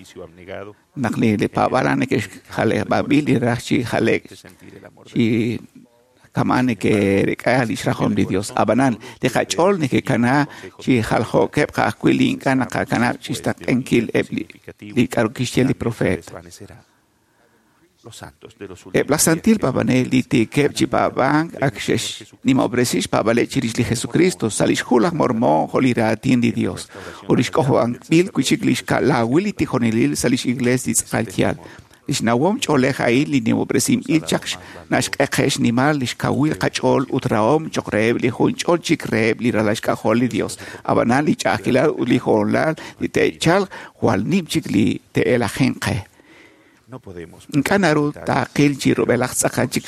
Speaker 6: Naq li paab'aal a'an neke'xjaleb'ab'il li raj chi jale'k chi kama'an neke'rek'a lix rajom li Dios. Ab'anan, li qach'ool neke'kana chi jaljo'keb' ka'ajwi' li ink'a' naqakanab' chixtaqenkil eb' li k'a'ru kixye li profeet. Eb' laj santil paab'anel li tiikeb' chi paab'ank ak xe'xnimob'resi xpaab'aleb' chirix li Jesucristo sa' lix Hu laj Mormon jo' li raatin li Dios ut lix k'ojob'anb'il wi'chik lix ka'lawil li tijonelil sa' lix Iglees li tz'aqal yaal. Lix nawom ch'oolej a'in li nimob'resinb'il chaq naxq'eqe xnimal lix kawil qach'ool ut rahom choq' reheb' li junch'ol chik reheb' li ralal xk'ajol li Dios. Ab'anan li ch'a'ajkilal ut li hoonal li te'chalq jwal nim chik li te'elajinq qe. Ink'a' naru taaqil chi rub'elaj tz'aqal chik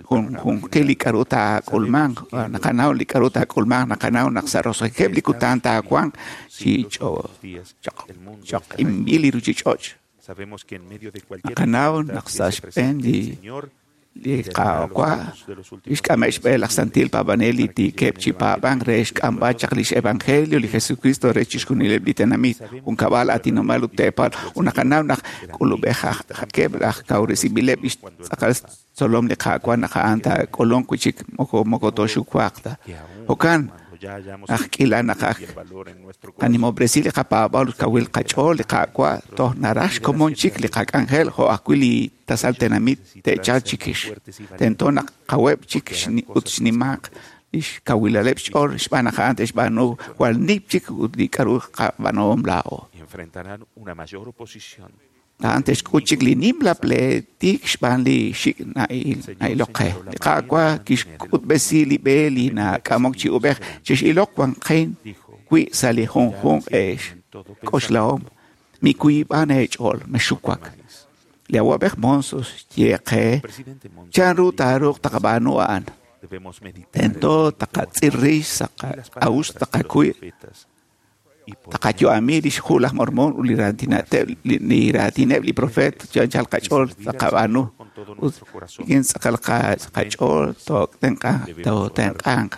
Speaker 6: junjunqil li k'a'ru taak'ulmanq. Naqanaw li k'a'ru taak'ulmanq, naqanaw naq sa' roso'jikeb' li kutan taawanq chi choq'inb'il li ruchich'och'. Naqanaw naq sa' xb'een li Qaawa' xk'ame' xb'e laj santil paab'anel li tiikeb' chi paab'ank re xk'amb'al chaq lix evangelio li Jesucristo re chixjunileb' li tenamit, junkab'al, aatinob'aal ut teepal. Ut naqanaw naq k'ulub'ejaqeb' laj kawresinb'ileb' lix tz'aqal tzolom li Qaawa' naq a'an taak'ulunq wi'chik moko tooxuwaq ta. Jo'kan naq k'ila naq ak qanimob'resi li qapaab'aal ut kawil qach'ool li Qaawa' toj naraj xkomon chik li qak'anjel jo' ajwi' li tasal tenamit te'chalq chikix. Tento naq qaweb' chik ut xnimaq lix kawilaleb' xch'ool xb'aan naq a'an te'xb'aanu jwal nim chik ut li k'a'ru qab'aanuhom laa'o. A'an te'xk'ut chik li nimla pleetik xb'aan li xik' na'ilok qe. Li Qaawa' kixk'utb'esi li b'e li nak'amok chi ub'ej chix'iloq wanqin wi' sa' li junjunq k'oxlahom. Mikuyb'an eech'ool, mexuwak. Li awab'ej Monson xye qe chanru taaruuq taqab'aanu a'an. Tento taqatz'il rix sa' qak'a'uxl taqakuy taqayu'ami lix Hu laj Mormon ut li raatineb' li profeet chanchal qach'ool taqab'aanu ut rik'in tz'aqal qach'ool tootenq'anq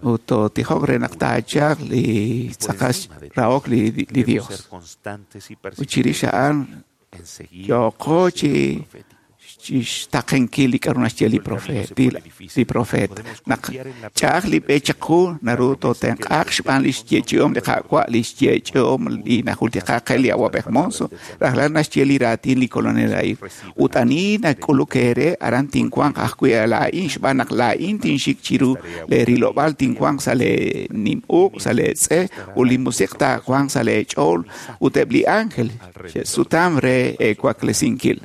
Speaker 6: ut tootijoq re naq taachalq li tz'aqal rahok li Dios. Ut chirix a'an yooqo chi xtaqenkil li k'a'ru naxye li profeet. Naq ch'a'aj li b'e chaqu naru tootenq'aaq xb'aan lix yeechi'om li Qaawa', lix yeechi'om li najultiqa qe li awab'ej Monson, rajlal naxye li raatin li kolonel a'in. Ut ani nak'uluk eere aran tinwanq ajwi' laa'in xb'aan naq laa'in tinxik chiru lee rilob'aal tinwanq sa' lee nim uq', sa' lee tz'e, ut li musiq' taawanq sa' lee ch'ool ut eb' li ángel xe'sutam re eewaklesinkil.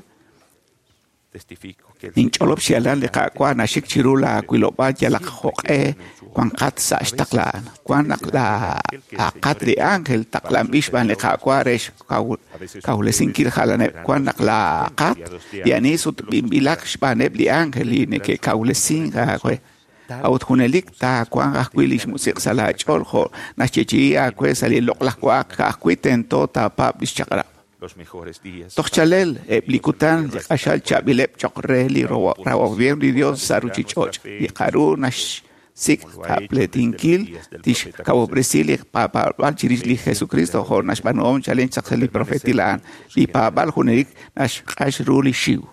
Speaker 6: Ninch'olob' xyaalal li Qaawa' naxik chiru laawilob'aal yalaq jo'q'e wanqat sa' xtaqla'an. Wan naq laaqat li ángel taqlanb'il xb'aan li Qaawa' re xkawresinkil jalaneb'. Wan naq laaqat li ani sutb'inb'ilaq xb'aaneb' li ángel li neke'kawresink aawe. A'ut junelik taawanq ajwi' lix musiq' sa' laach'ool jo' naxyeechi'i aawe sa' li loq'laj wa'ak ka'ajwi' tento taapaab' lix chaq'rab'. Toj chalel eb' li kutan li q'axal chaab'ileb' choq' re li rawab'ihom li Dios sa' ruchich'och'. Li k'a'ru naxsik' qapleetinkil tixkawob'resi li paab'aal chirix li Jesucristo jo' naxb'aanuhom chalen chaq sa' li profeetil a'an. Li paab'aal junelik naxq'ax ru li xiw.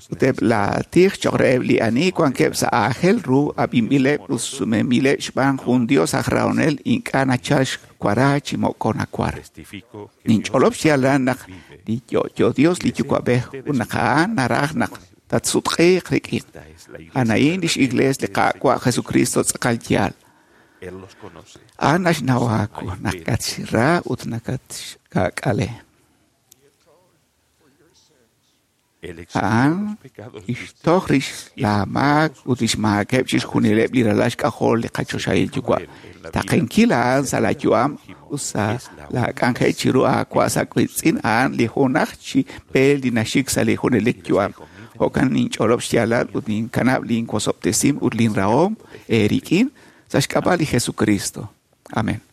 Speaker 6: Ut eb' laatij choq' reheb' li ani wankeb' sa' aajel ru ab'inb'ileb' ut sumenb'ileb' xb'aan jun Dios aj rahonel ink'a' nachal xwara chi moko nakwar. Ninch'olob' xyaalal naq li yo'yo Dios li Yuwa'b'ej ut naq a'an naraj naq tatsutq'iiq rik'in. A'an a'in lix Iglees li Qaawa' Jesucristo tz'aqal yaal. A'an naxnaw aawu nakatxra ut nakatxka'k'ale. A'an kixtoj rix laamaak ut lix maakeb' chixjunileb' li ralal xk'ajol li qachoxahil Yuwa'. Taqenkil a'an sa' laayu'am ut sa' laak'anjel chiru aawa' sa' wiitz'in a'an li junaj chi b'e li naxik sa' li junelik yu'am. Jo'kan ninch'olob' xyaalal ut ninkanab' linwosob'tesim ut linrahom eerik'in sa' xk'ab'a' li Jesucristo. Amén.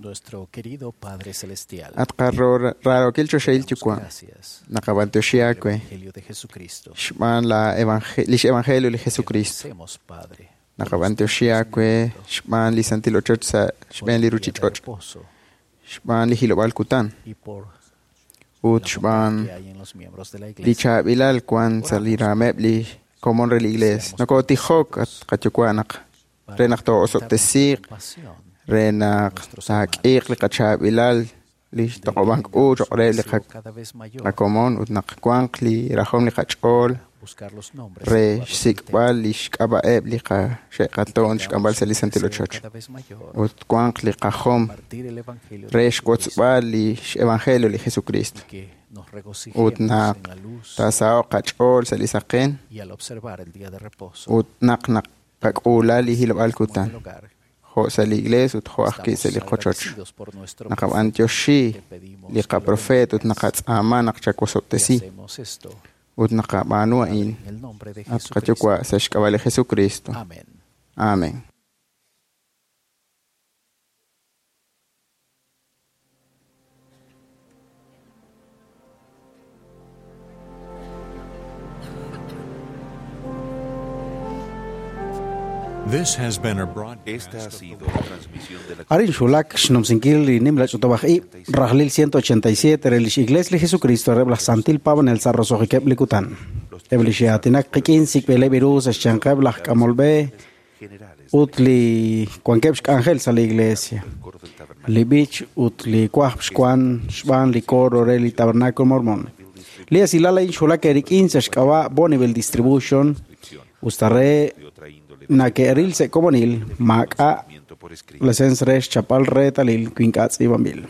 Speaker 7: Nuestro querido Padre Celestial.
Speaker 10: At qarraarokil choxahil yuwa' naqab'antioxi aawe
Speaker 7: Evangelio de Jesucristo.
Speaker 10: xb'aan la lix evangelio li Jesucristo.
Speaker 7: Agradecemos, Padre,
Speaker 10: Naqab'antioxi aawe xb'aan li santil ochoch sa' xb'een li ruchich'och', xb'aan li hilob'aal kutan
Speaker 7: y por
Speaker 10: ut xb'aan
Speaker 7: que hay en los miembros de la
Speaker 10: li
Speaker 7: Iglesia.
Speaker 10: chaab'ilal wan sa' li raameb' li komon re li iglees. Nokotijok at qayuwa' naq re naq too'osob'tesiiq, re naq taak'iiq li qachaab'ilal li xtoq'ob'ank u choq' re li qakomon ut naq wanq li rajom li qach'ool
Speaker 7: Buscar los nombres
Speaker 10: re xsik'b'al li xk'ab'a'eb' li qaxe'qatoon xk'amb'al sa' li santil ochoch ut wanq li qajom
Speaker 7: compartir el Evangelio
Speaker 10: re xwotzb'al li xevangelio li Jesucristo
Speaker 7: que nos
Speaker 10: ut
Speaker 7: regocijemos
Speaker 10: naq
Speaker 7: en la luz
Speaker 10: taasaho'q qach'ool sa' li saqen
Speaker 7: y al observar el día de reposo.
Speaker 10: ut naq naqak'uula li hilob'aal kutan jo' sa' li iglees ut jo' ajwi' sa' li qochoch.
Speaker 7: Agradecidos por nuestro
Speaker 10: Naqab'antioxi li qaprofeet ut naqatz'aama naq chawosob'tesi
Speaker 7: Hacemos esto
Speaker 10: ut naqab'aanu a'in
Speaker 7: en el nombre de
Speaker 10: at
Speaker 7: Jesucristo.
Speaker 10: qayuwa' sa' xk'ab'a' li Jesucristo.
Speaker 7: Amén.
Speaker 10: Amén.
Speaker 13: This has been a broadcast.
Speaker 2: Esta ha sido la transmisión de la
Speaker 3: Arin xulak xnumsinkil li nimla ch'utub'aj ib' rajlil 187 re lix Iglesia li Jesucristo reb' laj Santil Paab'anel sa' roso'jikeb' li kutan. Eb' li xe'aatinak qik'in sik'b'ileb' iru sa' xyanqeb' laj k'amolb'e ut li wankeb' xk'anjel sa' li iglesia. Li b'ich ut li wajb' xwan xb'aan li coro re li Tabernáculo Mormón. Li esilal a'in xulak erik'in sa' xk'ab'a' Bonneville Distribution usta re nake'ril sa' komonil maak'a' lesens re xchapal reetalil wi ink'a' tz'iib'anb'il.